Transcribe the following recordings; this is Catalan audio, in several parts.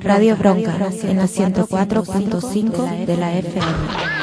Radio Bronca en la 104.5 de la FM.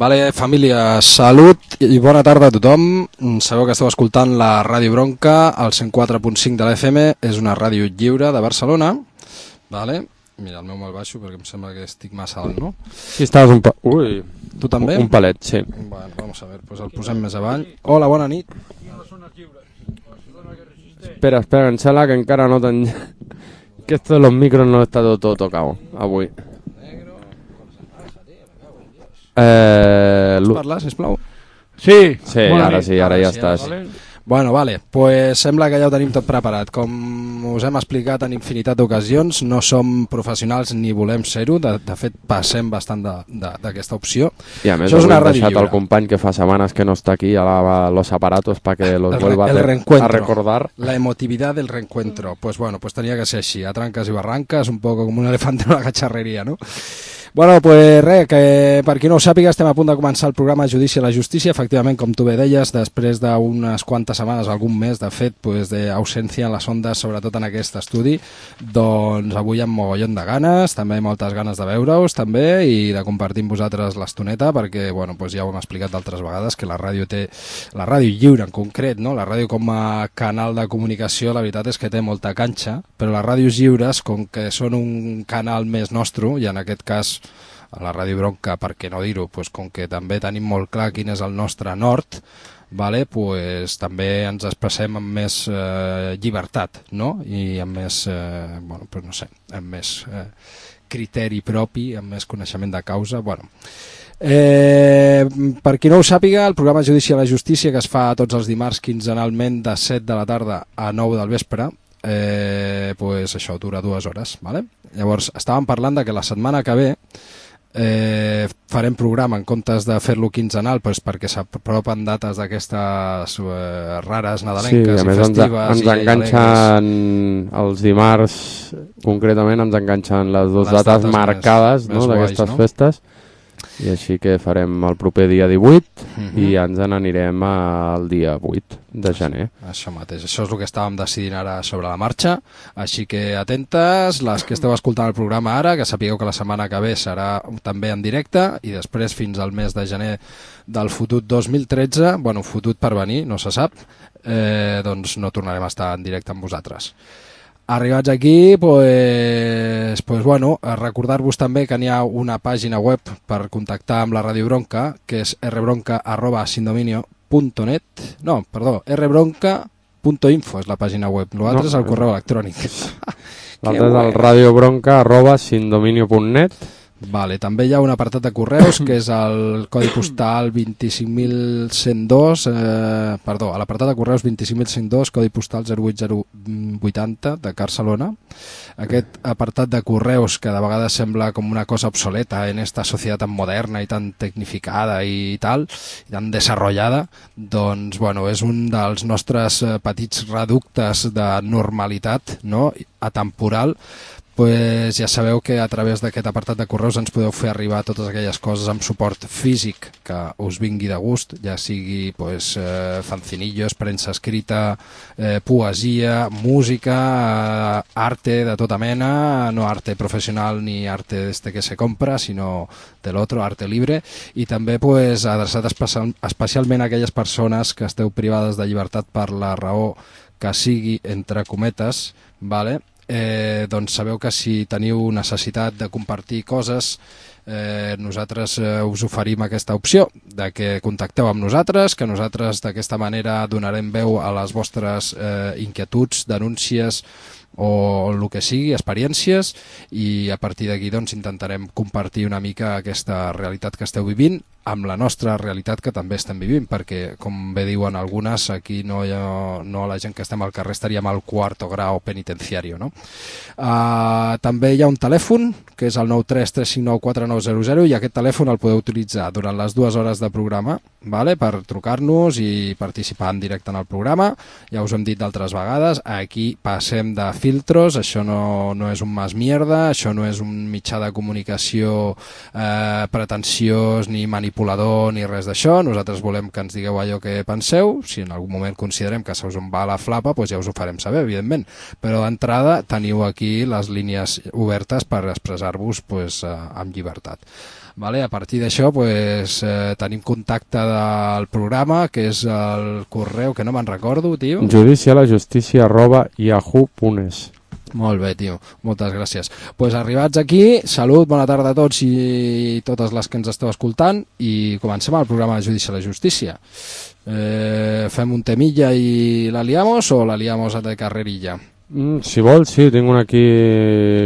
Vale, família, salut i bona tarda a tothom. Sabeu que esteu escoltant la Ràdio Bronca, al 104.5 de la FM, és una ràdio lliure de Barcelona. Vale. Mira, el meu me'l baixo perquè em sembla que estic massa alt, no? Sí, estaves Tu també? Un palet, sí. Bueno, vamos a ver, pues el posem més avall. Hola, bona nit. Espera, que em sembla que encara no t'han... Que esto de los micros no está todo tocado avui. Pots parlar, sisplau? Sí, ara sí, ara ja estàs. Bueno, vale, pues sembla que ja ho tenim tot preparat. Com us hem explicat en infinitat d'ocasions, no som professionals ni volem ser-ho, de fet passem bastant d'aquesta opció. I a més, hem deixat el company que fa setmanes que no està aquí a los aparatos para que los vuelva a recordar. La emotividad del reencuentro. Pues bueno, pues tenía que ser així, a trancas y barrancas, un poco com un elefante en una cacharrería, ¿no? Bueno, pues res, que per qui no ho sàpiga, estem a punt de començar el programa Judici a la Justícia. Efectivament, com tu bé deies, després d'unes quantes setmanes, algun mes, de fet, pues, d'ausència en les ondes, sobretot en aquest estudi, doncs avui amb mogollon de ganes, també moltes ganes de veure-us, també, i de compartir amb vosaltres l'estoneta, perquè, bueno, pues ja ho hem explicat d'altres vegades, que la ràdio té, la ràdio lliure en concret, no? La ràdio com a canal de comunicació, la veritat és que té molta canxa, però les ràdios lliures, com que són un canal més nostre, i en aquest cas a la Ràdio Bronca, per què no dir-ho, pues, com que també tenim molt clar quin és el nostre nord, vale, pues, també ens expressem amb més llibertat, no? I amb més, bueno, pues no sé, amb més criteri propi, amb més coneixement de causa. Bueno, per qui no ho sàpiga, el programa Judici a la Justícia, que es fa tots els dimarts quinzenalment de 7 de la tarda a 9 del vespre, pues això dura 2 hores, vale? Llavors estàvem parlant de que la setmana que ve farem programa en comptes de fer-lo quinzenal, pues perquè s'apropen dates d'aquestes rares nadalenques i festives. Ens enganxen els dimarts, concretament ens enganxen les dues dates marcades d'aquestes festes, i així que farem el proper dia 18 i ens n'anirem al dia 8 de gener. Això mateix, això és el que estàvem decidint ara sobre la marxa, així que atentes, les que esteu escoltant el programa ara, que sapigueu que la setmana que ve serà també en directe, i després fins al mes de gener del fotut 2013, bueno, fotut per venir, no se sap, doncs no tornarem a estar en directe amb vosaltres. Arribats aquí, pues bueno, recordar-vos també que n'hi ha una pàgina web per contactar amb la Ràdio Bronca, que és rbronca@sindominio.net, no, perdó, rbronca.info és la pàgina web, l'altre és el correu electrònic. L'altre és el radiobronca@sindominio.net. Vale, també hi ha un apartat de correus que és el codi postal 25.102, perdó, a l'apartat de correus 25.102, codi postal 08080 de Barcelona. Aquest apartat de correus, que de vegades sembla com una cosa obsoleta en esta societat tan moderna i tan tecnificada i tal, i tan desarrollada, doncs bueno, és un dels nostres petits reductes de normalitat, no?, atemporal. Pues ja sabeu que a través d'aquest apartat de correus ens podeu fer arribar totes aquelles coses amb suport físic que us vingui de gust, ja sigui pues, fancinillos, premsa escrita, poesia, música, arte de tota mena, no arte professional ni arte que se compra, sinó de l'altre, arte libre, i també pues, adreçat especialment a aquelles persones que esteu privades de llibertat per la raó que sigui, entre cometes, vale? Doncs sabeu que si teniu necessitat de compartir coses, nosaltres us oferim aquesta opció de que contacteu amb nosaltres, que nosaltres d'aquesta manera donarem veu a les vostres inquietuds, denúncies o el que sigui, experiències, i a partir d'aquí doncs, intentarem compartir una mica aquesta realitat que esteu vivint amb la nostra realitat que també estem vivint, perquè, com bé diuen algunes, aquí no la gent que estem al carrer estaríem al cuarto grau penitenciario, no? També hi ha un telèfon, que és el 933594900, i aquest telèfon el podeu utilitzar durant les 2 hores de programa, vale? Per trucar-nos i participar en directe en el programa. Ja us ho hem dit d'altres vegades, aquí passem de filtros, això no és un mas mierda, això no és un mitjà de comunicació pretensiós ni manipulador ni res d'això. Nosaltres volem que ens digueu allò que penseu. Si en algun moment considerem que se us en va la flapa, doncs ja us ho farem saber, evidentment, però d'entrada teniu aquí les línies obertes per expressar-vos amb llibertat. Vale, a partir d'això tenim contacte del programa, que és el correu que no me'n recordo, tio. judicialajustícia@yahoo.es. Molt bé, tio, moltes gràcies. Pues arribats aquí, salut, bona tarda a tots i totes les que ens esteu escoltant i comencem el programa de Judici a la Justícia. Fem un temilla i la liamos o la liamos de carrerilla? Si vols, sí, tinc un aquí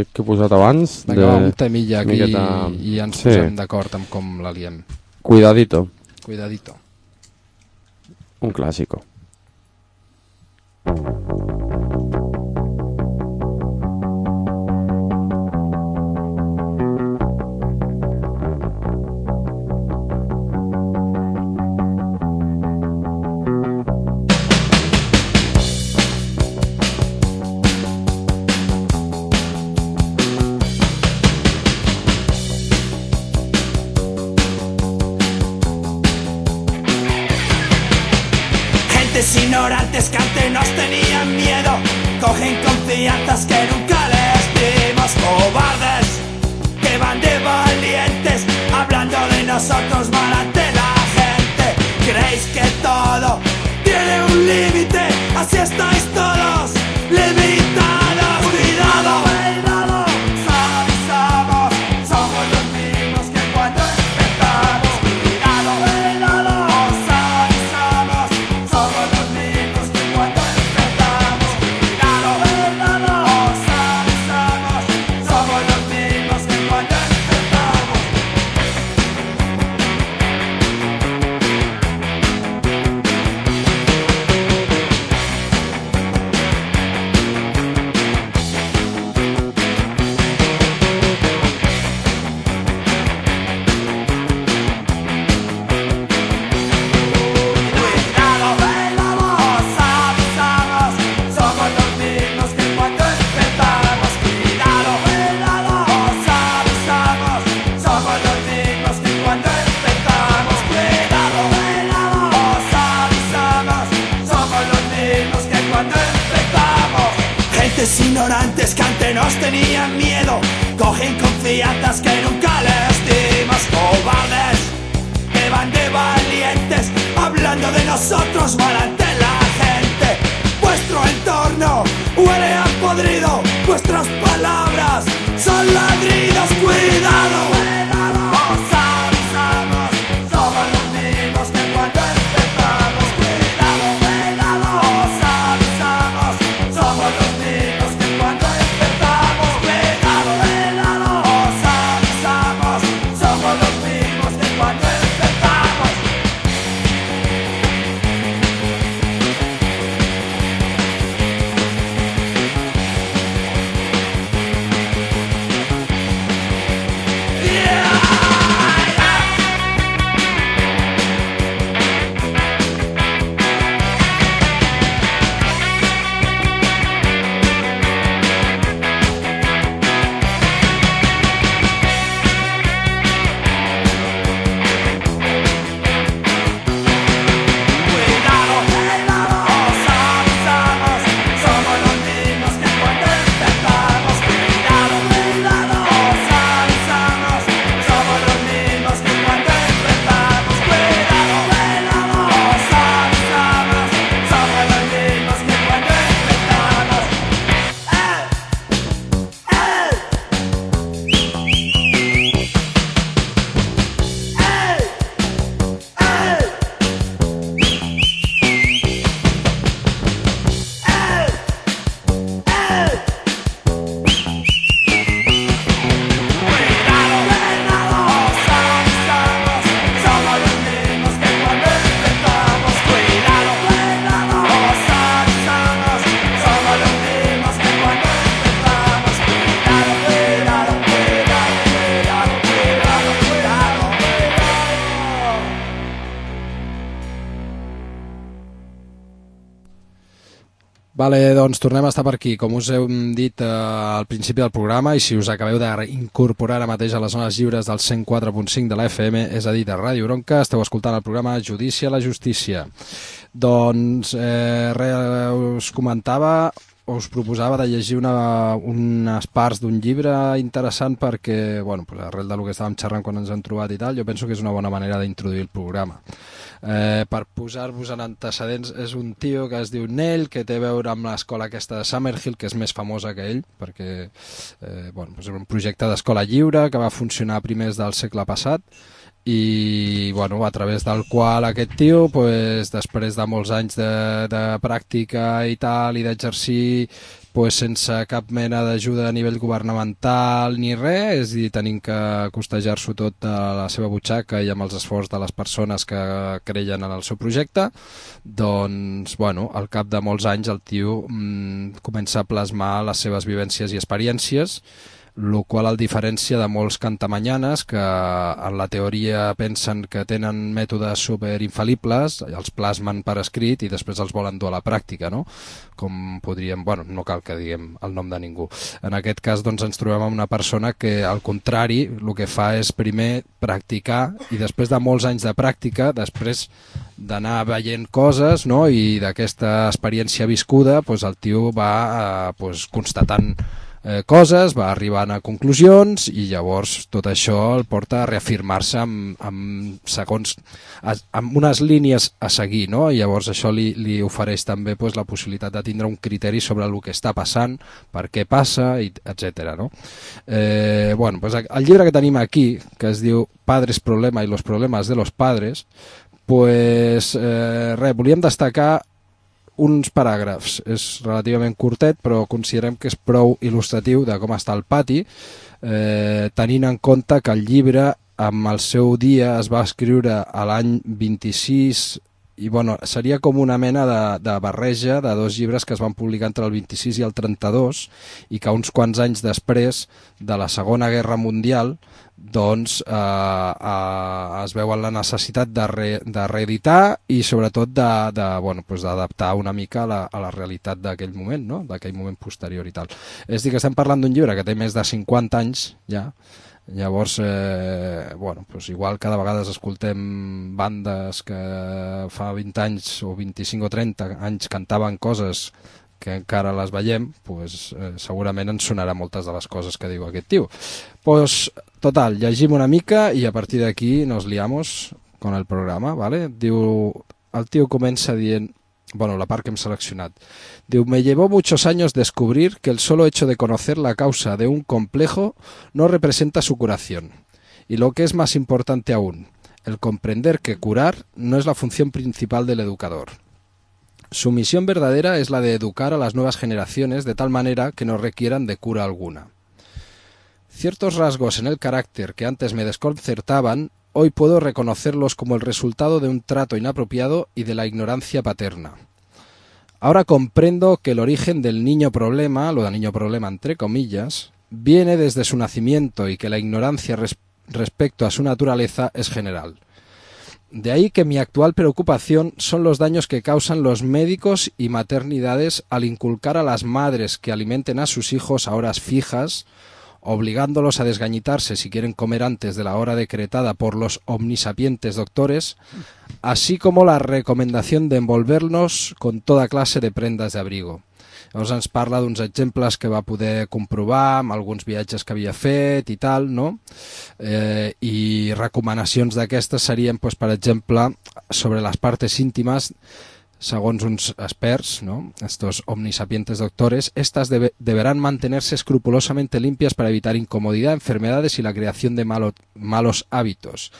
que he posat abans. Vinga, un temilla aquí i ens posem d'acord amb com la liem. Cuidadito. Cuidadito. Un clásico. Ignorantes que ante nos tenían miedo, cogen confianzas que nunca les dimos. Cobardes que van de valientes, hablando de nosotros mal ante la gente. Creéis que todo tiene un límite, así estáis todos limitados. Cuidado, cuidado, avisamos, somos los mismos que cuando empezamos. Cuidado, cuidado, avisamos, somos los mismos que cuando empezamos. Cuidado, cuidado, avisamos, somos los mismos que cuando empezamos. Cuidado, velamos, avisamos, somos los mismos que cuando empezamos. Cuidado, velamos, avisamos, somos los mismos que cuando empezamos. Cuidado, velamos, avisamos, somos los mismos que cuando empezamos. Gentes ignorantes que ante nos tenían miedo, cogen confianzas que nunca les dimos. Cobardes que van de valientes, hablando de nosotros mal ante la gente. Vuestro entorno huele a podrido, vuestras palabras son ladridos. Cuidado, os avisamos, somos los mismos que cuando empezamos. Cuidado, os avisamos, somos los mismos que cuando empezamos. Cuidado, os avisamos, somos los mismos que cuando empezamos. Vale, doncs tornem a estar per aquí. Com us hem dit al principi del programa, i si us acabeu d'incorporar ara mateix a les zones lliures del 104.5 de la FM, és a dir, de Ràdio Bronca, esteu escoltant el programa Judici a la Justícia. Doncs us comentava, us proposava de llegir unes parts d'un llibre interessant perquè, bueno, pues arrel del que estàvem xerrant quan ens hem trobat i tal, jo penso que és una bona manera d'introduir el programa. Per posar-vos en antecedents, és un tio que es diu Neil, que té a veure amb l'escola aquesta de Summerhill, que és més famosa que ell, perquè és un projecte d'escola lliure que va funcionar a primers del segle passat, i a través del qual aquest tio, després de molts anys de pràctica i tal, i d'exercir sense cap mena d'ajuda a nivell governamental ni res, és a dir, tenint que costejar-s'ho tot a la seva butxaca i amb els esforços de les persones que creien en el seu projecte, doncs, al cap de molts anys el tio comença a plasmar les seves vivències i experiències, el qual el diferència de molts cantamanyanes que en la teoria pensen que tenen mètodes superinfal·libles, els plasmen per escrit i després els volen dur a la pràctica, no? Com podríem... no cal que diguem el nom de ningú. En aquest cas doncs, ens trobem amb una persona que, al contrari, el que fa és primer practicar i després de molts anys de pràctica, després d'anar veient coses, no? I d'aquesta experiència viscuda, el tio va constatant coses, va arribant a conclusions i llavors tot això el porta a reafirmar-se amb unes línies a seguir, no? I llavors això li ofereix també la possibilitat de tindre un criteri sobre el que està passant, per què passa, etc. No? El llibre que tenim aquí, que es diu Padres Problema y los problemas de los padres, volíem destacar uns paràgrafs. És relativament curtet, però considerem que és prou il·lustratiu de com està el pati, tenint en compte que el llibre amb el seu dia es va escriure a l'any 26 i seria com una mena de barreja de dos llibres que es van publicar entre el 26 i el 32 i que uns quants anys després de la Segona Guerra Mundial doncs es veuen la necessitat de reeditar i sobretot d'adaptar una mica a la realitat d'aquell moment, no? D'aquell moment posterior i tal. És a dir, que estem parlant d'un llibre que té més de 50 anys ja. Llavors, igual cada vegada escoltem bandes que fa 20 anys o 25 o 30 anys cantaven coses que encara les veiem, segurament ens sonarà moltes de les coses que diu aquest tio. Total, llegim una mica i a partir d'aquí nos liamos con el programa, ¿vale? El tio comença dient, la part que hem seleccionat, diu, me llevó muchos años descubrir que el solo hecho de conocer la causa de un complejo no representa su curación. Y lo que es más importante aún, el comprender que curar no es la función principal del educador. Su misión verdadera es la de educar a las nuevas generaciones de tal manera que no requieran de cura alguna. Ciertos rasgos en el carácter que antes me desconcertaban, hoy puedo reconocerlos como el resultado de un trato inapropiado y de la ignorancia paterna. Ahora comprendo que el origen del niño problema, lo de niño problema entre comillas, viene desde su nacimiento y que la ignorancia respecto a su naturaleza es general. De ahí que mi actual preocupación son los daños que causan los médicos y maternidades al inculcar a las madres que alimenten a sus hijos a horas fijas, obligándolos a desgañitarse si quieren comer antes de la hora decretada por los omnisapientes doctores, así como la recomendación de envolvernos con toda clase de prendas de abrigo. Llavors ens parla d'uns exemples que va poder comprovar amb alguns viatges que havia fet i tal, no? I recomanacions d'aquestes serien, per exemple, sobre les partes íntimes, segons uns experts, ¿no? Estos omnisapientes doctores, estas deberán mantenerse escrupulosamente limpias para evitar incomodidad, enfermedades y la creación de malos hábitos.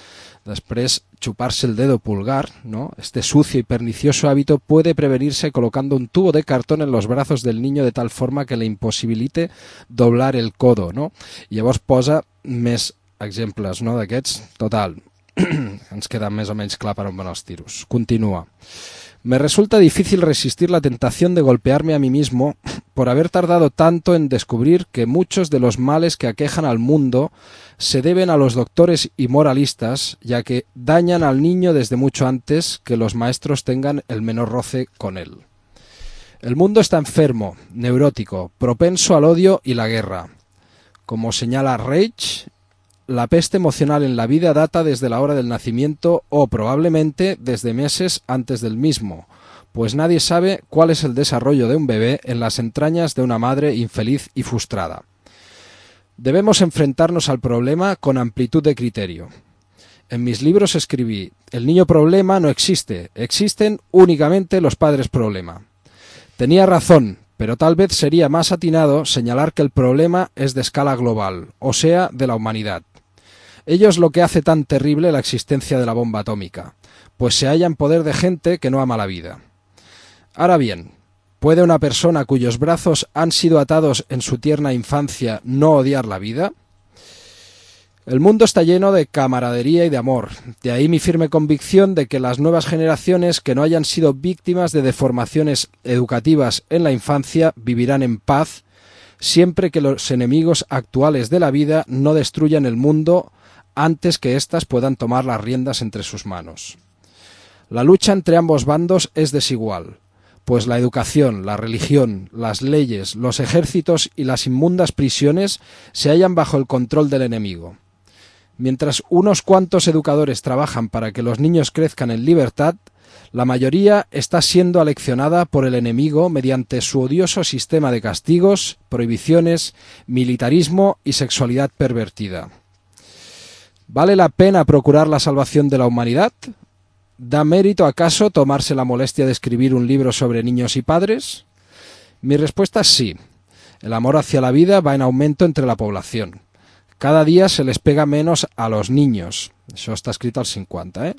Després, chuparse el dedo pulgar, ¿no? Este sucio y pernicioso hábito puede prevenirse colocando un tubo de cartón en los brazos del niño de tal forma que le impossibilite doblar el codo, ¿no? I llavors posa més exemples, no? D'aquests, total, ens queda més o menys clar per on van els tiros. Continua. Me resulta difícil resistir la tentación de golpearme a mí mismo por haber tardado tanto en descubrir que muchos de los males que aquejan al mundo se deben a los doctores y moralistas, ya que dañan al niño desde mucho antes que los maestros tengan el menor roce con él. El mundo está enfermo, neurótico, propenso al odio y la guerra. Como señala Reich, la peste emocional en la vida data desde la hora del nacimiento o probablemente desde meses antes del mismo, pues nadie sabe cuál es el desarrollo de un bebé en las entrañas de una madre infeliz y frustrada. Debemos enfrentarnos al problema con amplitud de criterio. En mis libros escribí: el niño problema no existe, existen únicamente los padres problema. Tenía razón, pero tal vez sería más atinado señalar que el problema es de escala global, o sea, de la humanidad. Ello es lo que hace tan terrible la existencia de la bomba atómica, pues se halla en poder de gente que no ama la vida. Ahora bien, ¿puede una persona cuyos brazos han sido atados en su tierna infancia no odiar la vida? El mundo está lleno de camaradería y de amor, de ahí mi firme convicción de que las nuevas generaciones que no hayan sido víctimas de deformaciones educativas en la infancia vivirán en paz, siempre que los enemigos actuales de la vida no destruyan el mundo antes que éstas puedan tomar las riendas entre sus manos. La lucha entre ambos bandos es desigual, pues la educación, la religión, las leyes, los ejércitos y las inmundas prisiones se hallan bajo el control del enemigo. Mientras unos cuantos educadores trabajan para que los niños crezcan en libertad, la mayoría está siendo aleccionada por el enemigo mediante su odioso sistema de castigos, prohibiciones, militarismo y sexualidad pervertida. ¿Vale la pena procurar la salvación de la humanidad? ¿Da mérito acaso tomarse la molestia de escribir un libro sobre niños y padres? Mi respuesta es sí. El amor hacia la vida va en aumento entre la población. Cada día se les pega menos a los niños. Eso está escrito al 50, ¿eh?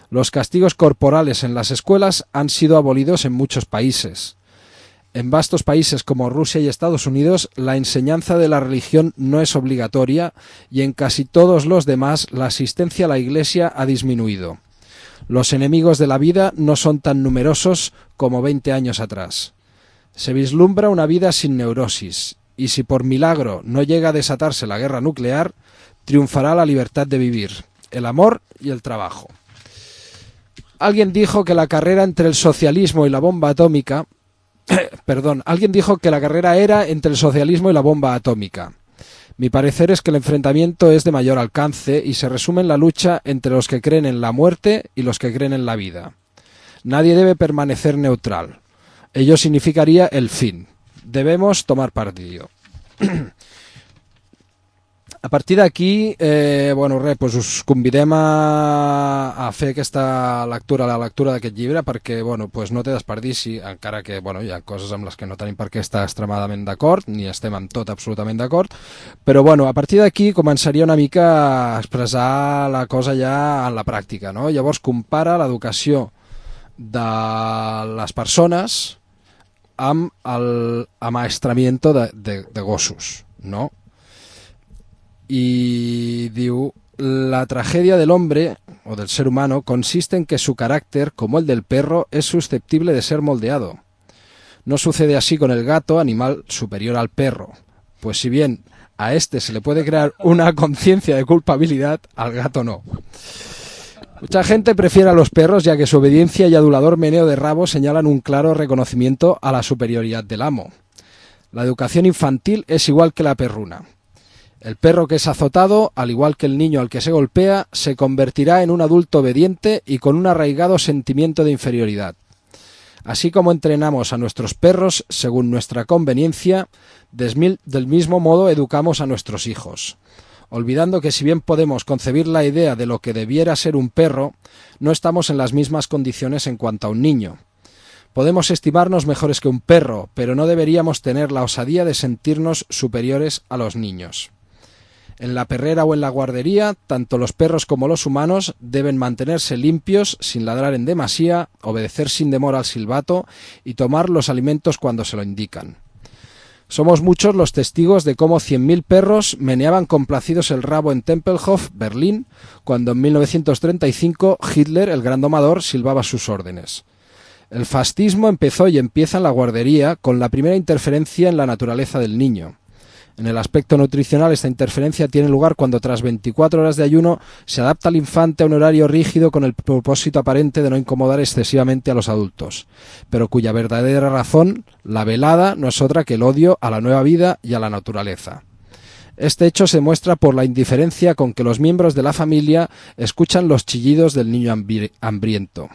Los castigos corporales en las escuelas han sido abolidos en muchos países. En vastos países como Rusia y Estados Unidos, la enseñanza de la religión no es obligatoria y en casi todos los demás la asistencia a la iglesia ha disminuido. Los enemigos de la vida no son tan numerosos como 20 años atrás. Se vislumbra una vida sin neurosis, y si por milagro no llega a desatarse la guerra nuclear, triunfará la libertad de vivir, el amor y el trabajo. Alguien dijo que la carrera entre el socialismo y la bomba atómica... alguien dijo que la carrera era entre el socialismo y la bomba atómica. Mi parecer es que el enfrentamiento es de mayor alcance y se resume en la lucha entre los que creen en la muerte y los que creen en la vida. Nadie debe permanecer neutral. Ello significaría el fin. Debemos tomar partido. A partir d'aquí, pues us convidem a fer aquesta lectura, la lectura d'aquest llibre, perquè pues no té desperdici, encara que hi ha coses amb les que no tenim per què estar extremadament d'acord, ni estem amb tot absolutament d'acord, però a partir d'aquí començaria una mica a expressar la cosa ja en la pràctica, no? Llavors compara l'educació de les persones amb l'amaestramiento de gossos, no? Y diu, la tragedia del hombre, o del ser humano, consiste en que su carácter, como el del perro, es susceptible de ser moldeado. No sucede así con el gato, animal superior al perro, pues si bien a este se le puede crear una conciencia de culpabilidad, al gato no. Mucha gente prefiere a los perros, ya que su obediencia y adulador meneo de rabo señalan un claro reconocimiento a la superioridad del amo. La educación infantil es igual que la perruna. El perro que es azotado, al igual que el niño al que se golpea, se convertirá en un adulto obediente y con un arraigado sentimiento de inferioridad. Así como entrenamos a nuestros perros según nuestra conveniencia, del mismo modo educamos a nuestros hijos, olvidando que si bien podemos concebir la idea de lo que debiera ser un perro, no estamos en las mismas condiciones en cuanto a un niño. Podemos estimarnos mejores que un perro, pero no deberíamos tener la osadía de sentirnos superiores a los niños. En la perrera o en la guardería, tanto los perros como los humanos deben mantenerse limpios, sin ladrar en demasía, obedecer sin demora al silbato y tomar los alimentos cuando se lo indican. Somos muchos los testigos de cómo 100.000 perros meneaban complacidos el rabo en Tempelhof, Berlín, cuando en 1935 Hitler, el gran domador, silbaba sus órdenes. El fascismo empezó y empieza en la guardería con la primera interferencia en la naturaleza del niño. En el aspecto nutricional, esta interferencia tiene lugar cuando tras 24 horas de ayuno se adapta al infante a un horario rígido con el propósito aparente de no incomodar excesivamente a los adultos, pero cuya verdadera razón, la velada, no es otra que el odio a la nueva vida y a la naturaleza. Este hecho se muestra por la indiferencia con que los miembros de la familia escuchan los chillidos del niño hambriento.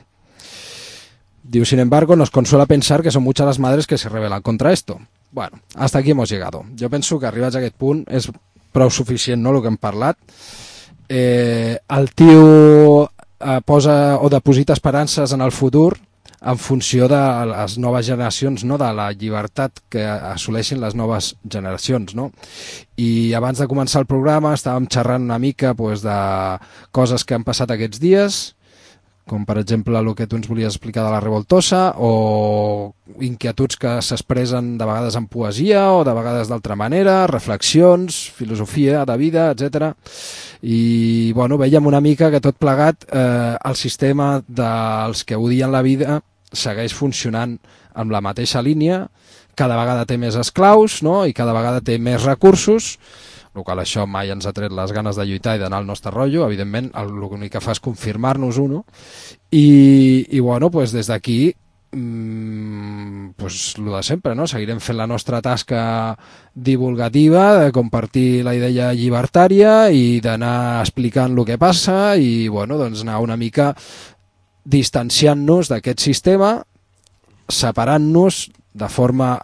Digo, sin embargo, nos consuela pensar que son muchas las madres que se rebelan contra esto. Bueno, hasta aquí hemos llegado. Jo penso que arribats a aquest punt és prou suficient, no?, el que hem parlat. el tio posa o deposita esperances en el futur en funció de les noves generacions, no? De la llibertat que assoleixin les noves generacions, no? I abans de començar el programa estàvem xerrant una mica pues, de coses que han passat aquests dies, com per exemple el que tu ens volies explicar de la Revoltosa, o inquietuds que s'expressen de vegades en poesia o de vegades d'altra manera, reflexions, filosofia de vida, etc. I bueno, veiem una mica que tot plegat el sistema dels que odien la vida segueix funcionant amb la mateixa línia, cada vegada té més esclaus, no? I cada vegada té més recursos, el qual això mai ens ha tret les ganes de lluitar i d'anar al nostre rotllo, evidentment l'únic que fa és confirmar-nos-ho, no? I bueno, pues des d'aquí pues el de sempre, no? Seguirem fent la nostra tasca divulgativa de compartir la idea llibertària i d'anar explicant el que passa i bueno, doncs anar una mica distanciant-nos d'aquest sistema, separant-nos de forma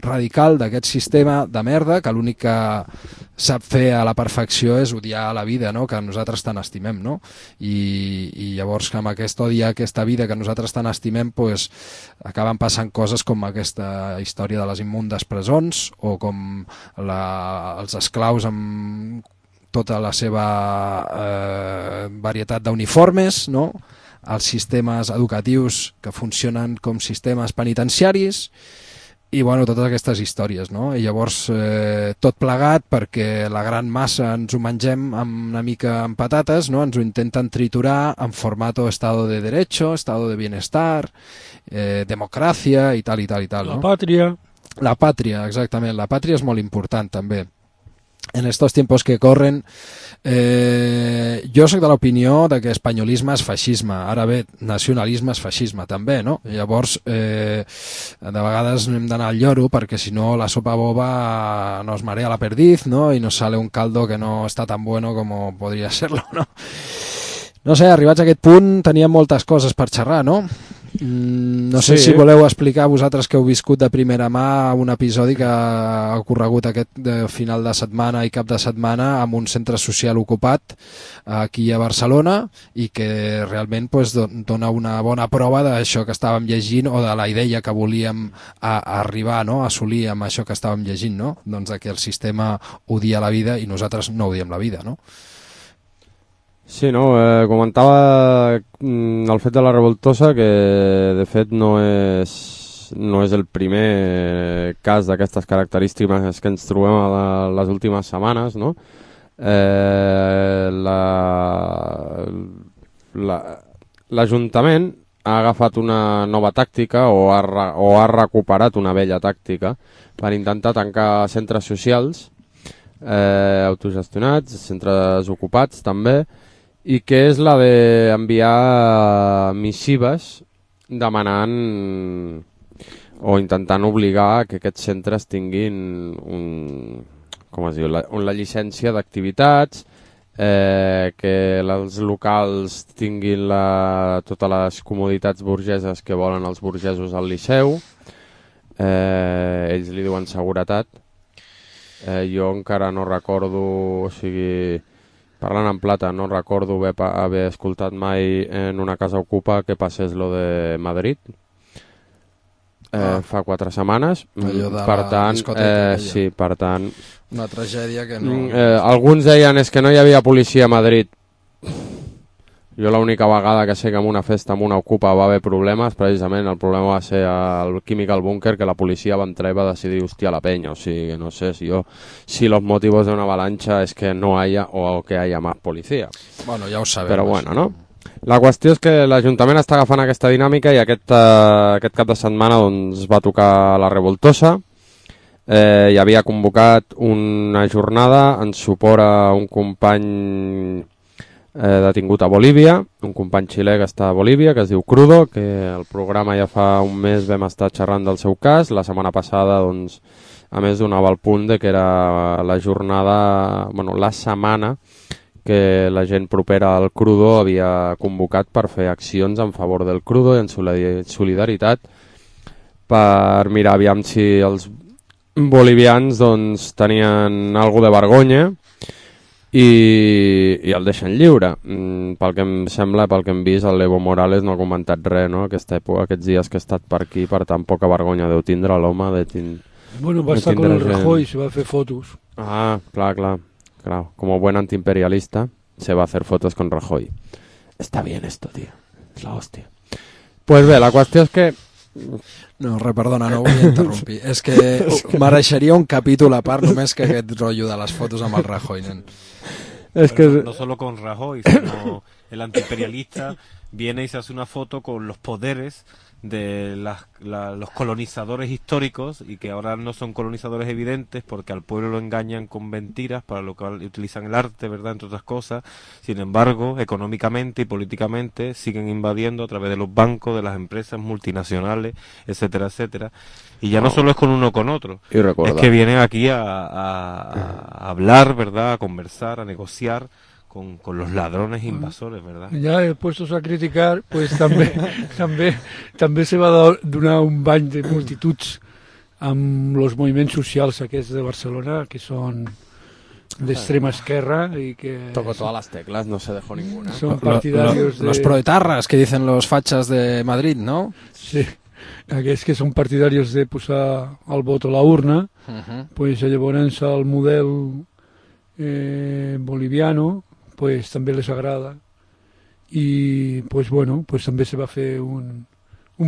radical d'aquest sistema de merda que l'únic que sap fer a la perfecció és odiar la vida, no? Que nosaltres tant estimem, no? I llavors amb aquest odi a aquesta vida que nosaltres tant estimem pues, acaben passant coses com aquesta història de les immundes presons o com els esclaus amb tota la seva varietat d'uniformes, no? Els sistemes educatius que funcionen com sistemes penitenciaris i bueno, totes aquestes històries, no? I llavors tot plegat perquè la gran massa ens ho mengem amb una mica amb patates, no? Ens ho intenten triturar en formato estado de derecho, estado de bienestar, democràcia i tal i tal i tal. La pàtria. La pàtria, exactament. La pàtria és molt important també. En estos tiempos que corren jo soc de l'opinió de que espanyolisme és feixisme, ara bé, nacionalisme és feixisme també, no? Llavors de vegades no hem d'anar al lloro perquè si no la sopa boba nos marea la perdiz, no? I nos sale un caldo que no està tan bueno como podria serlo, no? No sé, arribats a aquest punt teníem moltes coses per xerrar, no? No sé si voleu explicar vosaltres que heu viscut de primera mà un episodi que ha ocorregut aquest final de setmana i cap de setmana amb un centre social ocupat aquí a Barcelona i que realment pues, dona una bona prova d'això que estàvem llegint o de la idea que volíem arribar, no? A assolir amb això que estàvem llegint, no? Doncs que el sistema odia la vida i nosaltres no odiem la vida, no? Sí, no, comentava el fet de la Revoltosa que de fet no és el primer cas d'aquestes característiques que ens trobem a les últimes setmanes, no? L'Ajuntament ha agafat una nova tàctica o ha recuperat una vella tàctica per intentar tancar centres socials autogestionats, centres ocupats també, i que és la d'enviar missives demanant o intentant obligar que aquests centres tinguin la llicència d'activitats, que els locals tinguin totes les comoditats burgeses que volen els burgesos al Liceu, ells li diuen seguretat. Jo encara no recordo, o sigui, parlant en plata, no recordo haver escoltat mai en una casa ocupa que passés lo de Madrid. Fa 4 setmanes. Per tant, sí, per tant... Una tragèdia que no... alguns deien és que no hi havia policia a Madrid. Jo l'única vegada que sé que en una festa amb una ocupa va haver problemes, precisament el problema va ser el químic al búnquer, que la policia va entrar i va decidir hostia la peña. O sigui, no sé si los motivos de una avalancha es que no haya o que haya más policía. Bueno, ja ho sabem. Però bueno, no? La qüestió és que l'Ajuntament està agafant aquesta dinàmica i aquest cap de setmana doncs, va tocar la Revoltosa. Hi havia convocat una jornada en suport a un company detingut a Bolívia, un company xilè que està a Bolívia, que es diu Crudo, que el programa ja fa un mes vam estar xerrant del seu cas. La setmana passada, doncs, a més donava el punt de que era la jornada, la setmana que la gent propera al Crudo havia convocat per fer accions en favor del Crudo i en solidaritat per mirar aviam si els bolivians doncs, tenien alguna de vergonya i el deixen lliure. Pel que em sembla, pel que hem vist, el Evo Morales no ha comentat res, no? Aquesta època, aquests dies que ha estat per aquí, per tan poca vergonya deu tindre l'home Bueno, va estar con el Rajoy, se va a hacer fotos. Ah, claro. Como buen antiimperialista, se va a hacer fotos con Rajoy. Está bien esto, tío. Es la hostia. Pues bé, la qüestió és que... No, perdona, no vull interrompir. És que mereixeria un capítol a part només que aquest rotllo de les fotos amb el Rajoy, nen. Es que... No solo con Rajoy, sino el antiimperialista viene y se hace una foto con los poderes de los colonizadores históricos, y que ahora no son colonizadores evidentes porque al pueblo lo engañan con mentiras, para lo cual utilizan el arte, ¿verdad?, entre otras cosas. Sin embargo, económicamente y políticamente siguen invadiendo a través de los bancos, de las empresas multinacionales, etcétera, etcétera. Y ya no solo es con uno o con otro, es que vienen aquí a hablar, ¿verdad?, a conversar, a negociar con los ladrones invasores, ¿verdad? Ja puestos a criticar, pues també se va donar un bany de multituds amb els moviments socials aquests de Barcelona, que són d'extrema esquerra y que... Tocó todas las teclas, no se dejó ninguna. Son partidarios de... Los proetarras que dicen los fachas de Madrid, ¿no? Sí, aquests que són partidaris de posar el vot a la urna, pues llavors el model boliviano pues també les agrada, i pues bueno, pues també se va fer un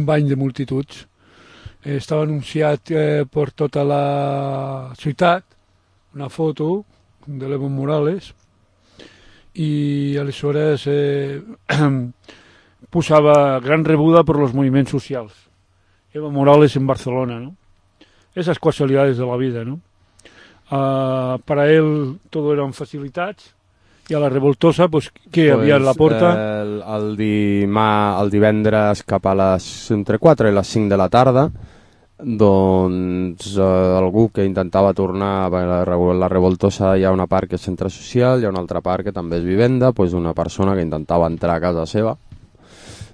bany de multituds. Estava anunciat per tota la ciutat una foto de l'Evo Morales, i aleshores posava gran rebuda per los movimientos socials. Evo Morales en Barcelona, ¿no? Esas casualidades de la vida, ¿no? Para él todo eran facilitats, i a la revoltosa, pues, què havia a la porta? El divendres cap a les entre 4 i les 5 de la tarda, doncs algú que intentava tornar a la revoltosa, hi ha una part que és centre social, hi ha una altra part que també és vivenda, doncs una persona que intentava entrar a casa seva,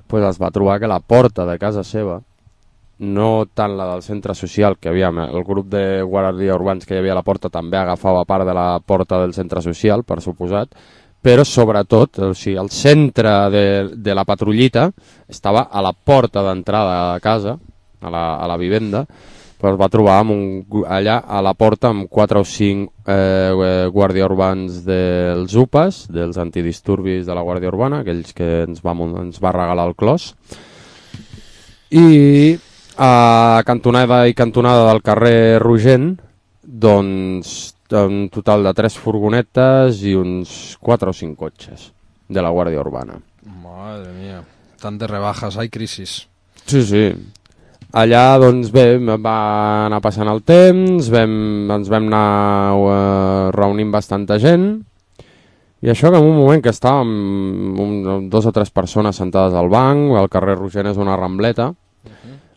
doncs es va trobar que la porta de casa seva, no tant la del centre social, que havia el grup de guàrdia urbans que hi havia a la porta també agafava part de la porta del centre social, per suposat, però sobretot, o sigui, el centre de la patrullita estava a la porta d'entrada a casa, a la vivenda, però es va trobar allà a la porta amb 4 o 5 guàrdia urbans dels UPAs, dels antidisturbis de la Guàrdia Urbana, aquells que ens va regalar el clos, i a cantonada i cantonada del carrer Rogent, doncs un total de 3 furgonetes i uns 4 o 5 cotxes de la Guàrdia Urbana. Madre mía, tant de rebajas, hay crisis. Sí. Allà, doncs bé, va anar passant el temps, ens vam anar reunint bastanta gent, i això que en un moment que estàvem 2 o 3 persones sentades al banc, el carrer Rogent és una rambleta,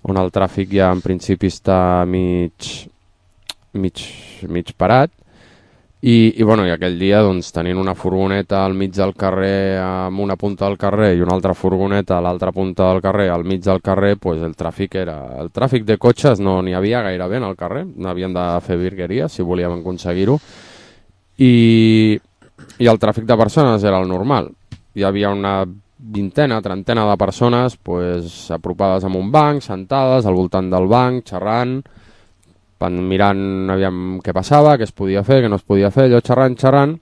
on el tràfic ja en principi està mig parat, i aquell dia doncs, tenint una furgoneta al mig del carrer amb una punta del carrer i una altra furgoneta a l'altra punta del carrer al mig del carrer, pues el tràfic de cotxes no n'hi havia gairebé en el carrer, n'havien de fer virgueria si volíem aconseguir-ho, i el tràfic de persones era el normal. Hi havia una 20, 30 de persones pues, apropades amb un banc, sentades al voltant del banc, xerrant, mirant aviam què passava, què es podia fer, què no es podia fer, allò xerrant.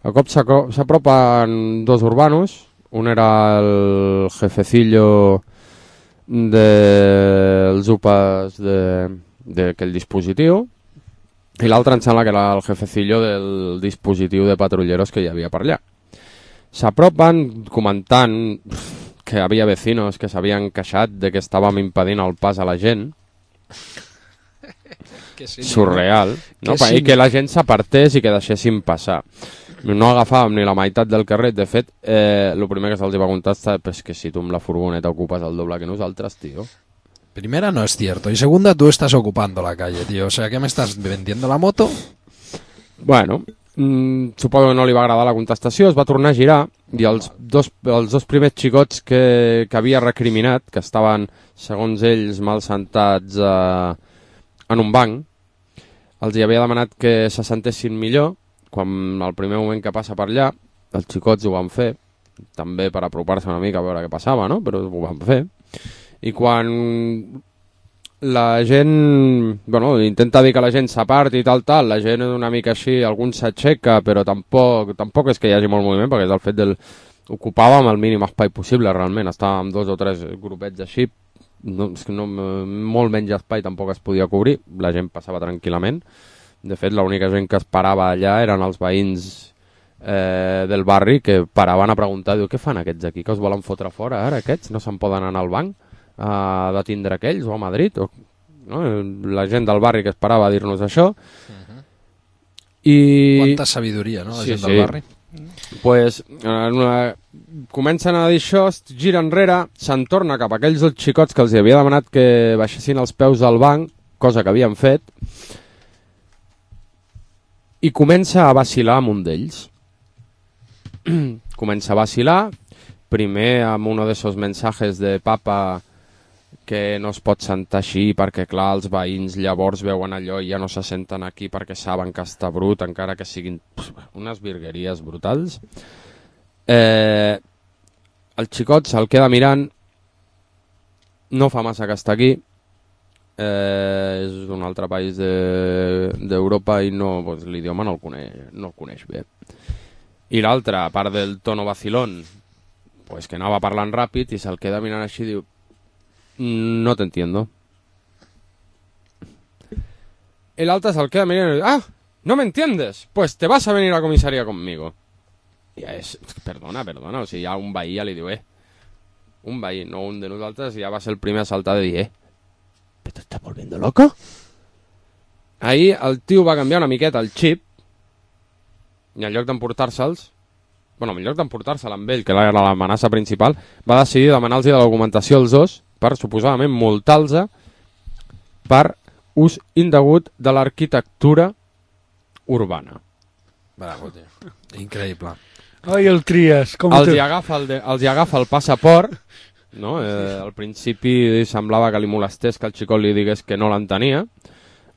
A cop s'apropen 2 urbanos, un era el jefecillo dels UPAs d'aquell dispositiu, i l'altre em sembla que era el jefecillo del dispositiu de patrulleros que hi havia per allà. S'apropen comentant que havia vecinos que s'havien queixat de que estàvem impedint el pas a la gent. Surreal, no? I que la gent s'apartés i que deixessin passar. No agafàvem ni la meitat del carrer. De fet, el primer que se'ls va contestar és que si tu amb la furgoneta ocupes el doble que nosaltres, tío. Primera, no es cierto. Y segunda, tú estás ocupando la calle, tío. O sea, ¿qué me estás vendiendo la moto? Bueno, suposo que no li va agradar la contestació, es va tornar a girar i els dos primers xicots que havia recriminat, que estaven, segons ells, mal sentats en un banc, els hi havia demanat que se sentessin millor quan el primer moment que passa per allà, els xicots ho van fer, també per apropar-se una mica a veure què passava, no? Però ho van fer. I quan la gent, bueno, intenta dir que la gent s'aparti i tal, la gent una mica així, algun s'aixeca, però tampoc és que hi hagi molt moviment, perquè és el fet del... Ocupàvem el mínim espai possible, realment, estàvem 2 o 3 grupets així, molt menys espai tampoc es podia cobrir, la gent passava tranquil·lament. De fet, l'única gent que es parava allà eren els veïns del barri, que paraven a preguntar, diu, què fan aquests aquí, que us volen fotre fora ara, aquests? No se'n poden anar al banc a detindre aquells o a Madrid? No? La gent del barri que es parava a dir-nos això. I... Quanta sabidoria, no?, la gent del barri. Pues, comencen a dir això, es gira enrere, se'n torna cap a aquells dos xicots que els havia demanat que baixessin els peus del banc, cosa que havien fet, i comença a vacilar amb un d'ells. Comença a vacilar, primer amb uno de esos mensajes de papa que no es pot sentar així perquè, clar, els veïns llavors veuen allò i ja no se senten aquí perquè saben que està brut, encara que siguin unes virgueries brutals. El xicot se'l queda mirant, no fa massa que està aquí, és d'un altre país d'Europa i no, pues, l'idioma no el coneix bé. I l'altre, a part del tono vacilón, pues, que anava parlant ràpid i se'l queda mirant així i diu: no te entiendo. El alta se queda mirando y dice: ah, ¿no me entiendes? Pues te vas a venir a la comisaría conmigo. I és, perdona, o sigui, ja un veí ja li diu, un veí, no un de nosaltres, ja va ser el primer a saltar de dir, ¿pero te estás volviendo loco? Ahí el tio va canviar una miqueta el xip i en lloc d'emportar-se'ls, bueno, en lloc d'emportar-se'l amb ell, que era l'amenaça principal, va decidir demanar-los de la documentació als dos per suposadament multar-los per ús indegut de l'arquitectura urbana. Bravo, tio. Increïble. Ai, el Trias. Els hi agafa el passaport, no? Al principi semblava que li molestés que el xicot li digués que no l'entenia,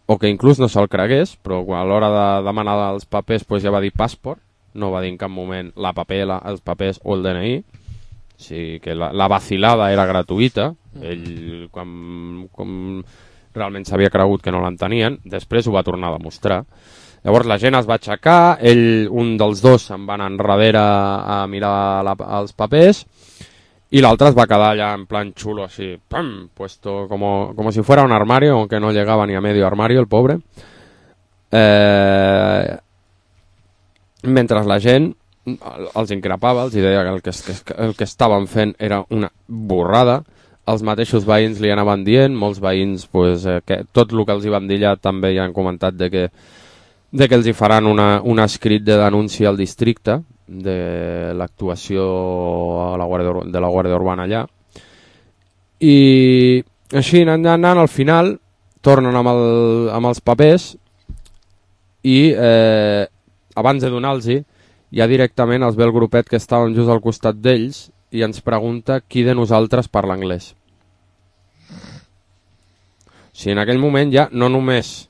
o que inclús no se'l cregués, però a l'hora de demanar els papers pues ja va dir passaport, no va dir en cap moment els papers o el DNI. O sigui que la vacilada era gratuïta. Ell, com realment s'havia cregut que no l'entenien, després ho va tornar a demostrar. Llavors la gent es va aixecar, un dels dos se'n va anar enrere a mirar els papers i l'altre es va quedar allà en plan xulo, així, ¡pam!, puesto como si fuera un armario, aunque no llegaba ni a medio armario, el pobre. Mentre la gent els increpava, els deia que el que estaven fent era una borrada. Els mateixos veïns li anaven dient, molts veïns, pues, que tot el que els hi van dir allà també ja han comentat de que els hi faran un escrit de denúncia al districte de l'actuació de la Guàrdia Urbana allà. I així anant al final tornen amb els papers i abans de donar-los-hi ja directament els ve el grupet que estàvem just al costat d'ells i ens pregunta qui de nosaltres parla anglès. O sigui, en aquell moment ja no només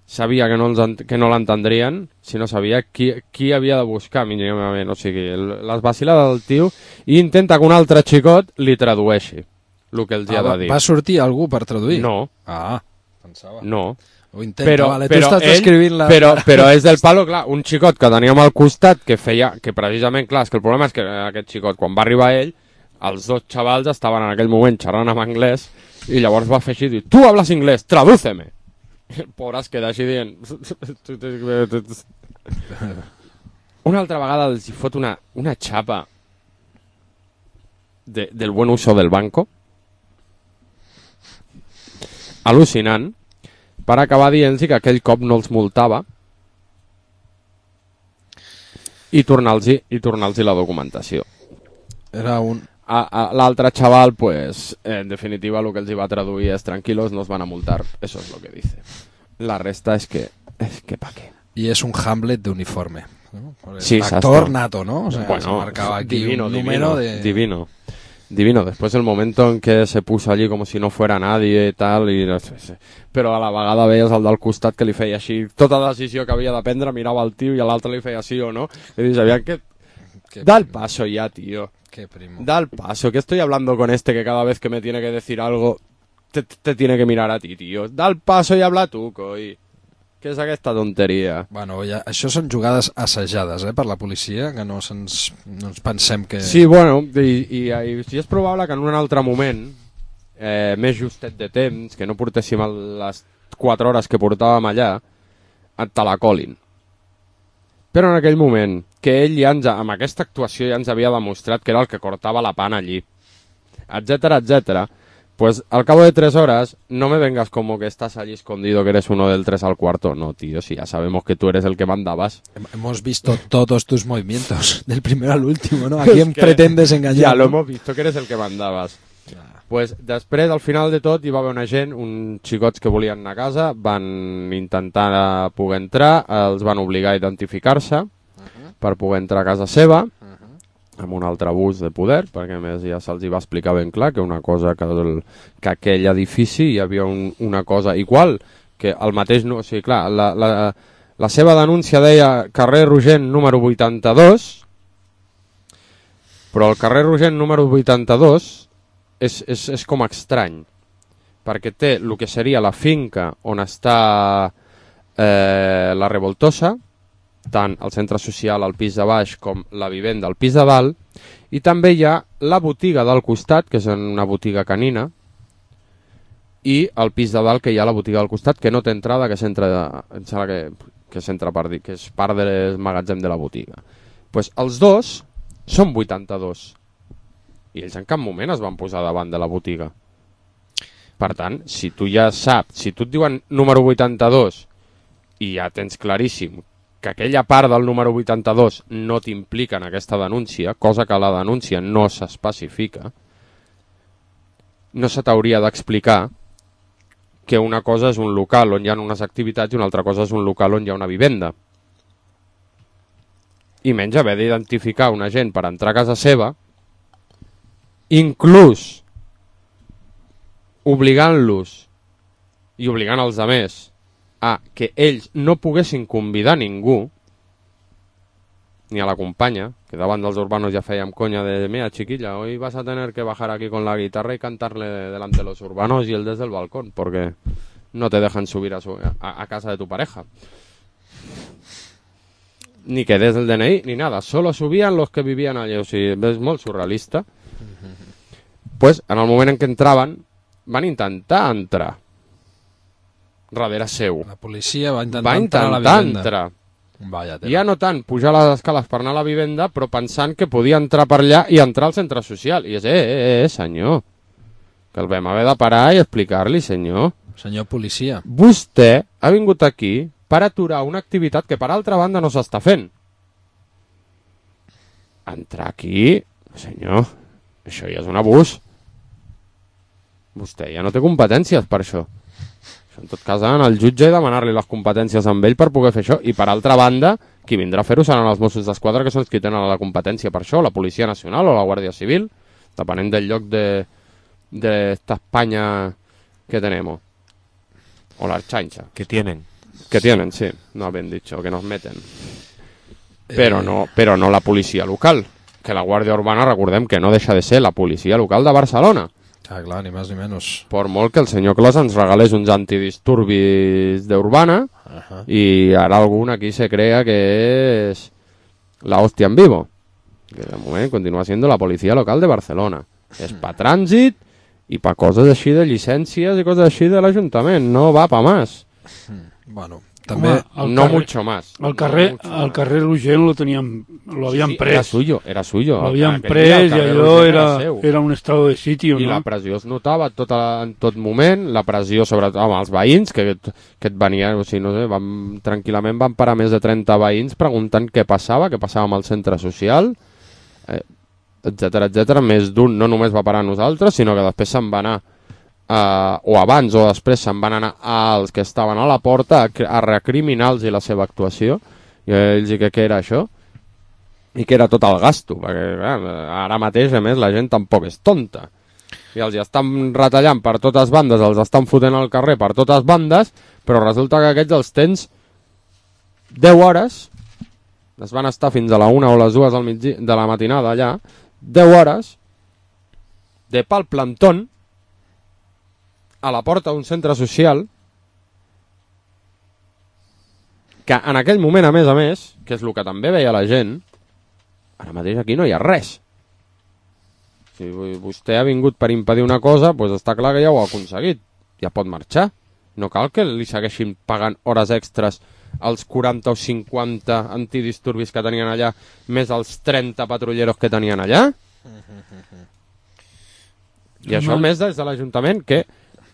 sabia que no l'entendrien, sinó sabia qui havia de buscar mínimament. O sigui, les vacilades del tio, i intenta que un altre xicot li tradueixi el que els hi ha de dir. Va sortir algú per traduir? No. Ah, pensava. No. Ho intenta, vale, tu estàs escrivint la... Però és del palo, clar, un xicot que teníem al costat que precisament, clar, és que el problema és que aquest xicot, quan va arribar ell, els dos xavals estaven en aquell moment xerrant en anglès i llavors va fer així i dir, tu hablas inglés, tradúceme. I el pobre es queda així dient... Una altra vegada els hi fot una xapa del buen uso del banco. Al·lucinant. Per acabar dient-los que aquell cop no els multava i tornar-los la documentació. Era un... L'altre xaval, pues, en definitiva, el que els hi va traduir és tranquilos, no os van a multar, eso es lo que dice. La resta es que pa' qué. Y es un Hamlet de uniforme, ¿no? Sí, actor nato, ¿no? O sea, bueno, se marcaba aquí divino, un número divino. divino. Después el momento en que se puso allí como si no fuera nadie i tal, però a la vegada veies el del costat que li feia així, tota decisió que havia de prendre, mirava el tio i l'altre li feia sí o no, i dius, aviam, da el paso ya, tío. Qué primo. Da el paso, que estoy hablando con este que cada vez que me tiene que decir algo te tiene que mirar a ti, tío. Da el paso i habla tu, coi. Què és aquesta tonteria? Bueno, ja, això són jugades assajades per la policia, que no ens pensem que... Sí, bueno, i és probable que en un altre moment, més justet de temps, que no portéssim les 4 hores que portàvem allà, te la colin. Però en aquell moment, que ell ja amb aquesta actuació ja ens havia demostrat que era el que cortava la pana allí, etcétera, etcétera, pues al cabo de 3 horas no me vengas como que estás allí escondido, que eres uno del 3 al cuarto. No, tío, si ya sabemos que tú eres el que mandabas. Hemos visto todos tus movimientos, del primero al último, ¿no? ¿A quién pretendes engañar? Ya, lo hemos visto, que eres el que mandabas. Pues després, al final de tot, hi va haver una gent, uns xicots que volien anar a casa, van intentar poder entrar, els van obligar a identificar-se per poder entrar a casa seva, amb un altre abús de poder, perquè a més ja se'ls va explicar ben clar que una cosa que aquell edifici hi havia una cosa igual, que el mateix... O sigui, clar, la seva denúncia deia carrer Rogent número 82, però el carrer Rogent número 82 és com estrany, perquè té el que seria la finca on està la Revoltosa, tant el centre social al pis de baix com la vivenda al pis de dalt, i també hi ha la botiga del costat, que és una botiga canina, i el pis de dalt que hi ha la botiga del costat, que no té entrada, que és part del magatzem de la botiga. Pues els dos són 82, i ells en cap moment es van posar davant de la botiga. Per tant, si tu ja saps, si tu et diuen número 82 i ja tens claríssim que aquella part del número 82 no t'implica en aquesta denúncia, cosa que la denúncia no s'especifica, no se t'hauria d'explicar que una cosa és un local on hi ha unes activitats i una altra cosa és un local on hi ha una vivenda. I menys haver d'identificar una gent per entrar a casa seva, inclús obligant-los i obligant els altres a que ells no poguessin convidar ningú, ni a la companya, que davant dels urbanos ja fèiem conya de mira chiquilla, hoy vas a tener que bajar aquí con la guitarra y cantarle delante de los urbanos y él desde el balcón, porque no te dejan subir a casa de tu pareja. Ni que des el DNI, ni nada, solo subían los que vivían allí, o sigui, és molt surrealista. Pues, en el moment en què entraven, van intentar entrar darrere seu. La policia va intentar entrar a la vivenda. Entrar. Ja no tant pujar les escales per anar a la vivenda, però pensant que podia entrar per allà i entrar al centre social. I és, senyor, que el vam haver de parar i explicar-li, senyor. Senyor policia. Vostè ha vingut aquí per aturar una activitat que per altra banda no s'està fent. Entrar aquí, senyor, això ja és un abús. Vostè ja no té competències per això. En tot cas, anar al jutge i demanar-li les competències amb ell per poder fer això. I per altra banda, qui vindrà a fer-ho seran els Mossos d'Esquadra, que són els que tenen la competència per això, la Policia Nacional o la Guàrdia Civil, depenent del lloc d'esta Espanya que tenemos. O la Archancha. Que tienen. Que tienen, sí. No ben dicho, que nos meten. Però no la policia local. Que la Guàrdia Urbana, recordem que no deixa de ser la policia local de Barcelona. Ah, clar, ni més ni menys. Per molt que el senyor Clos ens regalés uns antidisturbis d'Urbana i ara algun aquí se crea que és la hòstia en vivo. Que de moment continua siendo la policia local de Barcelona. És pa trànsit i pa coses així de llicències i coses així de l'Ajuntament. No va pa más. Bueno, també... No mucho más. El carrer Rogent lo habían pres. Era suyo. Lo habían pres i allò era un estado de sitio, I no? la pressió es notava en tot moment, la pressió sobretot amb els veïns, que et venien, o sigui, no sé, tranquil·lament van parar més de 30 veïns preguntant què passava amb el centre social, etcètera, etcètera. Més d'un no només va parar a nosaltres, sinó que després se'n va anar o abans o després se'n van anar als que estaven a la porta a recriminar-los la seva actuació i ells, i què era això? i que era tot el gasto, perquè ara mateix, a més, la gent tampoc és tonta. I els estan retallant per totes bandes, els estan fotent al carrer per totes bandes, però resulta que aquests els tens 10 hores, es van estar fins a la 1 o les 2 de la matinada allà, 10 hores de pal plantón a la porta d'un centre social que en aquell moment, a més, que és el que també veia la gent, ara mateix aquí no hi ha res. Si vostè ha vingut per impedir una cosa, doncs està clar que ja ho ha aconseguit. Ja pot marxar. No cal que li segueixin pagant hores extres als 40 o 50 antidisturbis que tenien allà, més els 30 patrulleros que tenien allà. I això més des de l'Ajuntament, que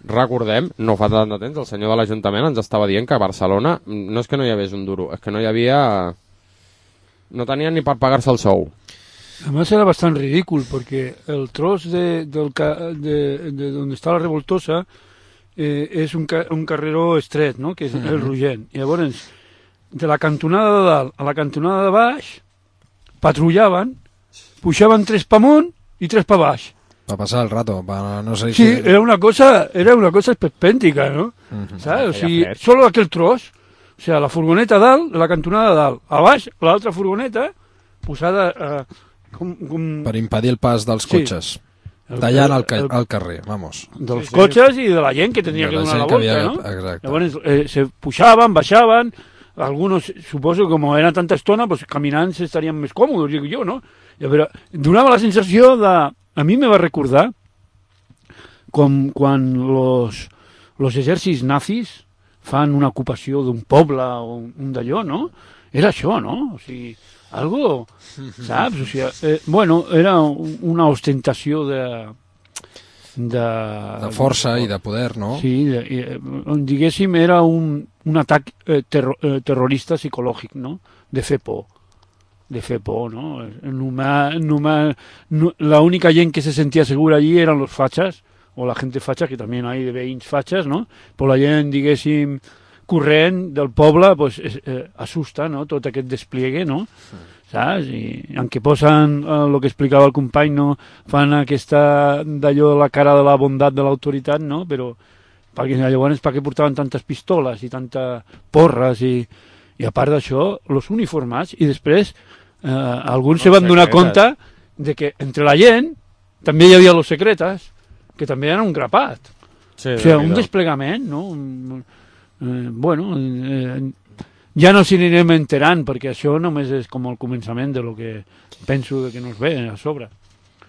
recordem, no fa tant de temps, el senyor de l'Ajuntament ens estava dient que a Barcelona no és que no hi hagués un duro, és que no hi havia... no tenien ni per pagar-se el sou. Además era bastante ridículo porque el tros de donde está la Revoltosa és un carreró estret, no? Que és el Rogent. I llavors, de la cantonada de dalt a la cantonada de baix, patrullaven, pujaven 3 pa amunt i 3 pa baix. Va passar el rato, no sé sí, si... era una cosa esperpèntica, ¿no? ¿Sabes? O sigui, solo aquel tros, o sea, la furgoneta dalt, la cantonada de dalt, a baix, l'altra furgoneta posada... per impedir el pas dels cotxes. Tallant al carrer, vamos. Dels cotxes i de la gent que tenia que donar la volta, ¿no? Exacte. Llavors se pujaven, baixaven, algunos, suposo, como era tanta estona, pues caminant estarían més còmodes, dic jo, no? Però donava la sensació de... A mi me va recordar com quan los exèrcits nazis fan una ocupació d'un poble o un d'allò, no? Era això, no? O sigui, algo, saps? O sigui, bueno, era una ostentació de força i de poder, no? Sí, diguéssim, era un atac terrorista psicològic, no? De fer por, ¿no? La única gent que se sentia segura allí eren los fachas, o la gente facha, que també hi ha de veïns fachas, no? Però la gent, diguéssim, corrent del poble, pues, assusta, no? Tot aquest despliegue, no? Saps? I en què posen el que explicava el company, no? Fan aquesta d'allò, la cara de la bondat de l'autoritat, no? Però perquè llavors per què portaven tantes pistoles i tantes porres i a part d'això, els uniformats, i després alguns se van donar compte de que entre la gent també hi havia los secretes, que també eren un grapat. Sí, o sigui, un desplegament, no? Bueno, ja no s'hi anirem enterant, perquè això només és com el començament de lo que penso que nos ve a sobre.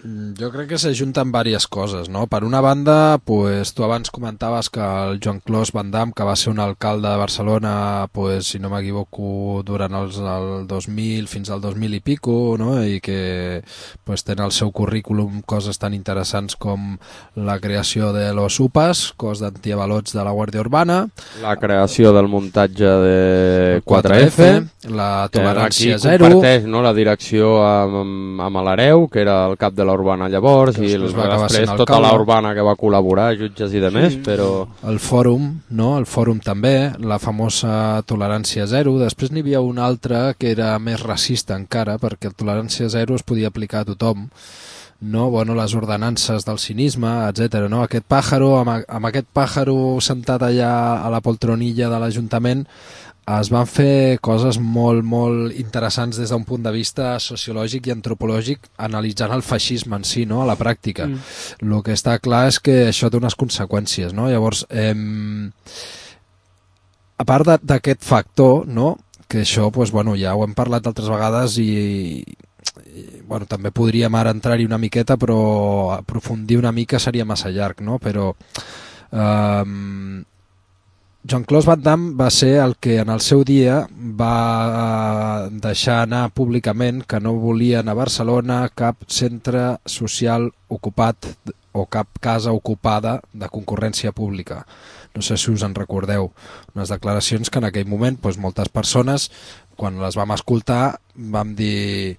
Jo crec que s'ajunten diverses coses, no? Per una banda, pues, tu abans comentaves que el Jean-Claude Van Damme, que va ser un alcalde de Barcelona, pues, si no m'equivoco, durant el 2000 fins al 2000 i pico, no? I que pues, té en el seu currículum coses tan interessants com la creació de los UPAs, cos d'antiavalots de la Guàrdia Urbana, la creació del muntatge de 4F, la tolerància aquí zero, comparteix, no, la direcció amb l'Hereu, que era el cap de la Urbana llavors, i després tota la Urbana que va col·laborar, jutges i demés, però... El fòrum, no? El fòrum també, la famosa tolerància zero. Després n'hi havia un altre que era més racista encara, perquè el tolerància zero es podia aplicar a tothom, no? Bueno, les ordenances del cinisme, etc. No? Aquest pàjaro, amb aquest pàjaro sentat allà a la poltronilla de l'Ajuntament, es van fer coses molt, molt interessants des d'un punt de vista sociològic i antropològic, analitzant el feixisme en si, no? A la pràctica. El que està clar és que això té unes conseqüències, no? Llavors, a part d'aquest factor, no? Que això, pues, bueno, ja ho hem parlat altres vegades i bueno, també podríem ara entrar-hi una miqueta, però aprofundir una mica seria massa llarg, no? Però Jean-Claude Van Damme va ser el que en el seu dia va deixar anar públicament que no volien a Barcelona cap centre social ocupat o cap casa ocupada de concurrència pública. No sé si us en recordeu. Unes declaracions que en aquell moment, doncs, moltes persones, quan les vam escoltar, vam dir...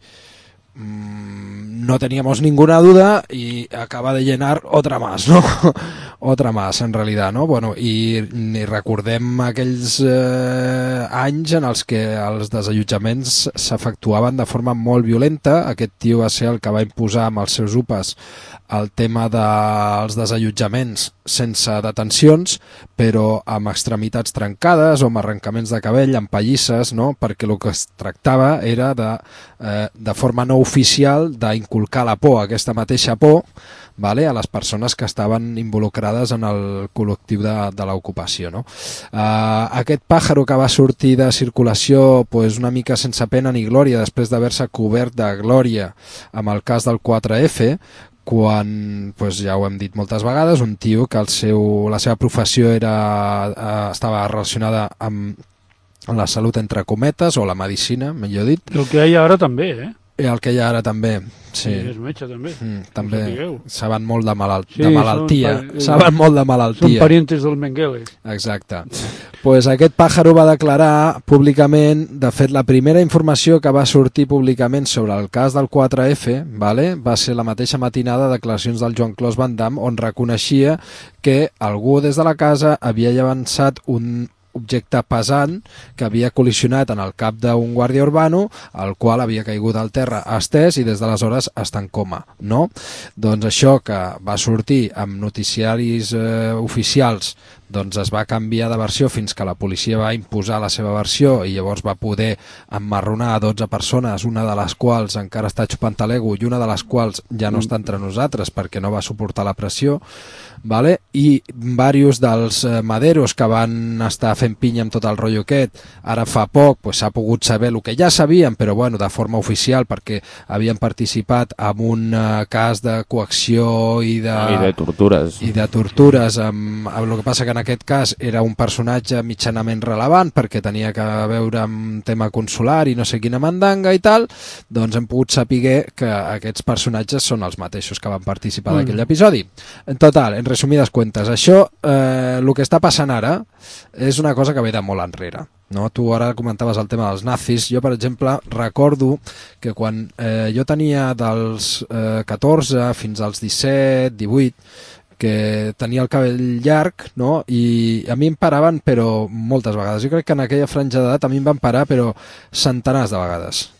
no teníamos ninguna duda y acaba de llenar otra más, ¿no? Otra más, en realidad, ¿no? Bueno, i recordem aquells anys en els que els desallotjaments s'efectuaven de forma molt violenta. Aquest tio va ser el que va imposar amb els seus UPAs el tema dels desallotjaments sense detencions, però amb extremitats trencades o amb arrencaments de cabell, amb pallisses, no? Perquè el que es tractava era de forma no oficial d'inculcar la por, aquesta mateixa por, vale, a les persones que estaven involucrades en el col·lectiu de l'ocupació, no? Aquest pàjaro que va sortir de circulació pues, una mica sense pena ni glòria després d'haver-se cobert de glòria amb el cas del 4F, quan, pues, ja ho hem dit moltes vegades, un tio que la seva professió estava relacionada amb la salut entre cometes, o la medicina, millor dit. El que hi ha ara també, El que hi ha ara també, sí. És metge també. També saben molt de malaltia. Saben molt de malaltia. Són parientes del Mengele. Exacte. Pues aquest pàjaro va declarar públicament, de fet la primera informació que va sortir públicament sobre el cas del 4F, vale, va ser la mateixa matinada de declaracions del Joan Clos Van Damme, on reconeixia que algú des de la casa havia llançat un objecte pesant que havia col·lisionat en el cap d'un guàrdia urbano, el qual havia caigut al terra estès i des d'aleshores està en coma, no? Doncs això que va sortir amb noticiaris oficials, doncs es va canviar de versió fins que la policia va imposar la seva versió i llavors va poder emmarronar a 12 persones, una de les quals encara està xupant a l'ego i una de les quals ja no està entre nosaltres perquè no va suportar la pressió, vale? I diversos dels maderos que van estar fent pinya amb tot el rotllo aquest, ara fa poc s'ha pogut saber el que ja sabíem, però bueno, de forma oficial, perquè havien participat en un cas de coacció i de tortures. I de tortures, amb el que passa que en aquest cas era un personatge mitjanament relevant perquè tenia que veure amb tema consular i no sé quina mandanga i tal, doncs hem pogut saber que aquests personatges són els mateixos que van participar d'aquell episodi. En total, en resumides cuentes, això, el que està passant ara és una cosa que ve de molt enrere, no? Tu ara comentaves el tema dels nazis. Jo, per exemple, recordo que quan jo tenia dels 14 fins als 17, 18, que tenia el cabell llarg, no? I a mi em paraven, però moltes vegades. Jo crec que en aquella franja d'edat a mi em van parar, però centenars de vegades.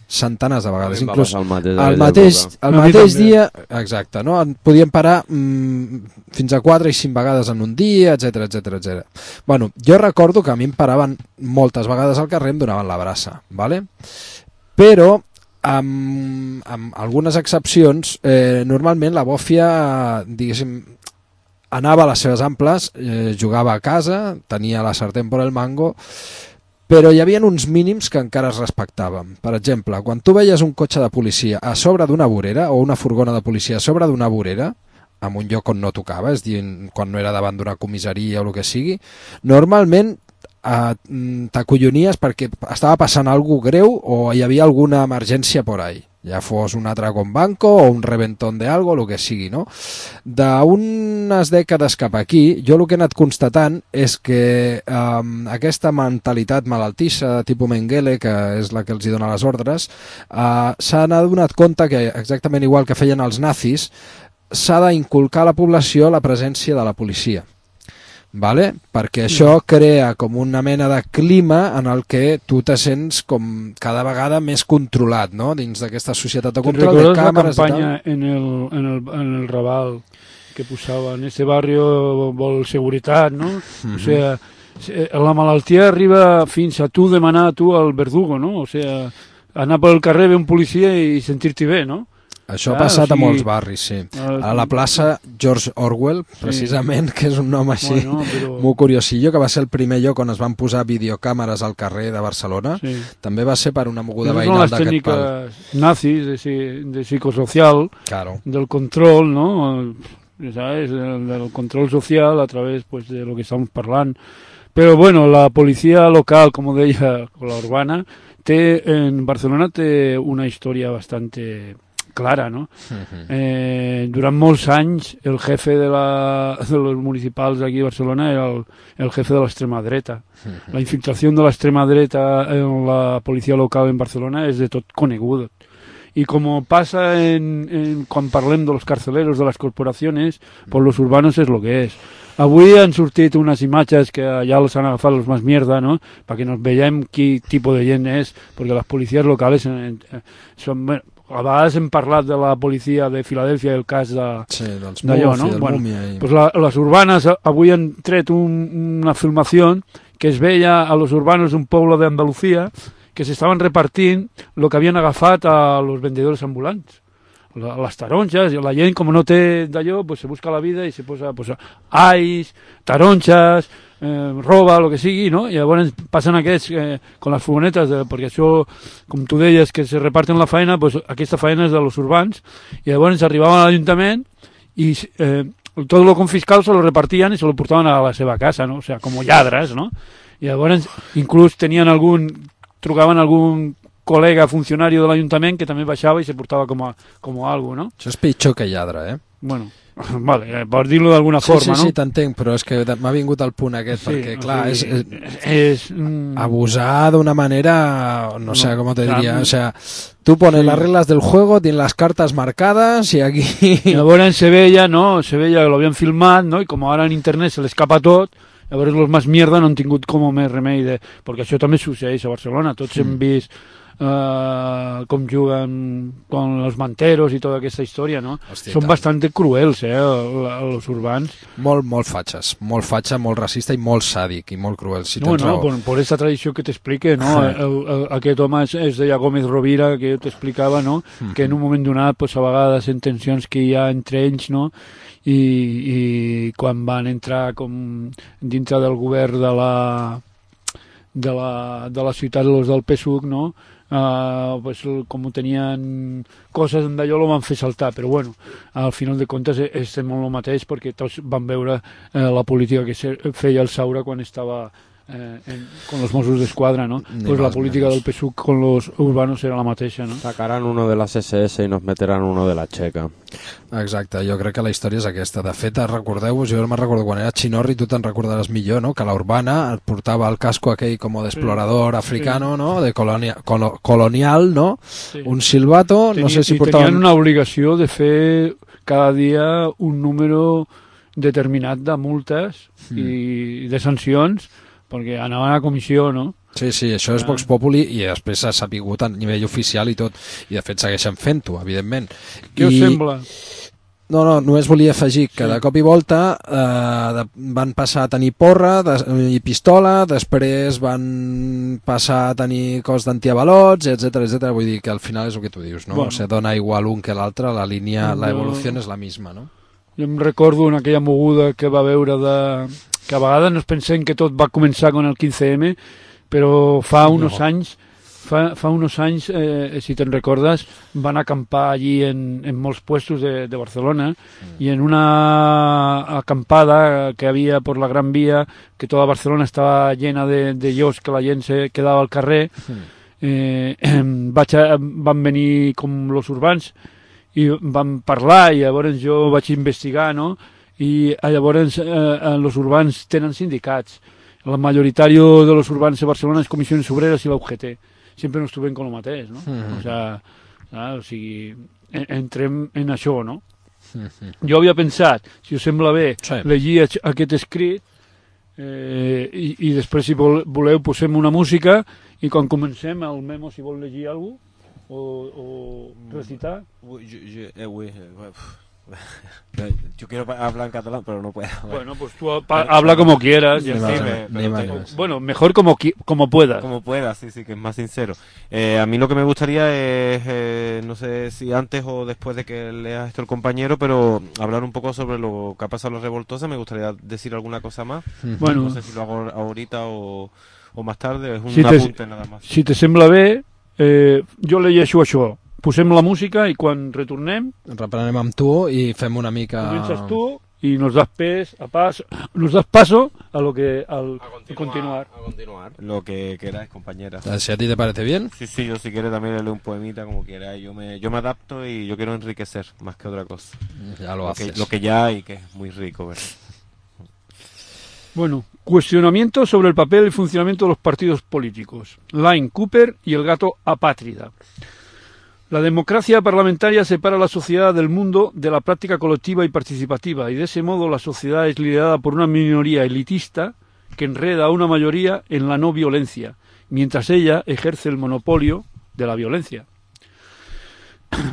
Inclús el mateix dia, exacte, no? Podien parar fins a 4 i 5 vegades en un dia, etc. Bueno, jo recordo que a mi em paraven moltes vegades al carrer, em donaven la braça, vale? Però amb algunes excepcions, normalment la bòfia, diguéssim, anava a les seves amples, jugava a casa, tenia la sartén por el mango, però hi havia uns mínims que encara es respectaven. Per exemple, quan tu veies un cotxe de policia a sobre d'una vorera o una furgona de policia a sobre d'una vorera, en un lloc on no tocava, és a dir, quan no era davant d'una comissaria o el que sigui, normalment t'acollonies perquè estava passant alguna cosa greu o hi havia alguna emergència por ahí, ja fos un atraco en banco o un reventón de algo, el que sigui, no? D'unes dècades cap aquí, jo el que he anat constatant és que aquesta mentalitat malaltissa de tipus Mengele, que és la que els hi dona les ordres, s'han adonat compte que, exactament igual que feien els nazis, s'ha d'inculcar a la població la presència de la policia. Vale? Perquè això crea com una mena de clima en el que tu te sents com cada vegada més controlat, no? Dins d'aquesta societat de control de càmeres i tal. ¿Recordas la campaña en el Raval que posava en este barrio vol seguretat, no? O sea, la malaltia arriba fins a tu demanar a tu al verdugo, no? O sea, anar pel carrer, ver un policia i sentir-t'hi bé, no? Això ha passat a molts barris, sí. A la plaça George Orwell, precisament, que és un nom així molt curiosillo, que va ser el primer lloc on es van posar videocàmeres al carrer de Barcelona. També va ser per una moguda veïnal d'aquest pal. Són les tècniques nazis de psicosocial, del control, ¿no? ¿Sabes? Del control social a través de lo que estamos parlant. Pero bueno, la policía local, como deia, la urbana, en Barcelona té una història bastante clara, no? Durant molts anys el jefe de los municipals aquí de Barcelona era el jefe de l'extrema dreta. La infiltració de l'extrema dreta en la policia local en Barcelona és de tot conegut. Y como pasa cuando parlem de los carceleros, de las corporaciones, pues los urbanos es lo que es. Avui han sortit unes imatges que ja les han agafat los más mierda, no? Perquè nos veiem quin tipus de gent és, perquè les policies locals són... Bueno, a vegades hem parlat de la policia de Filadèlfia i el cas d'allò, no? Bueno, pues les urbanes avui han tret una filmació que es veia a los urbanos d'un poble d'Andalucía que s'estaven repartint el que havien agafat a los vendedores ambulants. Les taronges, i la gent com no té d'allò, pues se busca la vida i se posa pues, ais, taronges, roba, el que sigui, no? I llavors passen aquests con les furgonetes, perquè això, com tu deies, que se reparten la feina, pues aquesta feina és de los urbans, i llavors arribaven a l'Ajuntament i tot lo confiscal se lo repartien i se lo portaven a la seva casa, no? O sea, com lladres, no? I llavors inclús tenien trucaven algun col·lega funcionari de l'Ajuntament que també baixava i se portava com a algo, no? Això és pitjor que lladre, Bueno, vale, per dir-lo d'alguna forma, no? Sí, t'entenc, però és que m'ha vingut el punt aquest, perquè, clar, és abusar d'una manera, no sé com te diria, o sea, tú pones las reglas del juego, tienes las cartas marcadas y aquí... Llavors se veia, no? Se veia que l'havien filmat, no? I com ara en internet se l'escapa tot, llavors los más mierda no han tingut com més remei de... Perquè això també succeeix a Barcelona, tots hem vist com juguen con los manteros i tota aquesta història, no? Hòstia, són bastant cruels, els urbans. Molt fatxes, molt fatxa, molt racista i molt sàdic i molt cruel, si tens raó. Per aquesta tradició que t'explique, no? Aquest home es deia Gómez Rovira, que jo t'explicava, no? Que en un moment donat, pues, a vegades en tensions que hi ha entre ells, no? I quan van entrar com dintre del govern de la ciutat del PSUC, no? Pues, com tenien coses d'allò lo van fer saltar, però bueno, al final de comptes estem molt el mateix perquè tots van veure la política que feia el Saura quan estava con los Mossos d'Esquadra, ¿no? Pues la política del PSUC con los urbanos era la mateixa, ¿no? Sacarán uno de las SS i nos meteran uno de la Checa. Exacte, jo crec que la història és aquesta. De fet, recordeu-vos, jo me'n recordo quan era Chinorri, tu te'n recordaràs millor, no? Que la Urbana portava el casco aquell com d'explorador africano, no? De colonial, no? Sí. Un silbato, no sé si portaven... Tenien una obligació de fer cada dia un número determinat de multes i de sancions perquè anaven a comissió, no? Sí, això és Vox Populi i després s'ha sapigut a nivell oficial i tot, i de fet segueixen fent-ho, evidentment. Què us sembla? No, només volia afegir que de cop i volta van passar a tenir porra i pistola, després van passar a tenir cos d'antiavalots, etc. Vull dir que al final és el que tu dius, no? Bueno. O sigui, dona igual un que l'altre, la línia, la evolució és la misma, no? Jo em recordo en aquella moguda que va veure que a vegades no es pensem que tot va començar con el 15M, però fa unos anys, si te'n recordes, van acampar allí en molts puestos de Barcelona i en una acampada que havia por la Gran Vía, que tota Barcelona estava llena de llocs, que la gent se quedava al carrer, van venir com los urbans i van parlar i llavors jo vaig investigar, no? I llavors els urbans tenen sindicats. El majoritari de los urbans de Barcelona és Comissions Obreres i la UGT. Sempre ens trobem con el mateix, no? O sigui, entrem en això, no? Jo havia pensat, si us sembla bé, llegir aquest escrit i després, si voleu, posem una música i quan comencem, el Memo, si vol llegir alguna cosa o recitar. Yo quiero hablar en catalán, pero no puedo. Bueno, pues tú habla como quieras. Bueno, mejor como puedas. Como puedas, sí, que es más sincero. A mí lo que me gustaría es, no sé si antes o después de que leas esto el compañero, pero hablar un poco sobre lo que ha pasado en los Revoltosa. Me gustaría decir alguna cosa más. Bueno, no sé si lo hago ahorita o más tarde. Es un apunte nada más. Si te sembla bé, jo llegeixo això. Posem la música i quan retornem reprenem amb tu i fem una mica... Comences tu i nos das paso a lo que a continuar. Lo que queráis, compañeras. Si a ti te parece bien. Sí, yo si quieres también leo un poemita como quieras. Yo me adapto y yo quiero enriquecer más que otra cosa. Ya lo haces. Lo que ya hay, que es muy rico, ¿verdad? Bueno, cuestionamiento sobre el papel y funcionamiento de los partidos políticos. Line Cooper y el gato apátrida. La democracia parlamentaria separa a la sociedad del mundo de la práctica colectiva y participativa, y de ese modo la sociedad es liderada por una minoría elitista que enreda a una mayoría en la no violencia, mientras ella ejerce el monopolio de la violencia.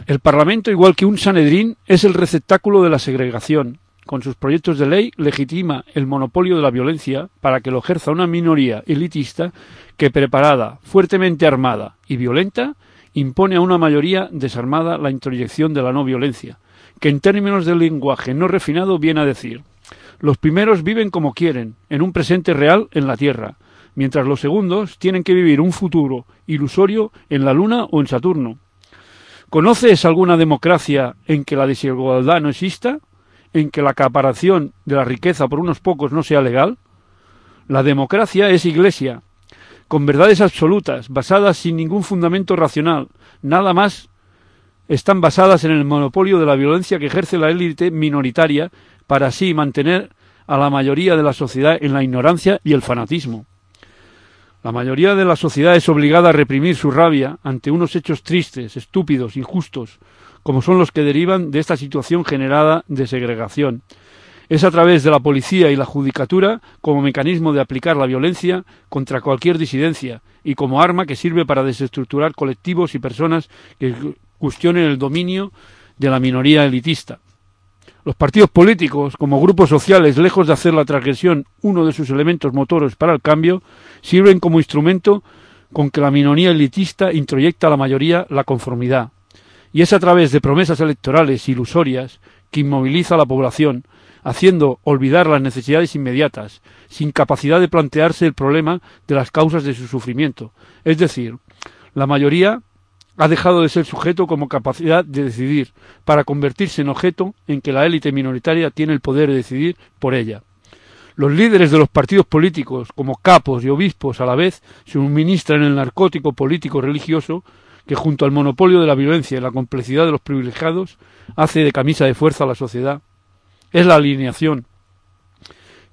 El Parlamento, igual que un Sanedrín, es el receptáculo de la segregación. Con sus proyectos de ley legitima el monopolio de la violencia para que lo ejerza una minoría elitista que, preparada, fuertemente armada y violenta, impone a una mayoría desarmada la introyección de la no violencia, que en términos del lenguaje no refinado viene a decir: los primeros viven como quieren, en un presente real en la Tierra, mientras los segundos tienen que vivir un futuro ilusorio en la Luna o en Saturno. ¿Conoces alguna democracia en que la desigualdad no exista? ¿En que la acaparación de la riqueza por unos pocos no sea legal? La democracia es iglesia, con verdades absolutas, basadas sin ningún fundamento racional, nada más están basadas en el monopolio de la violencia que ejerce la élite minoritaria para así mantener a la mayoría de la sociedad en la ignorancia y el fanatismo. La mayoría de la sociedad es obligada a reprimir su rabia ante unos hechos tristes, estúpidos, injustos, como son los que derivan de esta situación generada de segregación. Es a través de la policía y la judicatura como mecanismo de aplicar la violencia contra cualquier disidencia y como arma que sirve para desestructurar colectivos y personas que cuestionen el dominio de la minoría elitista. Los partidos políticos, como grupos sociales, lejos de hacer la transgresión uno de sus elementos motores para el cambio, sirven como instrumento con que la minoría elitista introyecta a la mayoría la conformidad. Y es a través de promesas electorales ilusorias que inmoviliza a la población, haciendo olvidar las necesidades inmediatas, sin capacidad de plantearse el problema de las causas de su sufrimiento. Es decir, la mayoría ha dejado de ser sujeto como capacidad de decidir, para convertirse en objeto en que la élite minoritaria tiene el poder de decidir por ella. Los líderes de los partidos políticos, como capos y obispos a la vez, suministran el narcótico político religioso que, junto al monopolio de la violencia y la complicidad de los privilegiados, hace de camisa de fuerza a la sociedad. Es la alineación,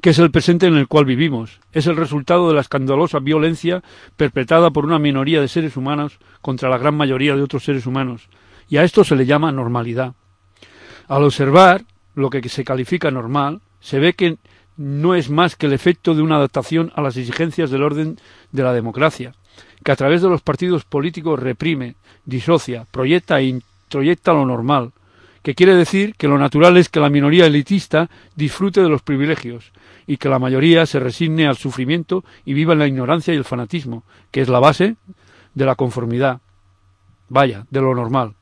que es el presente en el cual vivimos. Es el resultado de la escandalosa violencia perpetrada por una minoría de seres humanos contra la gran mayoría de otros seres humanos, y a esto se le llama normalidad. Al observar lo que se califica normal, se ve que no es más que el efecto de una adaptación a las exigencias del orden de la democracia, que a través de los partidos políticos reprime, disocia, proyecta e introyecta lo normal, que quiere decir que lo natural es que la minoría elitista disfrute de los privilegios y que la mayoría se resigne al sufrimiento y viva en la ignorancia y el fanatismo, que es la base de la conformidad, de lo normal.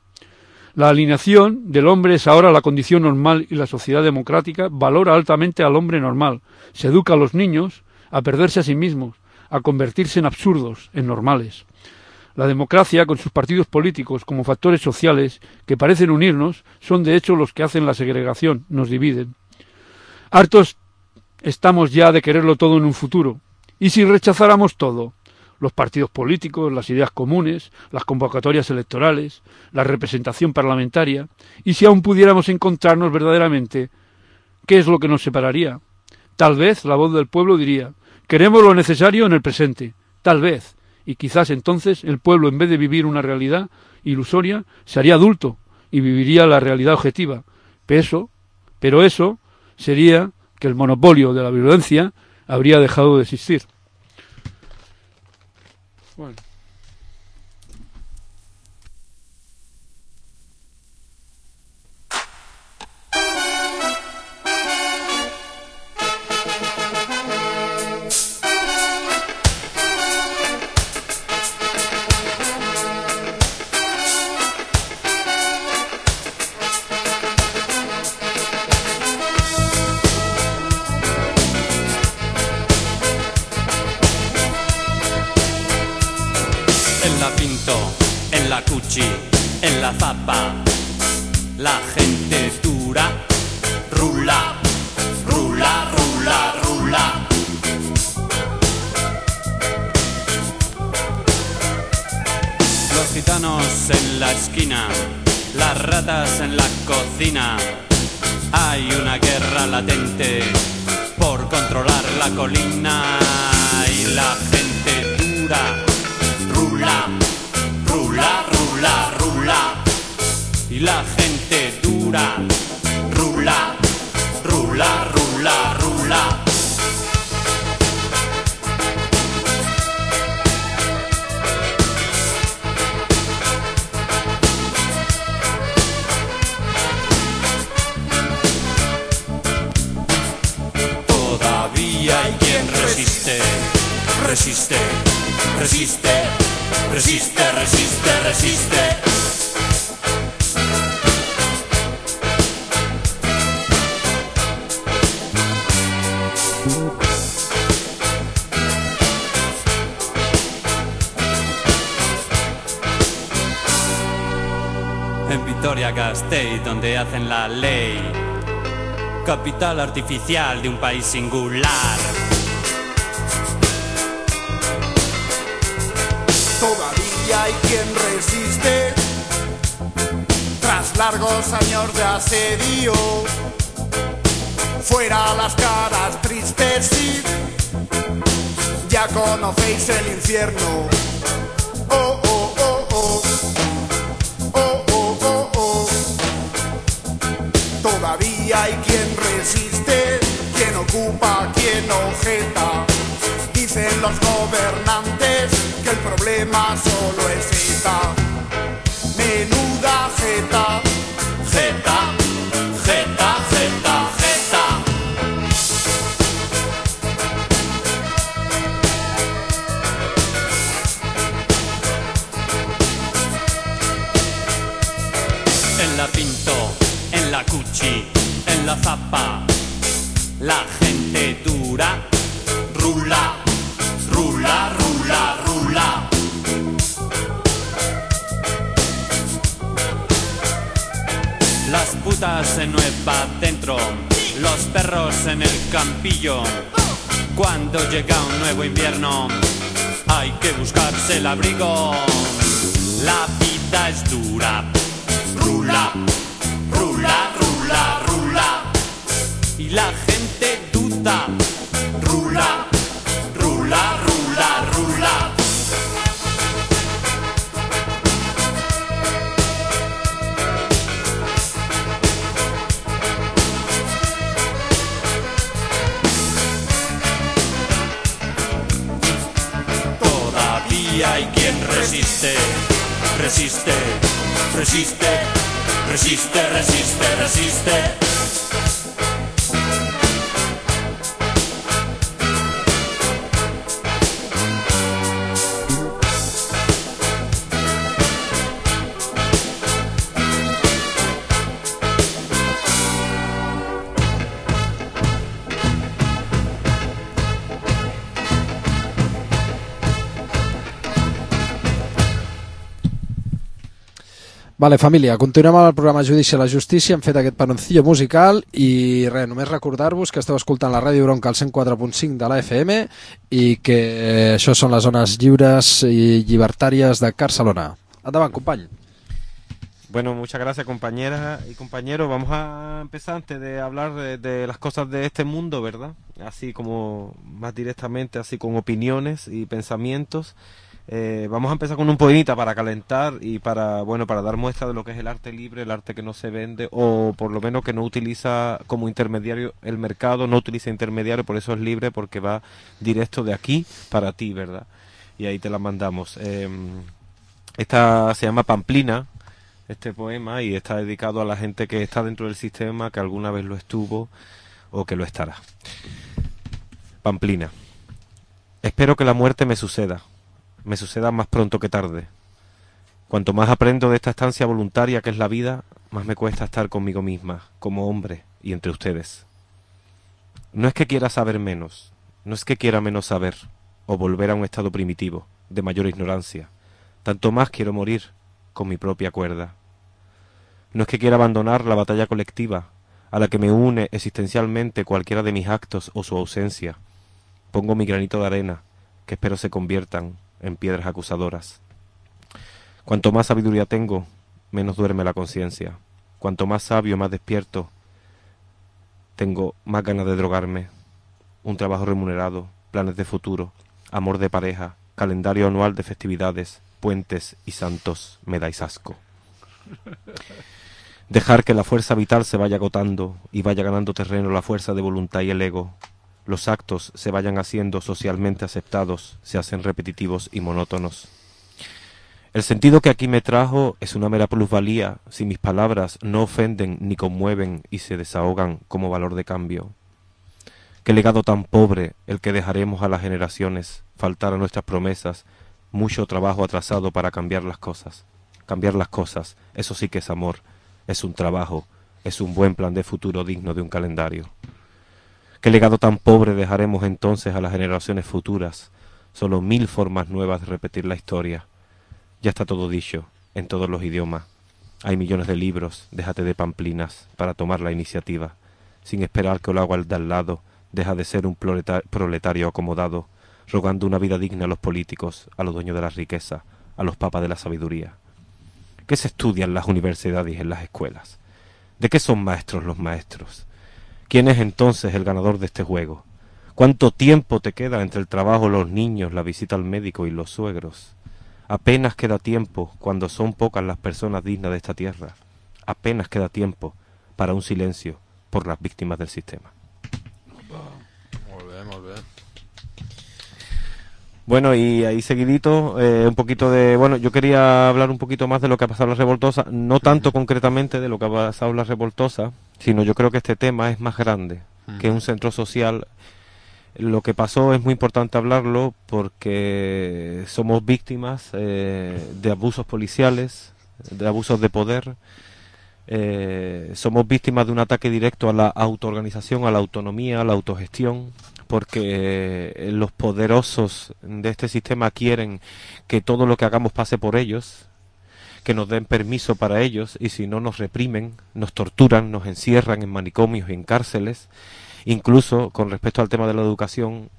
La alineación del hombre es ahora la condición normal y la sociedad democrática valora altamente al hombre normal, se educa a los niños a perderse a sí mismos, a convertirse en absurdos, en normales. La democracia, con sus partidos políticos como factores sociales que parecen unirnos, son de hecho los que hacen la segregación, nos dividen. Hartos estamos ya de quererlo todo en un futuro. ¿Y si rechazáramos todo? Los partidos políticos, las ideas comunes, las convocatorias electorales, la representación parlamentaria. ¿Y si aún pudiéramos encontrarnos verdaderamente? ¿Qué es lo que nos separaría? Tal vez la voz del pueblo diría: queremos lo necesario en el presente. Tal vez. Y quizás entonces el pueblo, en vez de vivir una realidad ilusoria, se haría adulto y viviría la realidad objetiva. Pero eso sería que el monopolio de la violencia habría dejado de existir. Bueno. En la zapa, la gente es dura, rula, rula, rula, rula. Los gitanos en la esquina, las ratas en la cocina. Hay una guerra latente por controlar la colina y la gente dura, rula, rula, rula, rula. la gente dura. Rula, rula, rula, rula. Todavía hay quien resiste, resiste, resiste, resiste, resiste, resiste. En Vitoria-Gasteiz, donde hacen la ley, capital artificial de un país singular. Todavía hay quien resiste tras largos años de asedio. Fuera las caras tristes, sí, ya conocéis el infierno. Oh, oh, oh, oh. Oh, oh, oh, oh. Todavía hay quien resiste, quien ocupa, quien objeta. Dicen los gobernantes que el problema solo es ETA. Menuda jeta, Jeta, jeta, jeta, jeta. En la Pinto, en la Cuchi, en la Zapa, la gente dura. Rula, rula, rula, rula. Las putas en Nueva Dentro, los perros en el campillo. Cuando llega un nuevo invierno, hay que buscarse el abrigo. La vida es dura. Rula, rula, rula, rula. Y la gente duda. Rula, rula, rula, rula. Todavía hay quien resiste, resiste, resiste, resiste, resiste, resiste. Vale, família, continuem amb el programa Judici a la Justícia. Hem fet aquest panoncillo musical i res, només recordar-vos que esteu escoltant la Ràdio Bronca al 104.5 de la FM i que això són les zones lliures i llibertàries de Barcelona. Endavant, company. Bueno, muchas gracias, compañeras y compañeros. Vamos a empezar antes de hablar de las cosas de este mundo, ¿verdad? Así como más directamente, así con opiniones y pensamientos. Vamos a empezar con un poemita para calentar y para dar muestra de lo que es el arte libre, el arte que no se vende, o por lo menos que no utiliza como intermediario el mercado, no utiliza intermediario, por eso es libre, porque va directo de aquí para ti, ¿verdad? Y ahí te la mandamos. Esta se llama Pamplina, este poema, y está dedicado a la gente que está dentro del sistema, que alguna vez lo estuvo o que lo estará. Pamplina. Espero que la muerte me suceda más pronto que tarde. Cuanto más aprendo de esta estancia voluntaria que es la vida, más me cuesta estar conmigo misma, como hombre, y entre ustedes. No es que quiera saber menos, no es que quiera menos saber, o volver a un estado primitivo, de mayor ignorancia. Tanto más quiero morir, con mi propia cuerda. No es que quiera abandonar la batalla colectiva, a la que me une existencialmente cualquiera de mis actos o su ausencia. Pongo mi granito de arena, que espero se conviertan en piedras acusadoras. Cuanto más sabiduría tengo, menos duerme la conciencia. Cuanto más sabio, más despierto, tengo más ganas de drogarme. Un trabajo remunerado, planes de futuro, amor de pareja, calendario anual de festividades, puentes y santos, me dais asco. Dejar que la fuerza vital se vaya agotando y vaya ganando terreno la fuerza de voluntad y el ego. Los actos se vayan haciendo socialmente aceptados, se hacen repetitivos y monótonos. El sentido que aquí me trajo es una mera plusvalía si mis palabras no ofenden ni conmueven y se desahogan como valor de cambio. Qué legado tan pobre el que dejaremos a las generaciones, faltar a nuestras promesas, mucho trabajo atrasado para cambiar las cosas. Cambiar las cosas, eso sí que es amor, es un trabajo, es un buen plan de futuro digno de un calendario. Qué legado tan pobre dejaremos entonces a las generaciones futuras, solo 1000 formas nuevas de repetir la historia. Ya está todo dicho, en todos los idiomas. Hay millones de libros, déjate de pamplinas, para tomar la iniciativa. Sin esperar que lo haga el de al lado, deja de ser un proletario acomodado, rogando una vida digna a los políticos, a los dueños de la riqueza, a los papas de la sabiduría. ¿Qué se estudia en las universidades y en las escuelas? ¿De qué son maestros los maestros? ¿Quién es entonces el ganador de este juego? ¿Cuánto tiempo te queda entre el trabajo, los niños, la visita al médico y los suegros? Apenas queda tiempo cuando son pocas las personas dignas de esta tierra. Apenas queda tiempo para un silencio por las víctimas del sistema. Molt bé. Bueno, y ahí seguidito, un poquito de... Bueno, yo quería hablar un poquito más de lo que ha pasado en la Revoltosa, no tanto concretamente de lo que ha pasado en la Revoltosa, sino yo creo que este tema es más grande, que un centro social. Lo que pasó es muy importante hablarlo porque somos víctimas de abusos policiales, de abusos de poder, somos víctimas de un ataque directo a la autoorganización, a la autonomía, a la autogestión, porque los poderosos de este sistema quieren que todo lo que hagamos pase por ellos, que nos den permiso para ellos, y si no nos reprimen, nos torturan, nos encierran en manicomios y en cárceles. Incluso con respecto al tema de la educación,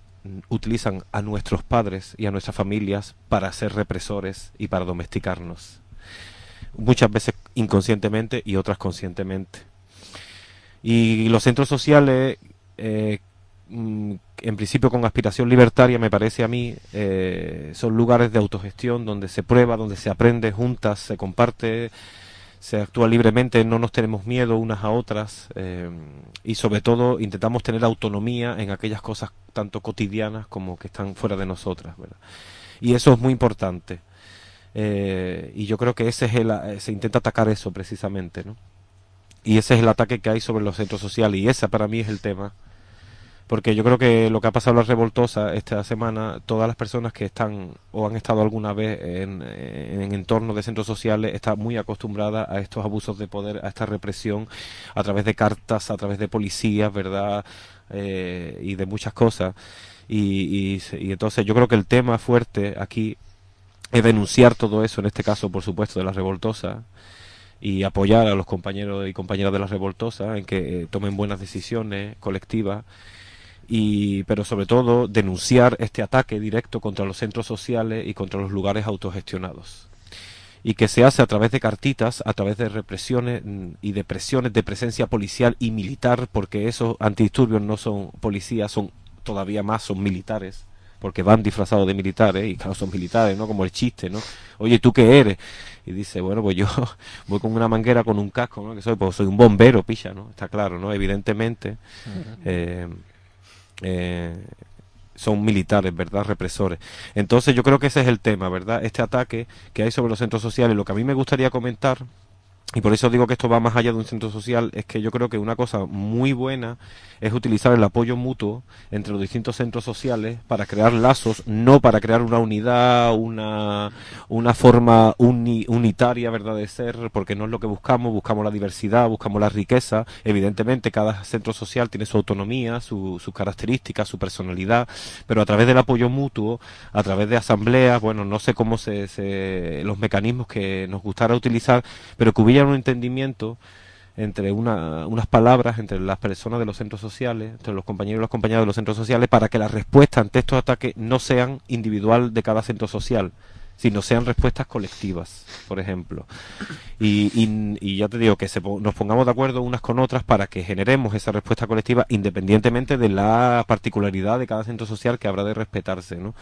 utilizan a nuestros padres y a nuestras familias para ser represores y para domesticarnos. Muchas veces inconscientemente y otras conscientemente. Y los centros sociales, en principio con aspiración libertaria, me parece a mí, son lugares de autogestión donde se prueba, donde se aprende juntas, se comparte, se actúa libremente, no nos tenemos miedo unas a otras, y sobre todo intentamos tener autonomía en aquellas cosas tanto cotidianas como que están fuera de nosotras, ¿verdad? Y eso es muy importante, y yo creo que ese es se intenta atacar eso precisamente, ¿no? Y ese es el ataque que hay sobre los centros sociales, y ese para mí es el tema. Porque yo creo que lo que ha pasado en la Revoltosa esta semana, todas las personas que están o han estado alguna vez en entornos de centros sociales están muy acostumbradas a estos abusos de poder, a esta represión, a través de cartas, a través de policías, ¿verdad? Y de muchas cosas. Y entonces yo creo que el tema fuerte aquí es denunciar todo eso, en este caso, por supuesto, de la Revoltosa, y apoyar a los compañeros y compañeras de la Revoltosa en que tomen buenas decisiones colectivas. Pero sobre todo denunciar este ataque directo contra los centros sociales y contra los lugares autogestionados, y que se hace a través de cartitas, a través de represiones y de presiones de presencia policial y militar, porque esos antidisturbios no son policías, son todavía más, son militares, porque van disfrazados de militares, y claro, son militares, ¿no? Como el chiste, ¿no? Oye, ¿tú qué eres? Y dice, bueno, pues yo voy con una manguera, con un casco, ¿no? Que soy, pues soy un bombero, picha, ¿no? Está claro, ¿no? Evidentemente, son militares, ¿verdad? Represores. Entonces yo creo que ese es el tema, ¿verdad? Este ataque que hay sobre los centros sociales. Lo que a mí me gustaría comentar, y por eso digo que esto va más allá de un centro social, es que yo creo que una cosa muy buena es utilizar el apoyo mutuo entre los distintos centros sociales para crear lazos, no para crear una unidad, una forma unitaria, ¿verdad?, de ser, porque no es lo que buscamos la diversidad, buscamos la riqueza. Evidentemente cada centro social tiene su autonomía, sus características, su personalidad, pero a través del apoyo mutuo, a través de asambleas, bueno, no sé cómo los mecanismos que nos gustara utilizar, pero que hubiera un entendimiento entre unas palabras entre las personas de los centros sociales, entre los compañeros y las compañeras de los centros sociales, para que las respuestas ante estos ataques no sean individual de cada centro social, sino sean respuestas colectivas, por ejemplo. Y ya te digo, que nos pongamos de acuerdo unas con otras para que generemos esa respuesta colectiva independientemente de la particularidad de cada centro social, que habrá de respetarse, ¿no?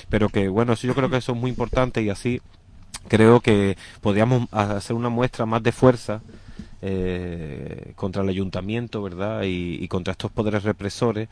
Pero que, bueno, eso yo creo que eso es muy importante, y así creo que podríamos hacer una muestra más de fuerza contra el ayuntamiento, ¿verdad? Y contra estos poderes represores.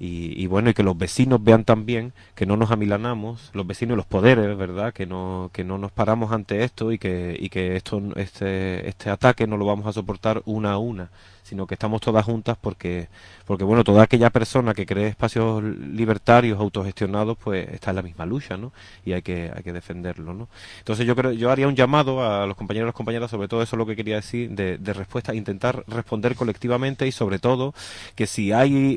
Y bueno, y que los vecinos vean también que no nos amilanamos, los vecinos y los poderes, ¿verdad? Que no nos paramos ante esto y que este ataque no lo vamos a soportar una a una, sino que estamos todas juntas porque bueno, toda aquella persona que cree espacios libertarios, autogestionados, pues está en la misma lucha, ¿no? Y hay que defenderlo, ¿no? Entonces yo haría un llamado a los compañeros y las compañeras, sobre todo eso es lo que quería decir, de respuesta, intentar responder colectivamente y sobre todo que si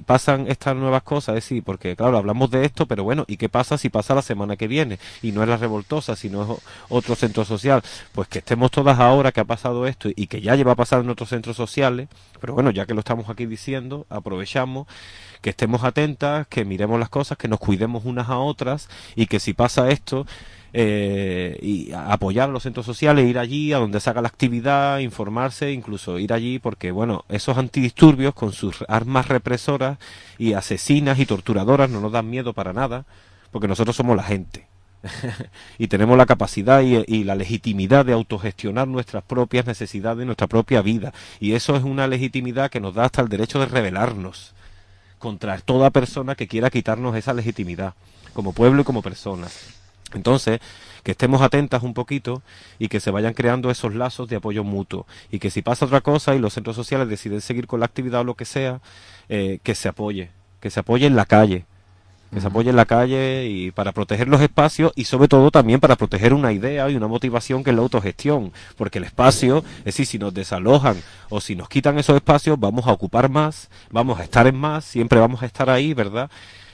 pasan estas nuevas cosas, es decir, porque claro, hablamos de esto, pero bueno, ¿y qué pasa si pasa la semana que viene? Y no es la Revoltosa, sino es otro centro social, pues que estemos todas ahora que ha pasado esto y que ya lleva a pasar en otros centros sociales, pero bueno, ya que lo estamos aquí diciendo, aprovechamos que estemos atentas, que miremos las cosas, que nos cuidemos unas a otras y que si pasa esto, y apoyar a los centros sociales, ir allí a donde se haga la actividad, informarse, incluso ir allí porque, bueno, esos antidisturbios con sus armas represoras y asesinas y torturadoras no nos dan miedo para nada, porque nosotros somos la gente. Y tenemos la capacidad y la legitimidad de autogestionar nuestras propias necesidades, nuestra propia vida. Y eso es una legitimidad que nos da hasta el derecho de rebelarnos contra toda persona que quiera quitarnos esa legitimidad, como pueblo y como personas. Entonces, que estemos atentas un poquito y que se vayan creando esos lazos de apoyo mutuo. Y que si pasa otra cosa y los centros sociales deciden seguir con la actividad o lo que sea, que se apoye en la calle. Que se apoye en la calle y para proteger los espacios y sobre todo también para proteger una idea y una motivación que es la autogestión, porque el espacio, es decir, si nos desalojan o si nos quitan esos espacios vamos a ocupar más, vamos a estar en más, siempre vamos a estar ahí, ¿verdad?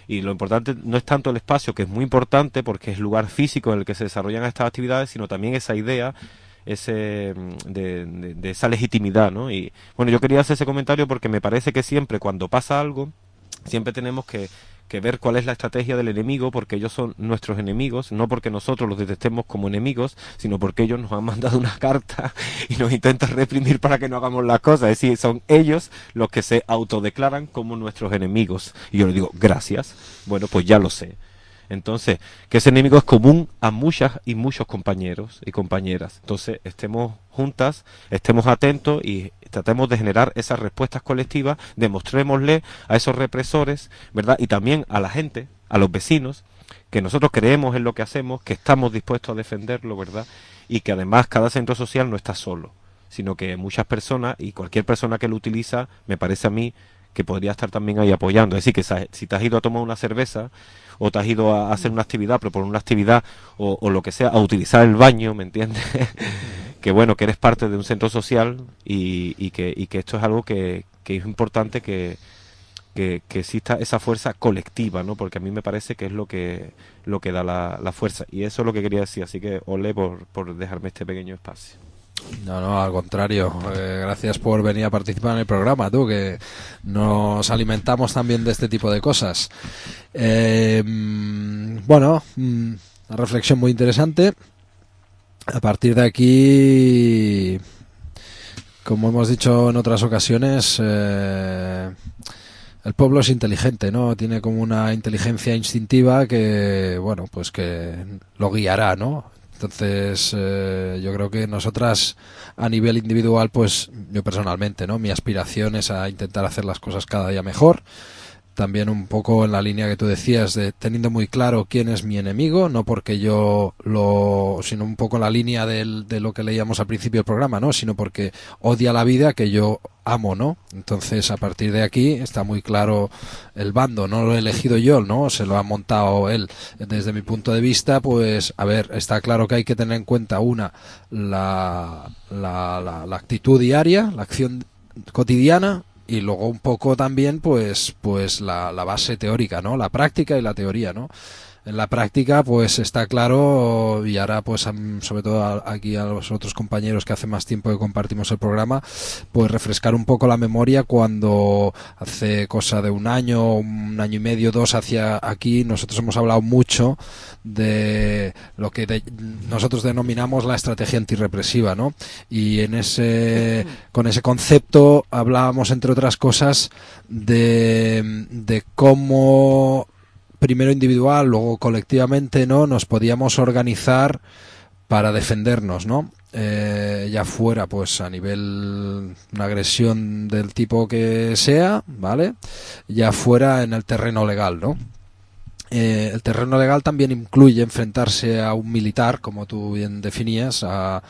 Y lo importante no es tanto el espacio, que es muy importante porque es el lugar físico en el que se desarrollan estas actividades, sino también esa idea de esa legitimidad, ¿no? Y bueno, yo quería hacer ese comentario porque me parece que siempre cuando pasa algo, siempre tenemos que ver cuál es la estrategia del enemigo, porque ellos son nuestros enemigos, no porque nosotros los detestemos como enemigos, sino porque ellos nos han mandado una carta y nos intentan reprimir para que no hagamos las cosas. Es decir, son ellos los que se autodeclaran como nuestros enemigos. Y yo les digo, gracias. Bueno, pues ya lo sé. Entonces, que ese enemigo es común a muchas y muchos compañeros y compañeras. Entonces, estemos juntas, estemos atentos y tratemos de generar esas respuestas colectivas, demostrémosle a esos represores, ¿verdad? Y también a la gente, a los vecinos, que nosotros creemos en lo que hacemos, que estamos dispuestos a defenderlo, ¿verdad? Y que además cada centro social no está solo, sino que muchas personas y cualquier persona que lo utiliza, me parece a mí, que podría estar también ahí apoyando. Es decir, que si te has ido a tomar una cerveza o te has ido a hacer una actividad, proponer una actividad o lo que sea, a utilizar el baño, ¿me entiendes? Que bueno, que eres parte de un centro social y que esto es algo que es importante que exista esa fuerza colectiva, ¿no? Porque a mí me parece que es lo que da la fuerza. Y eso es lo que quería decir. Así que ole por dejarme este pequeño espacio. No, al contrario. Gracias por venir a participar en el programa, tú, que nos alimentamos también de este tipo de cosas. Bueno, una reflexión muy interesante. A partir de aquí, como hemos dicho en otras ocasiones, el pueblo es inteligente, ¿no? Tiene como una inteligencia instintiva que, bueno, pues que lo guiará, ¿no? Entonces, yo creo que nosotras a nivel individual, pues yo personalmente, ¿no? Mi aspiración es a intentar hacer las cosas cada día mejor. También un poco en la línea que tú decías de teniendo muy claro quién es mi enemigo, no porque yo sino un poco en la línea de lo que leíamos al principio del programa, ¿no? Sino porque odia la vida que yo amo, ¿no? Entonces, a partir de aquí está muy claro el bando, no lo he elegido yo, ¿no? Se lo ha montado él. Desde mi punto de vista, pues, a ver, está claro que hay que tener en cuenta la actitud diaria, la acción cotidiana, y luego un poco también pues la base teórica, ¿no? La práctica y la teoría, ¿no? En la práctica pues está claro, y ahora pues sobre todo aquí a los otros compañeros que hace más tiempo que compartimos el programa, pues refrescar un poco la memoria cuando hace cosa de un año y medio, 2 hacia aquí, nosotros hemos hablado mucho de lo que nosotros denominamos la estrategia antirrepresiva, ¿no? Y con ese concepto hablábamos, entre otras cosas, de cómo primero individual, luego colectivamente, ¿no? Nos podíamos organizar para defendernos, ¿no? ya fuera pues a nivel una agresión del tipo que sea, ¿vale? Ya fuera en el terreno legal, ¿no? El terreno legal también incluye enfrentarse a un militar, como tú bien definías, a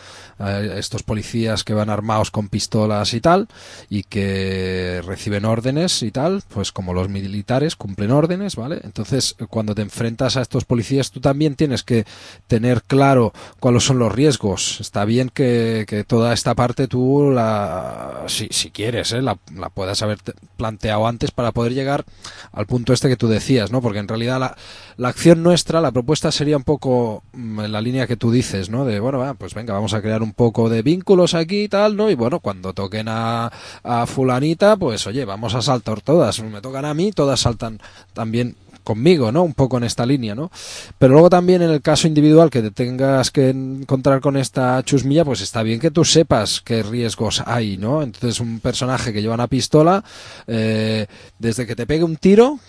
estos policías que van armados con pistolas y tal, y que reciben órdenes y tal, pues como los militares cumplen órdenes, ¿vale? Entonces, cuando te enfrentas a estos policías, tú también tienes que tener claro cuáles son los riesgos. Está bien que toda esta parte tú, si quieres, la puedas haber planteado antes para poder llegar al punto este que tú decías, ¿no? Porque en realidad la acción nuestra, la propuesta sería un poco en la línea que tú dices, ¿no? De, bueno, pues venga, vamos a crear un poco de vínculos aquí y tal, ¿no? Y bueno, cuando toquen a fulanita, pues oye, vamos a saltar todas. Me tocan a mí, todas saltan también conmigo, ¿no? Un poco en esta línea, ¿no? Pero luego también en el caso individual que te tengas que encontrar con esta chusmilla, pues está bien que tú sepas qué riesgos hay, ¿no? Entonces un personaje que lleva una pistola, desde que te pegue un tiro,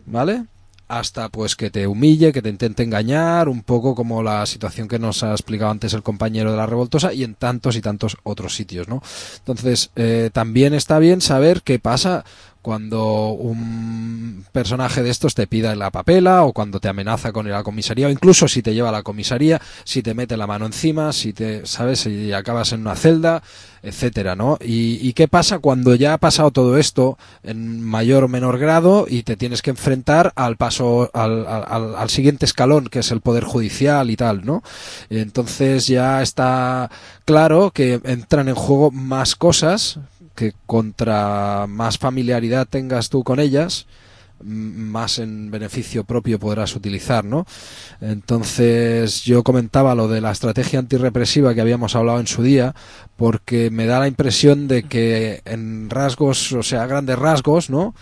¿vale?, hasta pues que te humille, que te intente engañar, un poco como la situación que nos ha explicado antes el compañero de la Revoltosa, y en tantos y tantos otros sitios, ¿no? Entonces, también está bien saber qué pasa cuando un personaje de estos te pida la papela, o cuando te amenaza con ir a la comisaría, o incluso si te lleva a la comisaría, si te mete la mano encima, si te, ¿sabes?, si acabas en una celda, etcétera, ¿no? Y qué pasa cuando ya ha pasado todo esto en mayor o menor grado y te tienes que enfrentar al paso, al siguiente escalón, que es el poder judicial y tal, ¿no? Entonces ya está claro que entran en juego más cosas, que contra más familiaridad tengas tú con ellas, más en beneficio propio podrás utilizar, ¿no? Entonces yo comentaba lo de la estrategia antirrepresiva que habíamos hablado en su día, porque me da la impresión de que en rasgos, o sea, grandes rasgos, ¿no?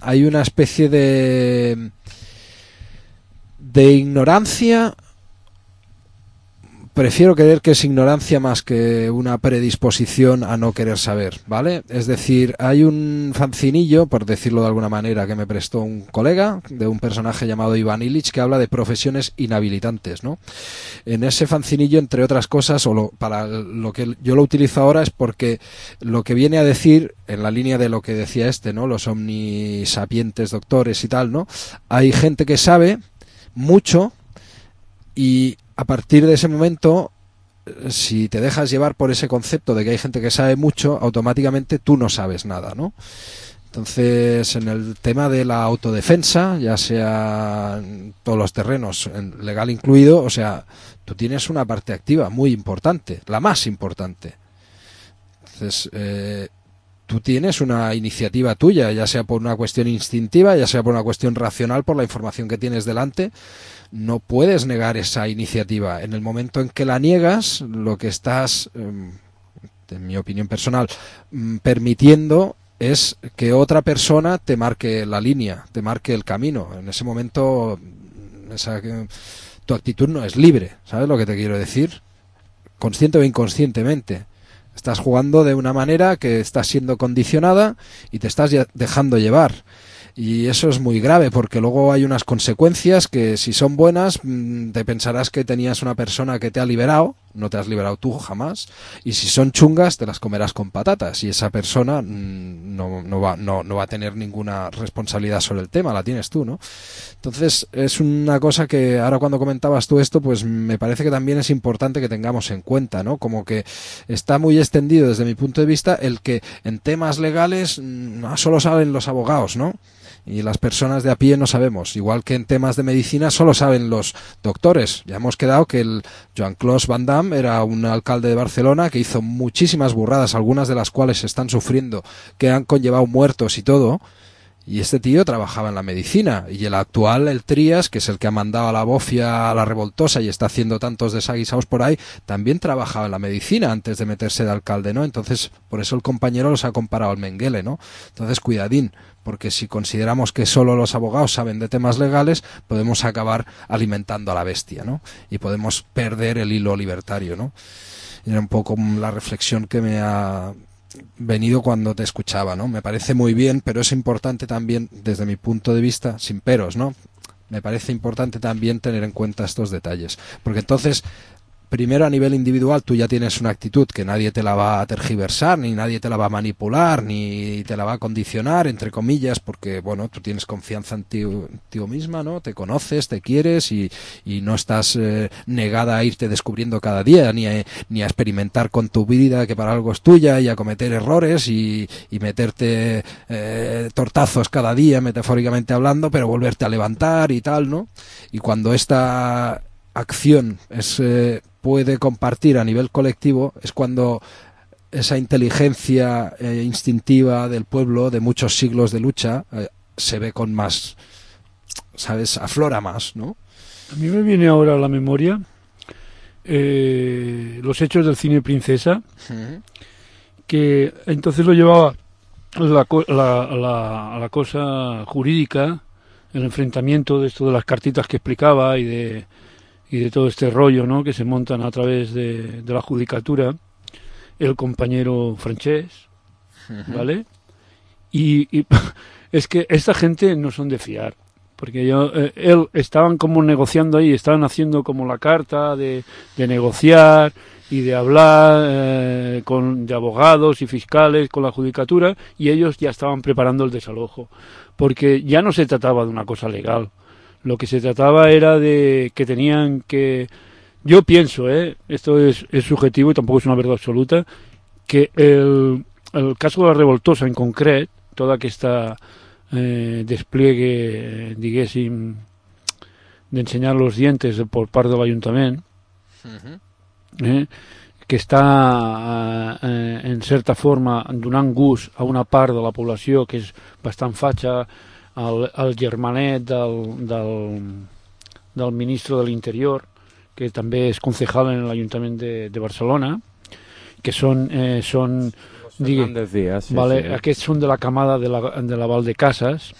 Hay una especie de ignorancia. Prefiero creer que es ignorancia más que una predisposición a no querer saber, ¿vale? Es decir, hay un fancinillo, por decirlo de alguna manera, que me prestó un colega, de un personaje llamado Iván Illich, que habla de profesiones inhabilitantes, ¿no? En ese fancinillo, entre otras cosas, para lo que yo lo utilizo ahora, es porque lo que viene a decir, en la línea de lo que decía ¿no? Los omnisapientes doctores y tal, ¿no? Hay gente que sabe mucho, y a partir de ese momento, si te dejas llevar por ese concepto de que hay gente que sabe mucho, automáticamente tú no sabes nada, ¿no? Entonces, en el tema de la autodefensa, ya sea en todos los terrenos, legal incluido, o sea, tú tienes una parte activa muy importante, la más importante. Entonces, tú tienes una iniciativa tuya, ya sea por una cuestión instintiva, ya sea por una cuestión racional, por la información que tienes delante. No puedes negar esa iniciativa. En el momento en que la niegas, lo que estás, en mi opinión personal, permitiendo es que otra persona te marque la línea, te marque el camino. En ese momento, tu actitud no es libre. ¿Sabes lo que te quiero decir? Consciente o inconscientemente. Estás jugando de una manera que estás siendo condicionada y te estás dejando llevar. Y eso es muy grave, porque luego hay unas consecuencias que, si son buenas, te pensarás que tenías una persona que te ha liberado, no te has liberado tú jamás, y si son chungas te las comerás con patatas, y esa persona no va a tener ninguna responsabilidad sobre el tema, la tienes tú, ¿no? Entonces es una cosa que ahora, cuando comentabas tú esto, pues me parece que también es importante que tengamos en cuenta, ¿no? Como que está muy extendido desde mi punto de vista el que en temas legales no solo saben los abogados, ¿no? Y las personas de a pie no sabemos, igual que en temas de medicina solo saben los doctores. Ya hemos quedado que el Jean-Claude Van Damme era un alcalde de Barcelona que hizo muchísimas burradas, algunas de las cuales se están sufriendo, que han conllevado muertos y todo, y este tío trabajaba en la medicina. Y el actual, el Trías, que es el que ha mandado a la bofia a la Revoltosa y está haciendo tantos desaguisados por ahí, también trabajaba en la medicina antes de meterse de alcalde, ¿no? Entonces, por eso el compañero los ha comparado al Mengele, ¿no? Entonces, cuidadín, porque si consideramos que solo los abogados saben de temas legales, podemos acabar alimentando a la bestia, ¿no? Y podemos perder el hilo libertario, ¿no? Y era un poco la reflexión que me ha venido cuando te escuchaba, ¿no? Me parece muy bien, pero es importante también, desde mi punto de vista, sin peros, ¿no? Me parece importante también tener en cuenta estos detalles, porque entonces primero a nivel individual tú ya tienes una actitud que nadie te la va a tergiversar, ni nadie te la va a manipular, ni te la va a condicionar, entre comillas, porque, bueno, tú tienes confianza en ti misma, ¿no? Te conoces, te quieres y no estás negada a irte descubriendo cada día, ni a experimentar con tu vida, que para algo es tuya, y a cometer errores y meterte tortazos cada día, metafóricamente hablando, pero volverte a levantar y tal, ¿no? Y cuando esta acción puede compartir a nivel colectivo, es cuando esa inteligencia instintiva del pueblo de muchos siglos de lucha se ve con más, ¿sabes? Aflora más, ¿no? A mí me viene ahora a la memoria los hechos del cine Princesa, que entonces lo llevaba la cosa jurídica, el enfrentamiento de esto de las cartitas que explicaba y de todo este rollo, ¿no?, que se montan a través de la judicatura, el compañero Francés, ¿vale? Y es que esta gente no son de fiar, porque él estaban como negociando ahí, estaban haciendo como la carta de negociar y de hablar de abogados y fiscales con la judicatura, y ellos ya estaban preparando el desalojo, porque ya no se trataba de una cosa legal. Lo que se trataba era de que tenían que... Yo pienso, esto es subjetivo y tampoco es una verdad absoluta, que el caso de la Revoltosa en concret, toda aquesta despliegue, diguéssim, d'ensenyar los dientes por part de l'Ajuntament, que està en certa forma donant gust a una part de la població que és bastant fatxa, el germanet del ministre de l'Interior, que també és concejal en l'Ajuntament de Barcelona, que són Díaz, sí, vale, sí. Aquests són de la camada de la Valdecasas,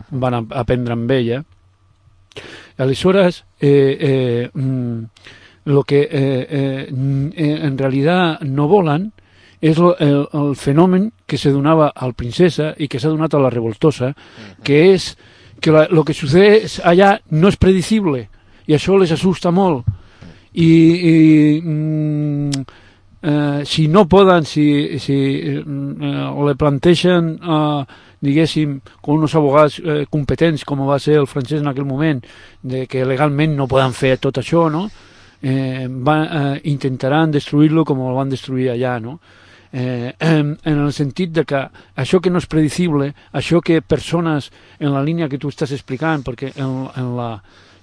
van aprendre amb ella. Aleshores, lo que en realidad no volen és el fenomen que se donava al Princesa i que s'ha donat a la Revoltosa, que és que lo que sucede allà no és predecible, i això les asusta molt. Si no poden, si le planteixen, diguéssim, con unos abogados competents, com va ser el Francès en aquell moment, de que legalment no poden fer tot això, no? Intentaran destruir-lo com el van destruir allà, no? En el sentit de que això que no és predecible, això que persones en la línia que tu estàs explicant, perquè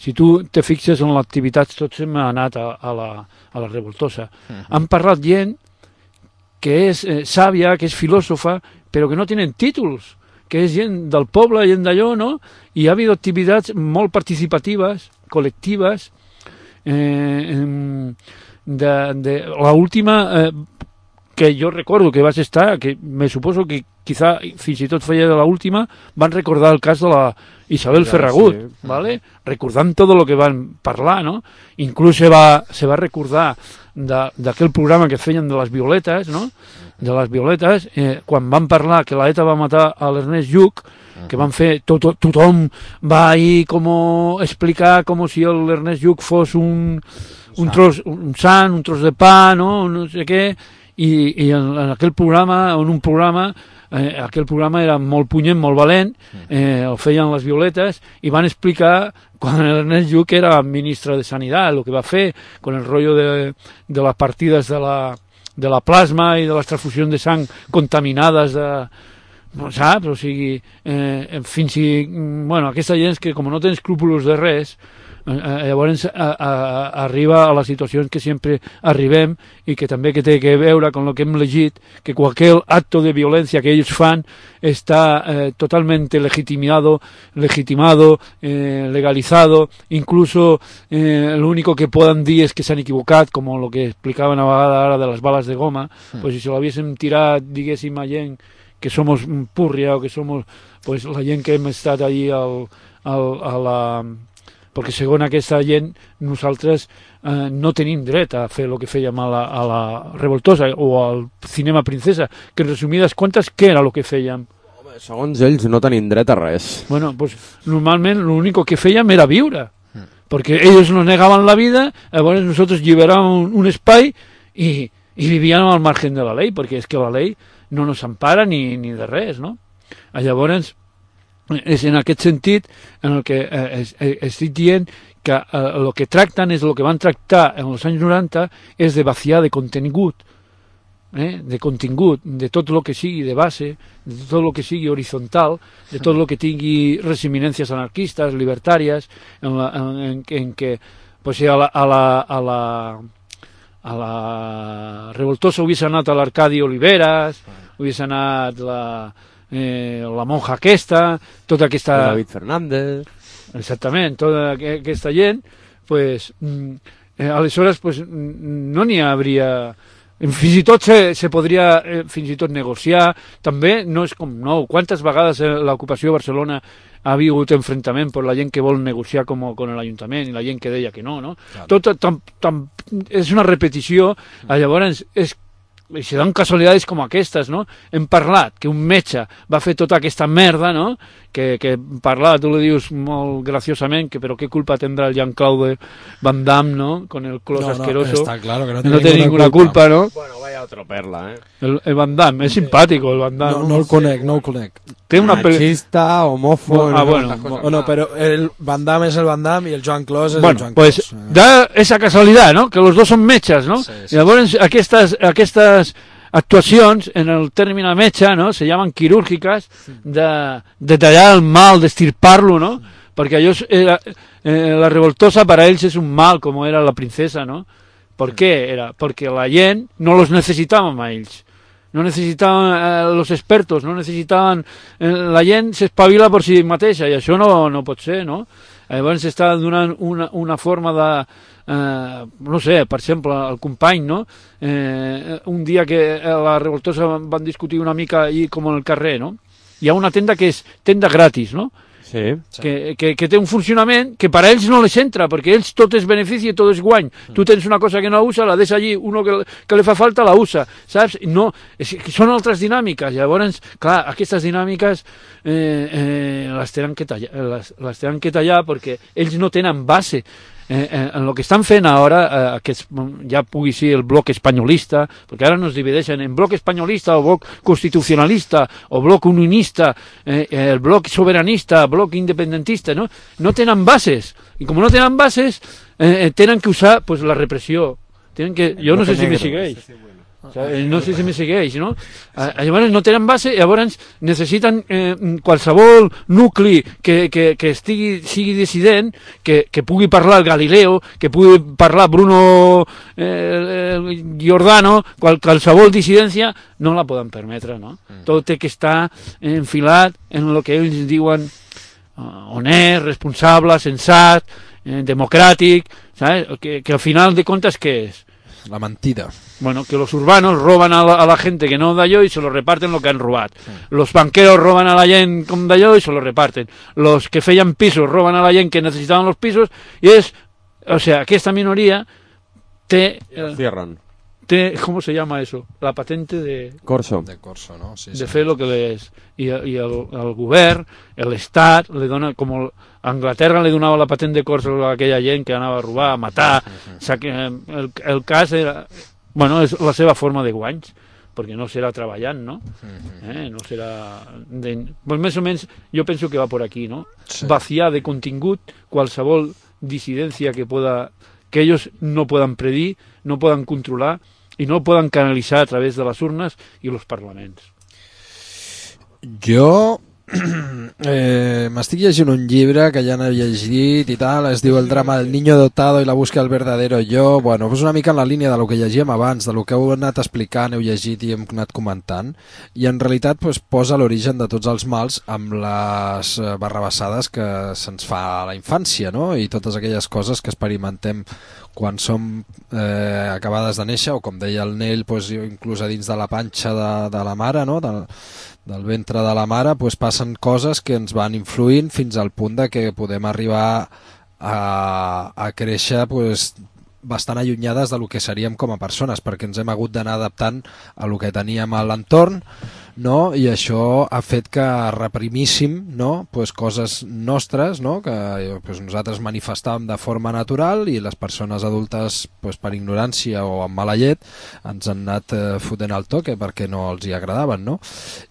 si tu te fixes en l'activitat, tot se m'ha anat a la Revoltosa. Han parlat gent que és sàvia, que és filòsofa, però que no tenen títols, que és gent del poble, gent d'allò, no? I ha habido activitats molt participatives, col·lectives. La última que jo recordo que vas estar, que me suposo que quizá fins i tot feia de l'última, van recordar el cas de la Isabel Ferragut, sí. ¿Vale? Recordant tot el que van parlar, no? Inclús se va recordar d'aquell programa que feien de les violetes, no? De les violetes, quan van parlar que la ETA va matar a l'Ernest Lluch, que van fer, tothom va ahir com explicar com si l'Ernest Lluch fos un tros de pa, no? No sé què, i en aquell programa, aquell programa era molt punyent, molt valent, el feien les violetes, i van explicar quan l'Ernest Lluch era ministre de Sanitat, el que va fer con el rotllo de les partides de la plasma i de les transfusions de sang contaminades saps? O sigui, fins i... Bueno, aquesta gent que com no té escrúpols de res, llavors arriba a les situacions que sempre arribem i que també que té que veure amb el que hem llegit, que qualsevol acto de violència que ells fan està totalmente legitimado, legalizado, incluso lo único que poden dir és que s'han equivocat, com el que explicaven a vegades ara de les bales de goma, pues si se l'haguéssim tirat, diguéssim, a gent que somos púrria o que somos pues, la gent que hem estat allí a la... Perquè segons aquesta gent nosaltres no tenim dret a fer el que fèiem a la Revoltosa o al Cinema Princesa, que en resumides comptes què era el que fèiem? Home, segons ells no tenim dret a res. Bueno, pues normalment l'únic que fèiem era viure, porque ellos nos negaban la vida, llavors nosotros liberábamos un espai i vivíem al margen de la llei, perquè és que la llei no nos empara ni de res, no? Llavors, és en aquest sentit en el que estic dient que el que tracten és el que van tractar en els anys 90 és de vaciar de contingut, de tot el que sigui de base, de tot el que sigui horitzontal, de tot el que tingui resiminències anarquistes, libertàries, en què pues, si a la Revoltosa hubiese anat a l'Arcadi Oliveras, hubiese anat la monja aquesta, tota aquesta... David Fernández... Exactament, tota aquesta gent, pues, aleshores pues, no n'hi hauria... Fins i tot se podria fins i tot negociar, també no és com nou. Quantes vegades l'ocupació de Barcelona ha hagut enfrontament per la gent que vol negociar com l'Ajuntament i la gent que deia que no, no? Tot és una repetició, llavors se dan casualitats com aquestes, no? Hem parlat que un metge va fer tota aquesta merda, no? Que parlar, tu li dius molt graciosament, que però què culpa tindrà el Jean-Claude Van Damme, ¿no? Con el clos asqueroso. Está claro que no té ninguna culpa, ¿no? Bueno, vaya otro perla, El Van Damme, és simpàtico el Van Damme. No el conec. Té una machista, homófobo... Bueno, pero el Van Damme es el Van Damme y el Joan Clos es el Joan Clos. Pues da esa casualidad, ¿no? Que los dos son metges, ¿no? Sí. Llavors aquestes actuacions en el término metge, no? Se llaman quirúrgicas, de tallar el mal, d'estirpar-lo, no? Perquè allò la Revoltosa para ells és un mal, com era la princesa, no? ¿Por qué? Porque la gent no los necesitaban a ells. No necessitaven los expertos, no necessitaven... La gent s'espavila per si mateixa, i això no pot ser, no? Llavors s'està donant una forma de... no sé, per exemple, el company, no? Un dia que a la Revoltosa van discutir una mica allí com en el carrer, no? Hi ha una tenda que és tenda gratis, no? Sí. Que té un funcionament que per a ells no les entra, perquè ells tot és benefici i tot és guany. Tu tens una cosa que no usa, la deixa allí, uno que li fa falta la usa, saps? No, són altres dinàmiques. Llavors, clar, aquestes dinàmiques les tenen que tallar perquè ells no tenen base. En el que estan fent ara, que ja pugui ser el bloc espanyolista, perquè ara nos divideixen en bloc espanyolista o bloc constitucionalista o bloc unionista, el bloc soberanista, bloc independentista, no? No tenen bases, i com no tenen bases tenen que usar pues, la repressió. Jo no sé si me segueix. No sé si me segueix, no? Llavors no tenen base, llavors necessiten qualsevol nucli que sigui dissident, que pugui parlar el Galileo, que pugui parlar Bruno Giordano, qualsevol dissidència no la poden permetre, no? Tot té que estar enfilat en el que ells diuen honest, responsable, sensat, democràtic, ¿sabes? Que al final de comptes què és? La mentida. Bueno, que los urbanos roban a la gente que no d'allò y se lo reparten lo que han robat. Los banqueros roban a la gent com d'allò y se lo reparten. Los que feien pisos roban a la gent que necesitaven los pisos y es... O sea, aquesta minoria té... Cierran. ¿Cómo se llama eso? La patente de... Corso. De corso, no? Sí, de fer lo que és. I el govern, l'Estat, li dona com... A Anglaterra li donava la patent de corso a aquella gent que anava a robar, a matar. El cas era... Bueno, és la seva forma de guanys, perquè no serà treballant, no? No serà... Pues més o menys jo penso que va por aquí, no? Sí. Vaciar de contingut qualsevol dissidència que ellos no puedan predir, no puedan controlar i no puedan canalitzar a través de les urnes i els parlaments. Jo m'estic llegint un llibre que ja n'he llegit i tal, es diu El drama del niño dotado i la búsqueda del verdadero yo. Bueno, és una mica en la línia de lo que llegíem abans, de lo que heu anat explicant, heu llegit i hem anat comentant, i en realitat pues, posa l'origen de tots els mals amb les barrabassades que se'ns fa a la infància, no? I totes aquelles coses que experimentem quan som acabades de néixer, o com deia el Nell, pues, inclús a dins de la panxa de la mare, no? Del ventre de la mare, pues, passen coses que ens van influint fins al punt de que podem arribar a créixer pues, bastant allunyades de lo que seríem com a persones, perquè ens hem hagut d'anar adaptant a lo que teníem a l'entorn, no? I això ha fet que reprimíssim, no? Pues coses nostres, no? Que pues nosaltres manifestàvem de forma natural i les persones adultes pues, per ignorància o amb mala llet ens han anat fotent el toque perquè no els hi agradaven, no?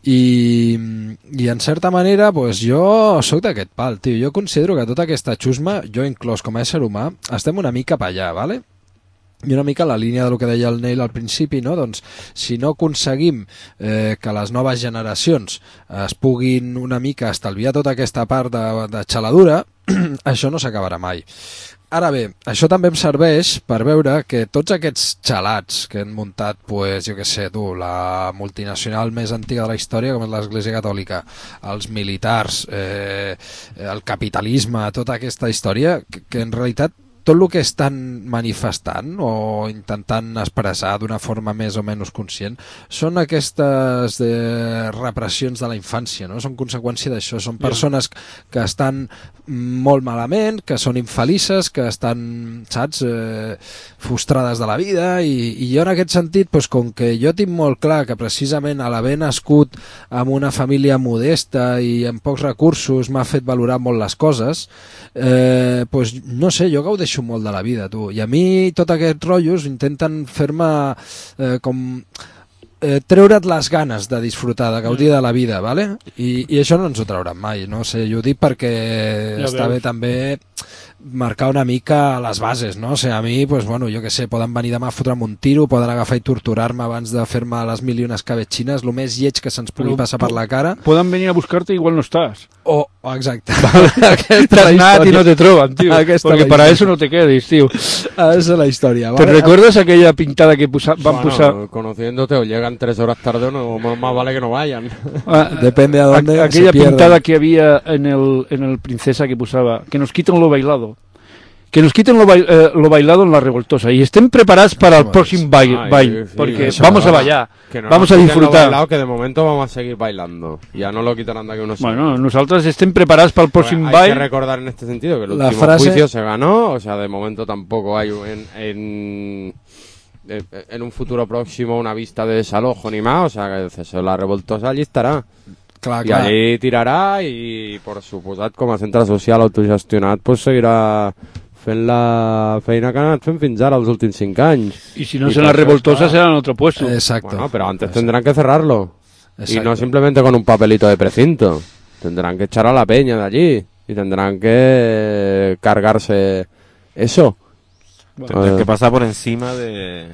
I en certa manera pues, jo soc d'aquest pal, tio. Jo considero que tota aquesta xusma, jo inclòs com a ésser humà, estem una mica per allà, ¿vale? I una mica la línia del que deia el Neil al principi, no? Doncs si no aconseguim que les noves generacions es puguin una mica estalviar tota aquesta part de xaladura, això no s'acabarà mai. Ara bé, això també em serveix per veure que tots aquests xalats que han muntat, pues, jo què sé, la multinacional més antiga de la història, com és l'Església Catòlica, els militars, el capitalisme, tota aquesta història, que en realitat tot el que estan manifestant o intentant expressar d'una forma més o menys conscient són aquestes repressions de la infància, no? Són conseqüència d'això, són persones que estan molt malament, que són infelices, que estan, saps, frustrades de la vida i jo en aquest sentit, doncs, com que jo tinc molt clar que precisament a l'haver nascut en una família modesta i amb pocs recursos m'ha fet valorar molt les coses, doncs, no sé, jo gaudeixo molt de la vida, tu. I a mi tots aquests rotllos intenten fer-me com treure't les ganes de disfrutar, de gaudir de la vida, ¿vale? I això no ens ho trauran mai, no sé, jo ho dic perquè ja està bé també marcar una mica les bases, no? O sigui, a mi, pues, bueno, jo què sé, poden venir demà a fotre'm un tiro, poden agafar i torturar-me abans de fer-me les mil i unes cabetxines, el més lleig que se'ns pugui passar per la cara. Poden venir a buscar-te i igual no estàs. Exacte. T'has anat i no te troben, tío. Porque para eso no te quedes, tío. Esa es la historia, ¿vale? ¿Te recuerdas aquella pintada que van posar? Conociéndote, o llegan 3 horas tarde o no, más vale que no vayan. Depende a dónde aquella pintada que había en el Princesa que posaba, que nos quiten lo bailado. Que nos quiten lo bailado en la revoltosa y estén preparados para el próximo baile, porque vamos a bailar, vamos a disfrutar. Bailado, que de momento vamos a seguir bailando, ya no lo quitarán de aquí unos años. Bueno, nosotros estén preparados para el próximo baile. Hay que recordar en este sentido que el último juicio se ganó, o sea, de momento tampoco hay en un futuro próximo una vista de desalojo ni más, o sea, que el cese de la revoltosa allí estarà. Clar. I allí tirarà i, per suposat, com a centre social autogestionat, pues seguirà fent la feina que han anat fent fins ara els últims 5 anys. Y si no es en la revoltosa será en otro puesto. Exacto. Bueno, pero antes tendrán que cerrarlo. Exacto. Y no simplemente con un papelito de precinto. Tendrán que echar a la peña de allí y tendrán que cargarse eso. Tendrán que pasar por encima de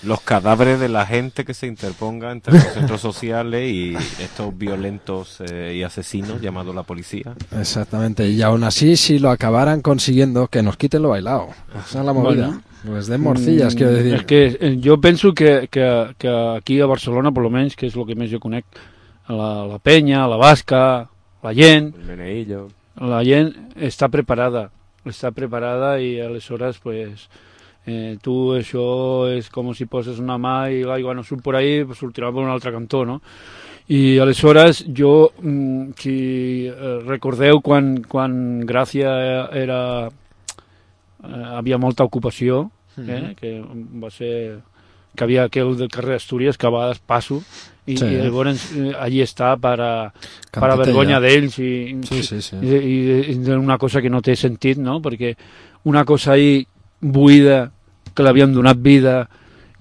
los cadáveres de la gente que se interponga entre los centros sociales y estos violentos y asesinos llamados la policía. Exactamente, y aún así, si lo acabaran consiguiendo, que nos quiten lo bailado. Esa es la movida. Bueno, les den morcillas, quiero decir. Es que yo pienso que aquí a Barcelona, por lo menos, que es lo que més jo conec, la penya, la basca, la gent... El meneillo. La gent està preparada i aleshores, pues... tu això és com si poses una mà i l'aigua no surt por ahí, pues sortirà per un altre cantó, no? I aleshores jo, si recordeu quan Gràcia havia molta ocupació, que va ser que havia aquell del carrer d'Astúries que a vegades passo i llavors allí està per a vergonya d'ells i una cosa que no té sentit, no? Perquè una cosa ahí buida que l'havien donat vida,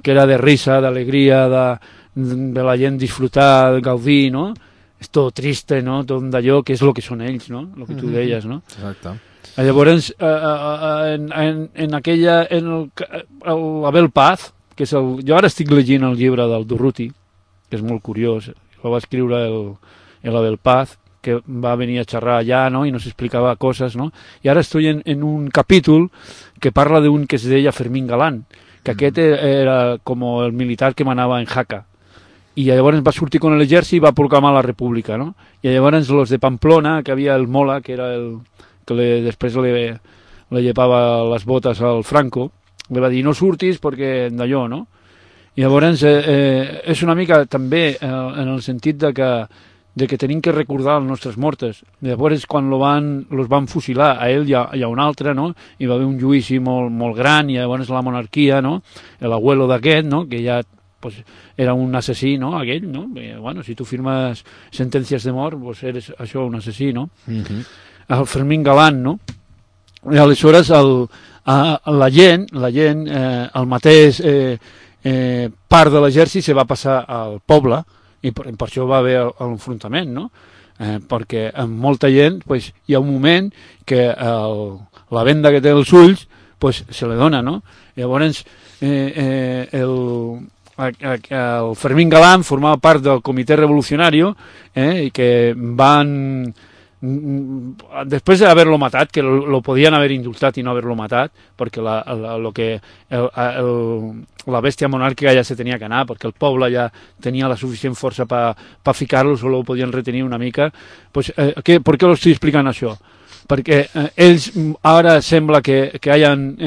que era de risa, d'alegria, de la gent disfrutar, de gaudir, no? És tot triste, no? Tot d'allò que és el que són ells, no? El que tu deies, no? Exacte. Llavors, en aquella... l'Abel Paz, que és el... Jo ara estic llegint el llibre del Durruti, que és molt curiós, el va escriure l'Abel Paz, que va venir a xerrar allà, no? I nos explicava coses, no? I ara estoy en un capítol que parla d'un que es deia Fermín Galán, que aquest era com el militar que manava en Jaca. I llavors va sortir con l'exèrcit i va proclamar la república, no? I llavors los de Pamplona, que havia el Mola, que era el que després le llevava les botes al Franco, li va dir no surtis perquè d'allò, no? I llavors és una mica també en el sentit de que tenim que recordar els nostres mortes. Llavors, quan los van fusilar a ell i a un altre, no? Hi va haver un judici molt, molt gran, i llavors la monarquia, no? L'abuelo d'aquest, no? Que ja pues, era un assassí, no?, aquell, no? Bueno, si tu firmes sentències de mort, pues eres això, un assassí, no? El Fermín Galán, no? I aleshores la gent, el mateix part de l'exèrcit se va passar al poble i per això va haver l'enfrontament, no? Perquè amb molta gent pues, hi ha un moment que la venda que té els ulls pues, se li dona, no? Llavors el Fermín Galán formava part del Comitè Revolucionari i que van... Després d'haver-lo matat, que lo podien haver indultat i no haver-lo matat, perquè la bèstia monàrquica ja se tenia que anar, perquè el poble ja tenia la suficient força per ficar-lo, solo ho podien retenir una mica. Pues, per què lo estic explicant això? Perquè ells ara sembla que hayan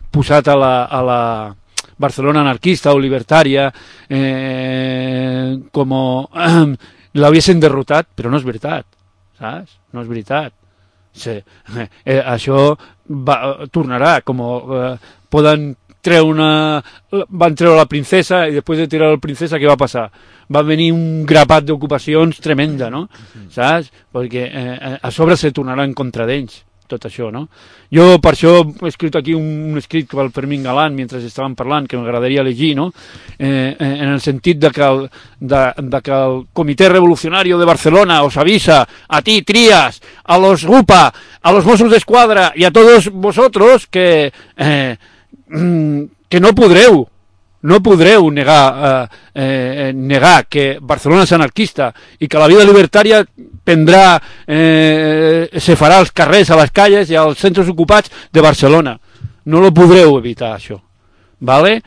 posat a la Barcelona anarquista o libertària com l'haguessin derrotat, però no és veritat. Saps? No és veritat. Sí. Això tornarà, com van treure la princesa i després de tirar la princesa què va passar? Va venir un grapat d'ocupacions tremenda, no? Saps? Perquè a sobre se tornarà en contra d'ells tot això, no? Jo per això he escrit aquí un escrit pel Fermín Galán mentre estàvem parlant, que m'agradaria llegir, no? En el sentit de que el Comitè Revolucionari de Barcelona os avisa a ti, Trías, a los GUPA, a los Mossos d'Esquadra y a todos vosotros que no podreu negar que Barcelona és anarquista i que la vida libertària se farà als carrers, a les calles i als centres ocupats de Barcelona. No lo podreu evitar, això. Vale?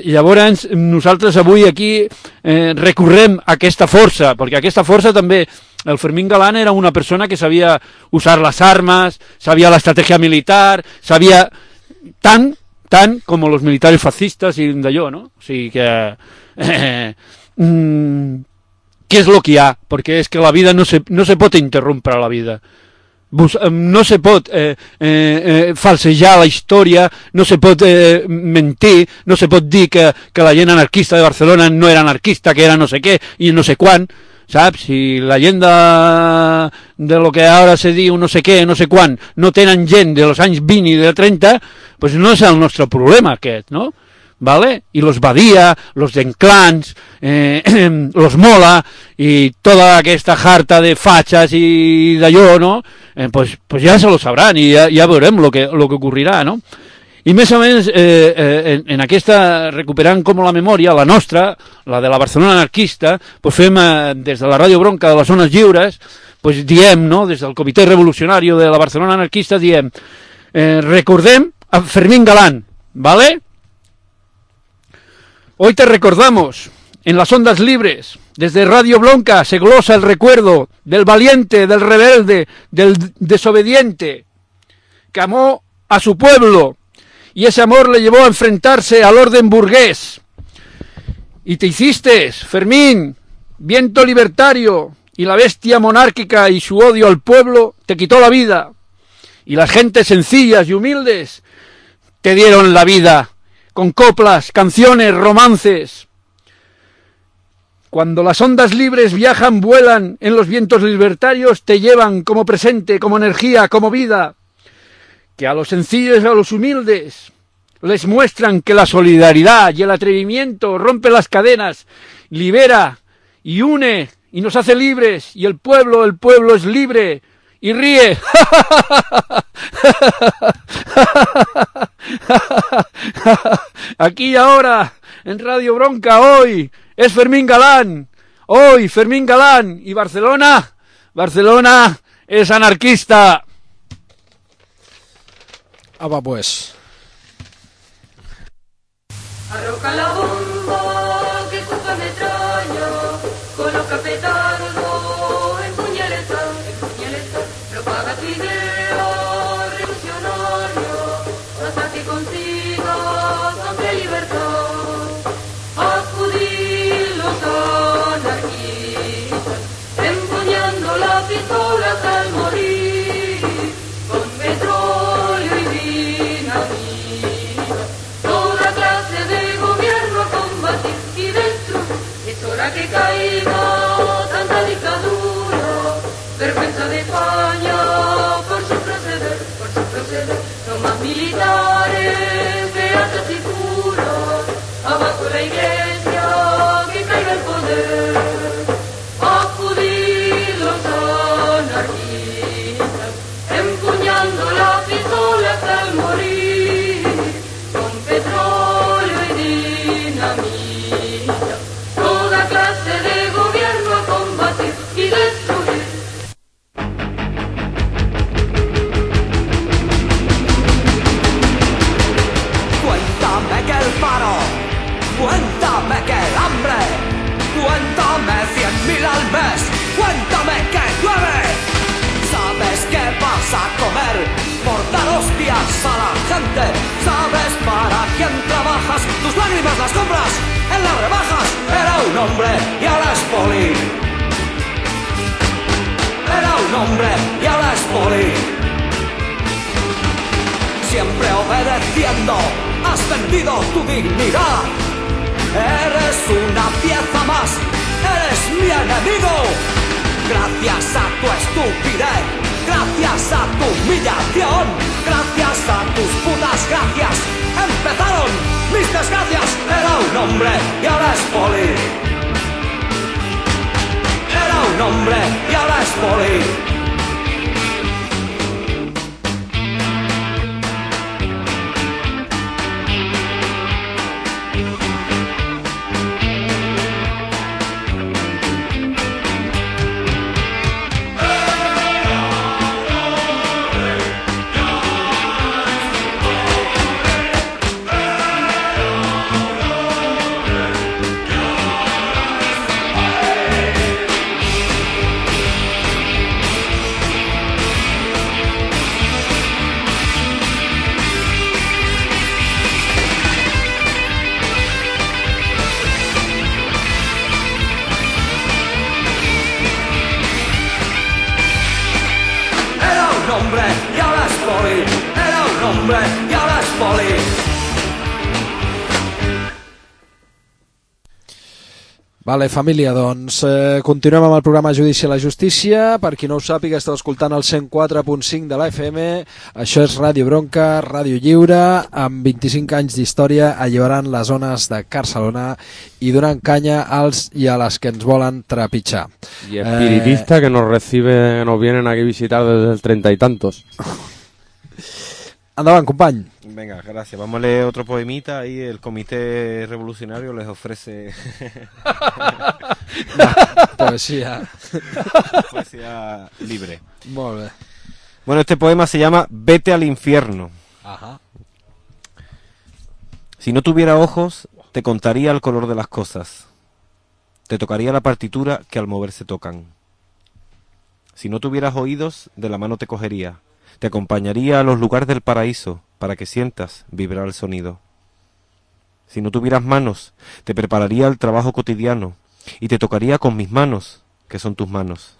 Llavors, nosaltres avui aquí recorrem a aquesta força, perquè aquesta força també, el Fermín Galán era una persona que sabia usar les armes, sabia l'estratègia militar, sabia tant com els militares fascistes i d'allò, no? O sigui que... què és el que hi ha? Perquè és que la vida no se pot interrompre la vida. No se pot falsejar la història, no se pot mentir, no se pot dir que la gent anarquista de Barcelona no era anarquista, que era no sé què i no sé quan, saps? Si la gent de lo que ara se diu no sé què, no sé quan, no tenen gent de los anys 20 i de 30, pues no és el nostre problema aquest, no? ¿Vale? Y los Badía, los Denclans, los Mola y toda aquesta jarta de fachas y d'allò, no? Pues ja se lo sabrán i ja veurem lo que ocurrirà, no? I més o menys en aquesta, recuperant com la memòria, la nostra, la de la Barcelona anarquista, pues fem des de la Ràdio Bronca de les Zones Lliures, pues diem, no? Des del Comitè Revolucionari de la Barcelona anarquista diem, recordem a Fermín Galán, ¿vale? Hoy te recordamos, en las ondas libres, desde Radio Bronca se glosa el recuerdo del valiente, del rebelde, del desobediente, que amó a su pueblo, y ese amor le llevó a enfrentarse al orden burgués. Y te hiciste, Fermín, viento libertario, y la bestia monárquica y su odio al pueblo te quitó la vida. Y las gentes sencillas y humildes te dieron la vida, con coplas, canciones, romances. Cuando las ondas libres viajan, vuelan en los vientos libertarios, te llevan como presente, como energía, como vida, que a los sencillos y a los humildes les muestran que la solidaridad y el atrevimiento rompe las cadenas, libera y une y nos hace libres, y el pueblo es libre y ríe. Aquí y ahora, en Radio Bronca, hoy es Fermín Galán. Hoy Fermín Galán. Y Barcelona es anarquista. Ah, va, pues. Arroja la bomba que ocupa metralla, coloca petardo, empuñale el sol, propaga tu idea revolucionaria, hasta que consigas amplia libertad. Acudir los anarquistas, empuñando la pistola hasta el morir, con petróleo y dinamita, toda clase de gobierno a combatir y de anarquistas, empuñando la pistola hasta el morir, con petróleo y dinamita, toda clase de gobierno a combatir y destruir. Cuéntame que el paro, cuéntame que el hambre, cuéntame 100.000 al mes, cuéntame que llueve. ¿Sabes qué vas a comer por dar hostias a la gente? ¿Sabes para quién trabajas? Tus lágrimas las compras en las rebajas. Era un hombre y ahora es poli. Era un hombre y ahora es poli. Siempre obedeciendo, has vendido tu dignidad. Eres una pieza más, eres mi enemigo. Gracias a tu estupidez, gracias a tu humillación, gracias a tus putas gracias, empezaron mis desgracias. Era un hombre y ahora es poli. Era un hombre y ahora es poli. Vale, família, doncs continuem amb el programa Judici a la Justícia. Per qui no ho sàpiga, esteu escoltant el 104.5 de la FM. Això és Ràdio Bronca, Ràdio Lliure, amb 25 anys d'història alliberant les zones de Barcelona i donant canya als i a les que ens volen trepitjar. Y espiritista que nos vienen aquí a visitar desde el 30 y tantos. Endavant, company. Venga, gracias. Vamos a leer otro poemita. Ahí el Comité Revolucionario les ofrece poesía. Poesía libre. Molt bé. Bueno, este poema se llama Vete al infierno. Ajá. Si no tuviera ojos, te contaría el color de las cosas. Te tocaría la partitura que al mover se tocan. Si no tuvieras oídos, de la mano te cogería. Te acompañaría a los lugares del paraíso para que sientas vibrar el sonido. Si no tuvieras manos, te prepararía el trabajo cotidiano y te tocaría con mis manos, que son tus manos.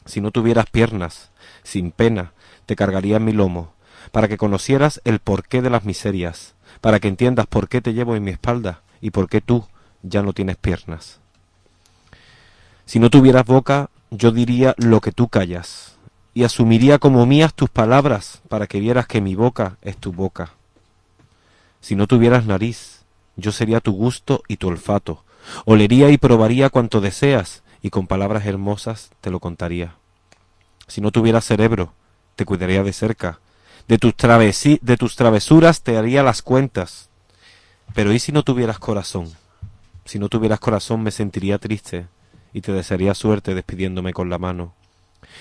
Si no tuvieras piernas, sin pena, te cargaría en mi lomo, para que conocieras el porqué de las miserias, para que entiendas por qué te llevo en mi espalda y por qué tú ya no tienes piernas. Si no tuvieras boca, yo diría lo que tú callas, y asumiría como mías tus palabras para que vieras que mi boca es tu boca. Si no tuvieras nariz, yo sería tu gusto y tu olfato, olería y probaría cuanto deseas y con palabras hermosas te lo contaría. Si no tuvieras cerebro, te cuidaría de cerca, de tus travesuras te haría las cuentas. Pero ¿y si no tuvieras corazón? Si no tuvieras corazón me sentiría triste y te desearía suerte despidiéndome con la mano.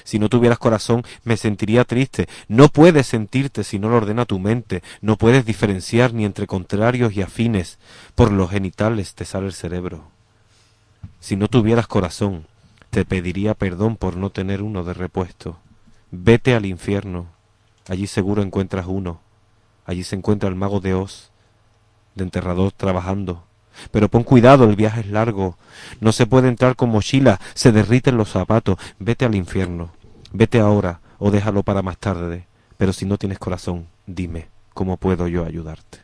Si no tuvieras corazón, me sentiría triste. No puedes sentirte si no lo ordena tu mente. No puedes diferenciar ni entre contrarios y afines. Por los genitales te sale el cerebro. Si no tuvieras corazón, te pediría perdón por no tener uno de repuesto. Vete al infierno. Allí seguro encuentras uno. Allí se encuentra el mago de Oz, de enterrador trabajando. Pero pon cuidado, el viaje es largo. No se puede entrar con mochila, se derriten los zapatos. Vete al infierno. Vete ahora o déjalo para más tarde. Pero si no tienes corazón, dime, ¿cómo puedo yo ayudarte?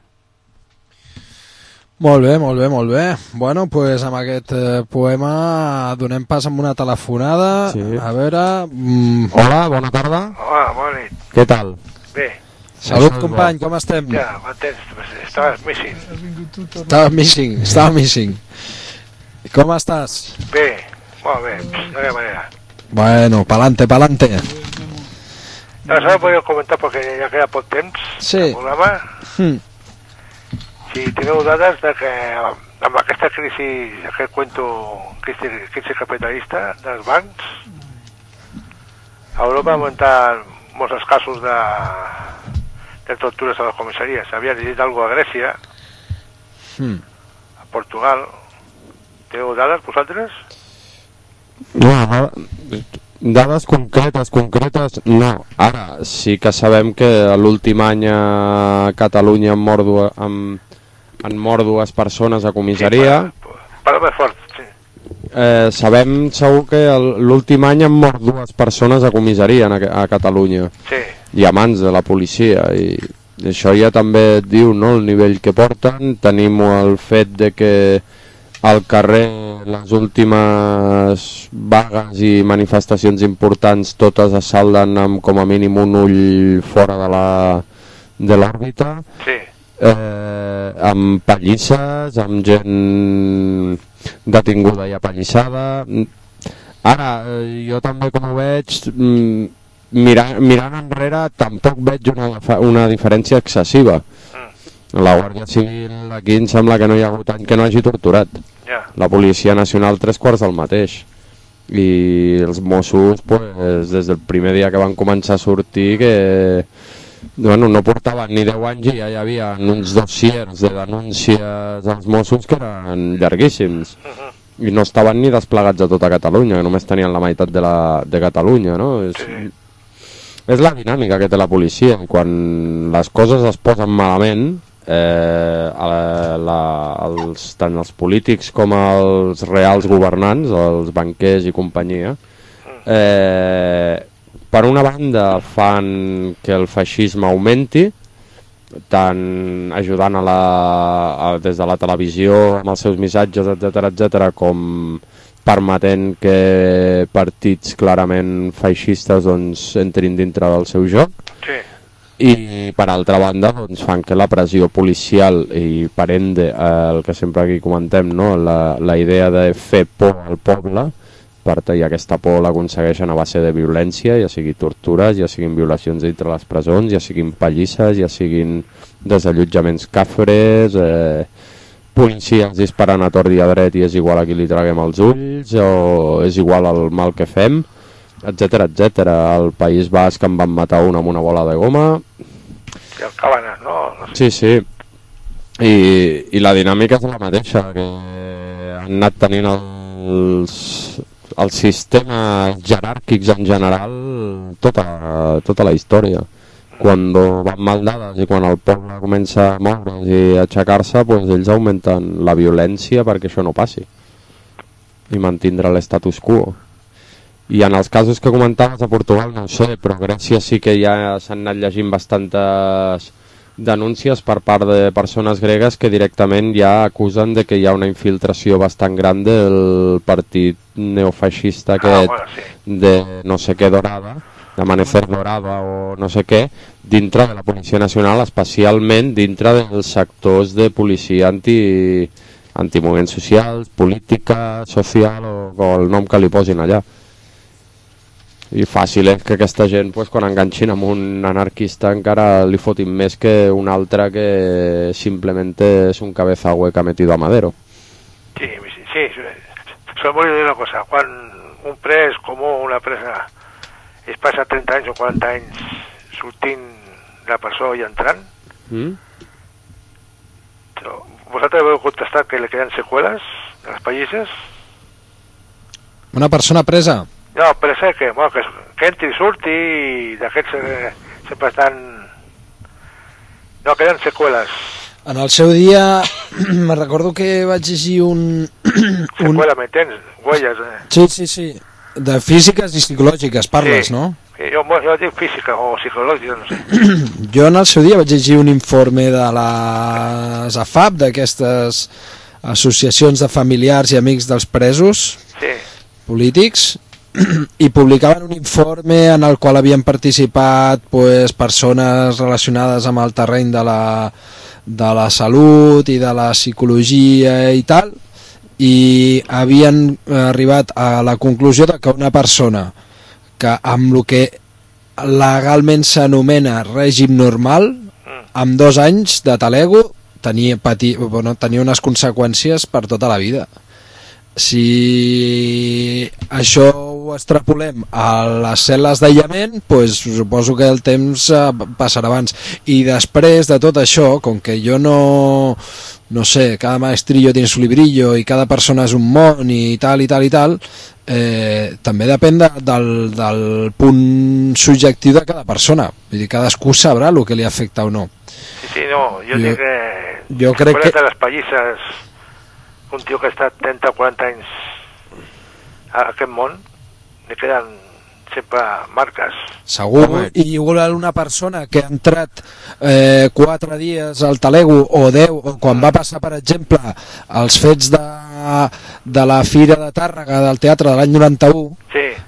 Molt bé, molt bé, molt bé. Bueno, pues amb aquest poema donem pas amb una telefonada. Sí. A veure... Hola, bona tarda. Hola, bona nit. Què tal? Bé. Salut, company, com estem? Ja, m'entens, estaves missing. Estava missing. Com estàs? Bé, molt bé, de quina manera. Bueno, pa'lante, pa'lante. Això ho podeu comentar perquè ja queda poc temps Sí. el programa. Si teniu dades de que amb aquesta crisi, aquest cuento crisi capitalista dels bancs, a Europa ha augmentat molts els casos de tortures a les comissaries. Havia llegit alguna a Grècia, a Portugal. Teniu dades vosaltres? No, dades concretes no. Ara sí que sabem que l'últim any a Catalunya han mort dues persones a comissaria. Parla més fort, sí. Sabem segur que l'últim any han mort dues persones a comissaria a Catalunya. Sí. I a mans de la policia. I això ja també et diu, no?, el nivell que porten. Tenim el fet de que al carrer les últimes vagues i manifestacions importants totes es salden amb com a mínim un ull fora de l'òrbita. Sí. Amb pallisses, amb gent detinguda i apallissada. Ara, jo també com ho veig, mirant enrere tampoc veig una diferència excessiva. La Guàrdia Civil aquí em sembla que no hi ha hagut any que no hagi torturat. La Policia Nacional 3/4 del mateix. I els Mossos, pues, des del primer dia que van començar a sortir, que bueno, no portaven ni 10 anys i ja hi havia uns dossiers de denúncies als Mossos que eren llarguíssims. I no estaven ni desplegats a tota Catalunya, que només tenien la meitat de Catalunya, no? És la dinàmica que té la policia. Quan les coses es posen malament, tant els polítics com els reals governants, els banquers i companyia, per una banda fan que el feixisme augmenti, tant ajudant des de la televisió amb els seus missatges, etc, com permetent que partits clarament feixistes doncs, entrin dintre del seu joc. Sí. I per altra banda doncs, fan que la pressió policial i per ende el que sempre aquí comentem, no? la idea de fer por al poble, i aquesta por l'aconsegueixen a base de violència, ja sigui tortures, ja siguin violacions dintre les presons, ja siguin pallisses, ja siguin desallotjaments càfres, policies disparant a tort i a dret i és igual a qui li traguem els ulls, o és igual el mal que fem, etc. Al País Basc en van matar un amb una bola de goma. I el Cabanes, no? Sí. I la dinàmica és la mateixa, que han anat tenint els sistemes jeràrquics en general tota la història. Quan van mal dades i quan el poble comença a moure's i a aixecar-se, doncs ells augmenten la violència perquè això no passi i mantindre l'estatus quo. I en els casos que comentaves a Portugal no ho sé, però a Grècia sí que ja s'han anat llegint bastantes denúncies per part de persones gregues que directament ja acusen de que hi ha una infiltració bastant gran del partit neofeixista aquest de no sé què Dorada, d'Amanecer Dorada o no sé què, dintre de la Policia Nacional, especialment dintre dels sectors de policia antimoviments socials, política, social o el nom que li posin allà. I fàcil és que aquesta gent, pues, quan enganxin amb un anarquista encara li fotin més que un altre que simplement és un cabeza hueca metido a Madero. Sí. Solo voy a dir una cosa. Quan un pres com una presa es passa 30 anys o 40 anys sortint de la presó i entrant, vosaltres vau contestar que li queden seqüeles de les pallisses? Una persona presa? No, presa que entri i surti i d'aquests sempre estan... No, queden seqüeles. En el seu dia me recordo que vaig llegir Seqüela, m'entens? Huelles. Sí. De físiques i psicològiques parles, no? Jo dic física o psicològica, no sé. Jo en el seu dia vaig llegir un informe de les AFAP, d'aquestes associacions de familiars i amics dels presos polítics, i publicaven un informe en el qual havien participat persones relacionades amb el terreny de la salut i de la psicologia i tal, i havien arribat a la conclusió de que una persona que amb el que legalment s'anomena règim normal, amb 2 anys de talego tenia unes conseqüències per tota la vida. Si això ho extrapolem a les cel·les d'aïllament, doncs suposo que el temps passarà abans. I després de tot això, com que jo no sé, cada maestrillo tiene su librillo i cada persona és un món i tal, també depèn del punt subjectiu de cada persona. Vull dir, cadascú sabrà el que li afecta o no. Sí, no, jo crec que... de les pallisses, un tio que ha estat 30 o 40 anys a aquest món, li queden sempre marques. Segur, i igual una persona que ha entrat 4 dies al talego o 10, o quan va passar, per exemple, els fets de la Fira de Tàrrega del teatre de l'any 91,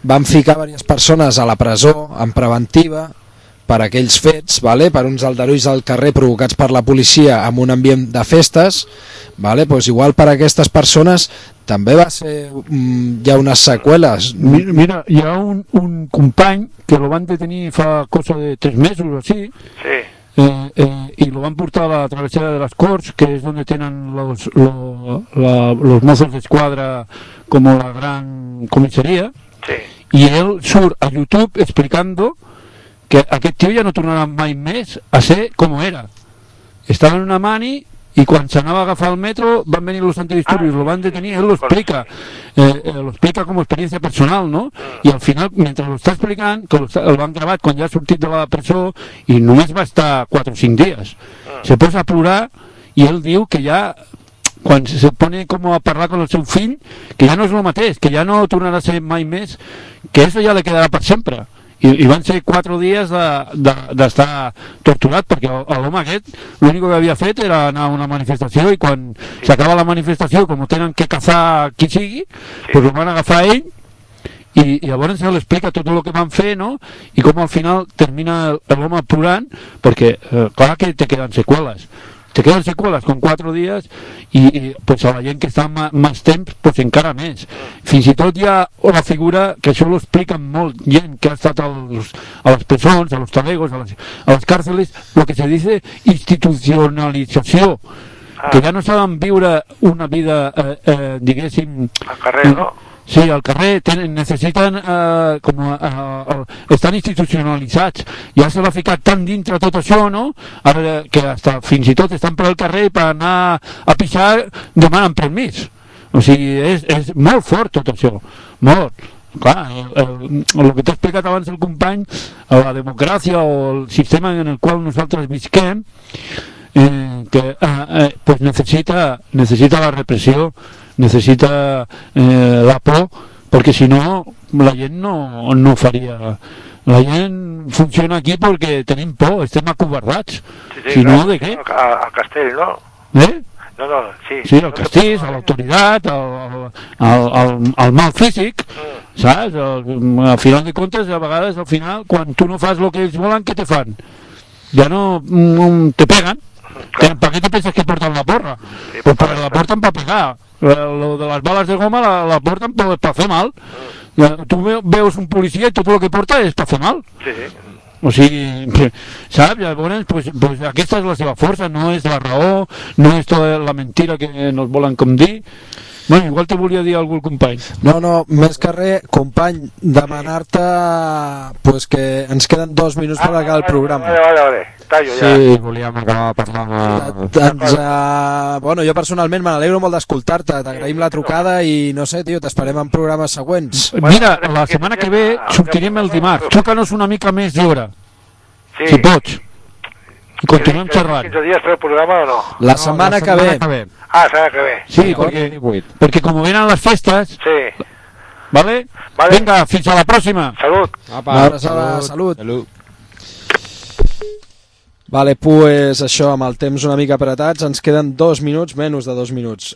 van ficar diverses persones a la presó en preventiva per aquells fets, per uns aldarulls al carrer provocats per la policia en un ambient de festes, doncs igual per a aquestes persones també va ser hi ha unes seqüeles. Mira, hi ha un company que lo van detenir fa cosa de 3 mesos o así, y lo van portar a la travesera de las Corts, que es donde tienen los mozos de escuadra como la gran comisaría, y él surt a YouTube explicando que aquest tio ja no tornarà mai més a ser com era. Estava en una mani i quan s'anava a agafar el metro van venir los antidisturbios, lo van detenir, él lo explica com a experiència personal, ¿no? I al final, mentre lo està explicant, que el van gravat quan ja ha sortit de la presó i només va estar 4 o 5 dies, se posa a plorar i ell diu que ja quan se pone com a parlar con el seu fill, que ja no és el mateix, que ja no tornarà a ser mai més, que eso ja le quedarà per sempre. I van ser 4 dies d'estar torturat, perquè l'home aquest l'únic que havia fet era anar a una manifestació i quan s'acaba la manifestació, com tenen que caçar qui sigui, doncs el van agafar ell i llavors se l'explica tot el que van fer, no? I com al final termina l'home plorant, perquè clar que te queden seqüeles con 4 dies i pues a la gent que està més temps pues encara més. Fins i tot hi ha la figura que això ho expliquen molt gent que ha estat a les presons, a los talegos, a les càrceles, lo que se dice institucionalització, que ja no saben viure una vida diguéssim al carrer, no? Sí, al carrer necessiten estan institucionalitzats, ja se l'ha ficat tan dintre tot això, no? Ara que fins i tot estan per al carrer per anar a pixar demanen permís, o sigui és molt fort tot això, molt. Clar, el que t'ha explicat abans el company, la democràcia o el sistema en el qual nosaltres visquem, que pues necesita la repressió, necessita la por, perquè si no la gent no faria. La gent funciona aquí perquè tenim por, estem acovardats. Si no, de què? Al castell, no? Sí, al castell, a l'autoritat, al mal físic, saps? Al final de comptes, a vegades, al final, quan tu no fas el que ells volen, què te fan? Ja no te peguen. ¿Para qué te piensas que portan la porra? Pues porque la portan para pegar. Lo de las balas de goma la portan para hacer mal. Tú veus un policía y todo lo que porta es para hacer mal. O sigui, saps? Llavors, pues aquesta és la seva força, no és la raó, no és tota la mentira que nos volen com dir. Bueno, igual te volia dir algú el company. No, més que res, company, demanar-te pues, que ens queden 2 minuts per acabar el programa. Vale. Tallo, ja. Sí, volíem acabar parlant... Bueno, jo personalment me n'alegro molt d'escoltar-te, t'agraïm la trucada i no sé, tio, t'esperem en programes següents. Mira, la setmana que ve sortirem el dimarts, truca-nos una mica més d'hora, si pots. I continuem xerrant. 15 dies per el programa o no? La setmana que ve. La setmana que ve. Sí, perquè com venen les festes... Sí. Vale? Vinga, fins a la pròxima. Salut. Salut. Vale, pues això, amb el temps una mica apretats, ens queden 2 minuts, menys de 2 minuts.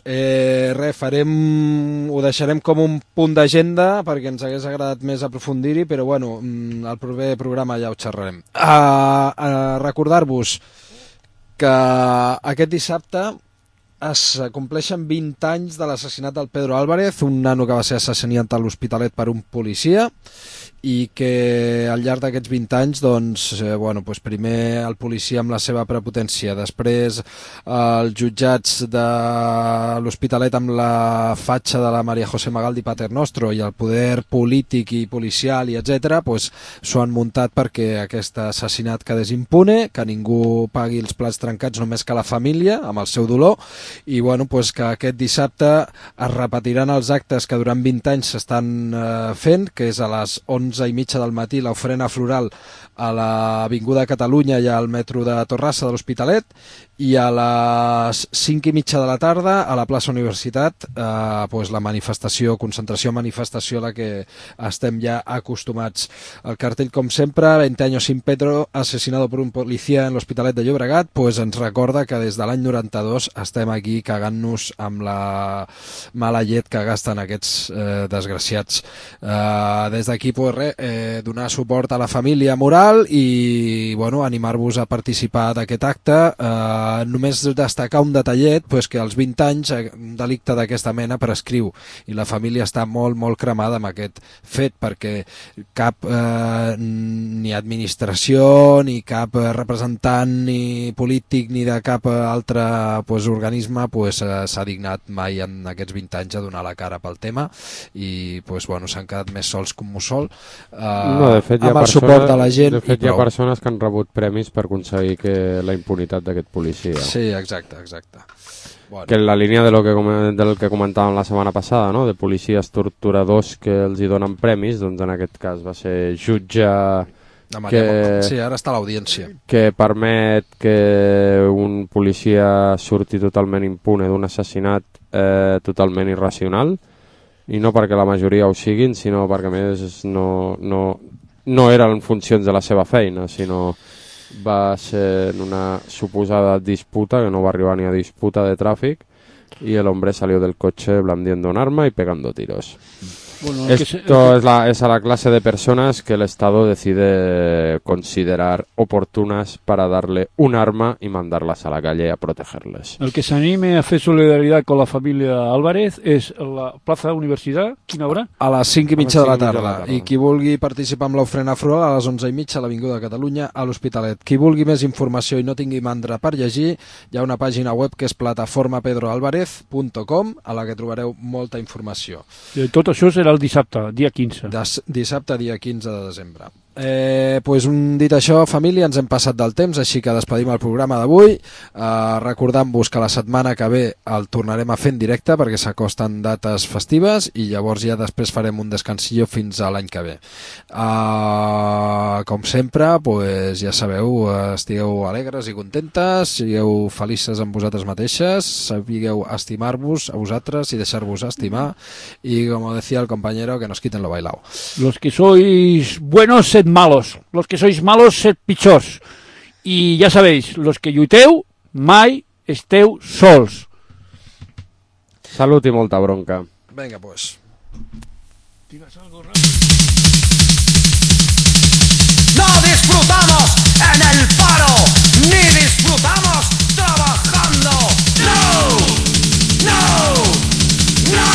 Ho deixarem com un punt d'agenda perquè ens hagués agradat més aprofundir-hi, però bueno, el proper programa ja ho xerrarem. Recordar-vos que aquest dissabte es compleixen 20 anys de l'assassinat del Pedro Álvarez, un nano que va ser assassinat a l'Hospitalet per un policia, i que al llarg d'aquests 20 anys doncs, primer el policia amb la seva prepotència, després els jutjats de l'Hospitalet amb la fatxa de la María José Magaldi Paternostro i el poder polític i policial i etc. S'ho han muntat perquè aquest assassinat quedés impune, que ningú pagui els plats trencats, només que la família amb el seu dolor, i que aquest dissabte es repetiran els actes que durant 20 anys s'estan fent, que és a les 11:30 del matí l'ofrena floral a l'Avinguda Catalunya i al metro de Torrassa de l'Hospitalet, i a les 5:30 de la tarda a la plaça Universitat la manifestació, concentració-manifestació a la que estem ja acostumats. El cartell, com sempre, 20 años sin Pedro, asesinado por un policía en l'Hospitalet de Llobregat, ens recorda que des de l'any 92 estem aquí cagant-nos amb la mala llet que gasten aquests desgraciats. Des d'aquí donar suport a la família moral i animar-vos a participar d'aquest acte. Només destacar un detallet, que als 20 anys un delicte d'aquesta mena prescriu, i la família està molt, molt cremada amb aquest fet, perquè cap ni administració, ni cap representant, ni polític, ni de cap altre organisme s'ha dignat mai en aquests 20 anys a donar la cara pel tema, i s'han quedat més sols que un mussol, de fet, amb el suport de la gent. De fet, hi ha persones que han rebut premis per aconseguir la impunitat d'aquest policia. Sí, exacte. Que en la línia del que comentàvem la setmana passada, no? De policies torturadors que els hi donen premis, doncs en aquest cas va ser jutge sí, ara està a l'audiència, que permet que un policia surti totalment impune d'un assassinat totalment irracional, i no perquè la majoria ho siguin, sinó perquè a més no eren funcions de la seva feina, sinó va ser en una suposada disputa, que no va arribar ni a disputa de tràfic, y el hombre salió del coche blandiendo un arma y pegando tiros. Esto es a la clase de personas que el Estado decide considerar oportunas para darle un arma y mandarlas a la calle a protegerles. El que s'anime a fer solidaritat con la família Álvarez és la plaça de la Universitat. Quina hora? A les 5:30 de la tarda. I qui vulgui participar amb l'ofrena floral a les 11:30 a l'Avinguda Catalunya a l'Hospitalet. Qui vulgui més informació i no tingui mandra per llegir, hi ha una pàgina web que és plataformapedroalvarez.com, a la que trobareu molta informació. I tot això serà el dissabte, dia 15. Dissabte, dia 15 de desembre. Dit això, família, ens hem passat del temps, així que despedim el programa d'avui, recordant-vos que la setmana que ve el tornarem a fer en directe perquè s'acosten dates festives, i llavors ja després farem un descansillo fins a l'any que ve. Com sempre, ja sabeu, estigueu alegres i contentes, sigueu felices amb vosaltres mateixes, sapigueu estimar-vos a vosaltres i deixar-vos estimar, i com decía el compañero, que nos quiten lo bailao. Los que sois buenos, sed malos. Los que sois malos, sed pitjors. I ja sabeu, los que lluiteu, mai esteu sols. Salut i molta bronca. Venga, pues. No disfrutamos en el paro, ni disfrutamos trabajando. No, no, no.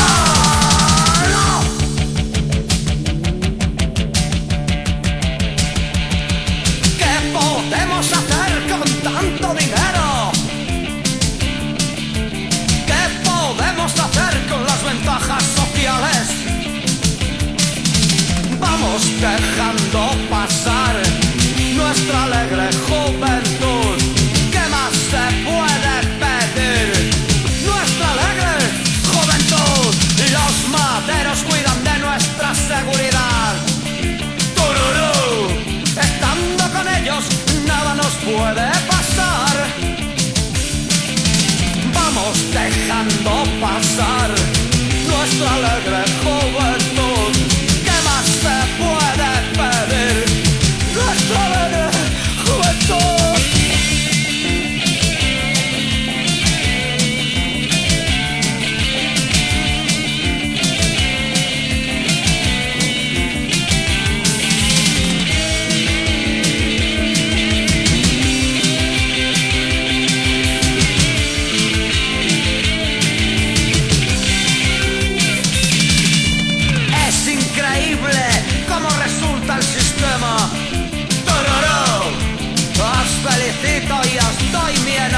Dejando pasar nuestra alegre juventud. ¿Qué más se puede pedir? Nuestra alegre juventud. Los maderos cuidan de nuestra seguridad. ¡Tururú! Estando con ellos nada nos puede pasar. Vamos dejando pasar nuestra alegre juventud. ¿Qué más se puede pedir? necesito y estoy bien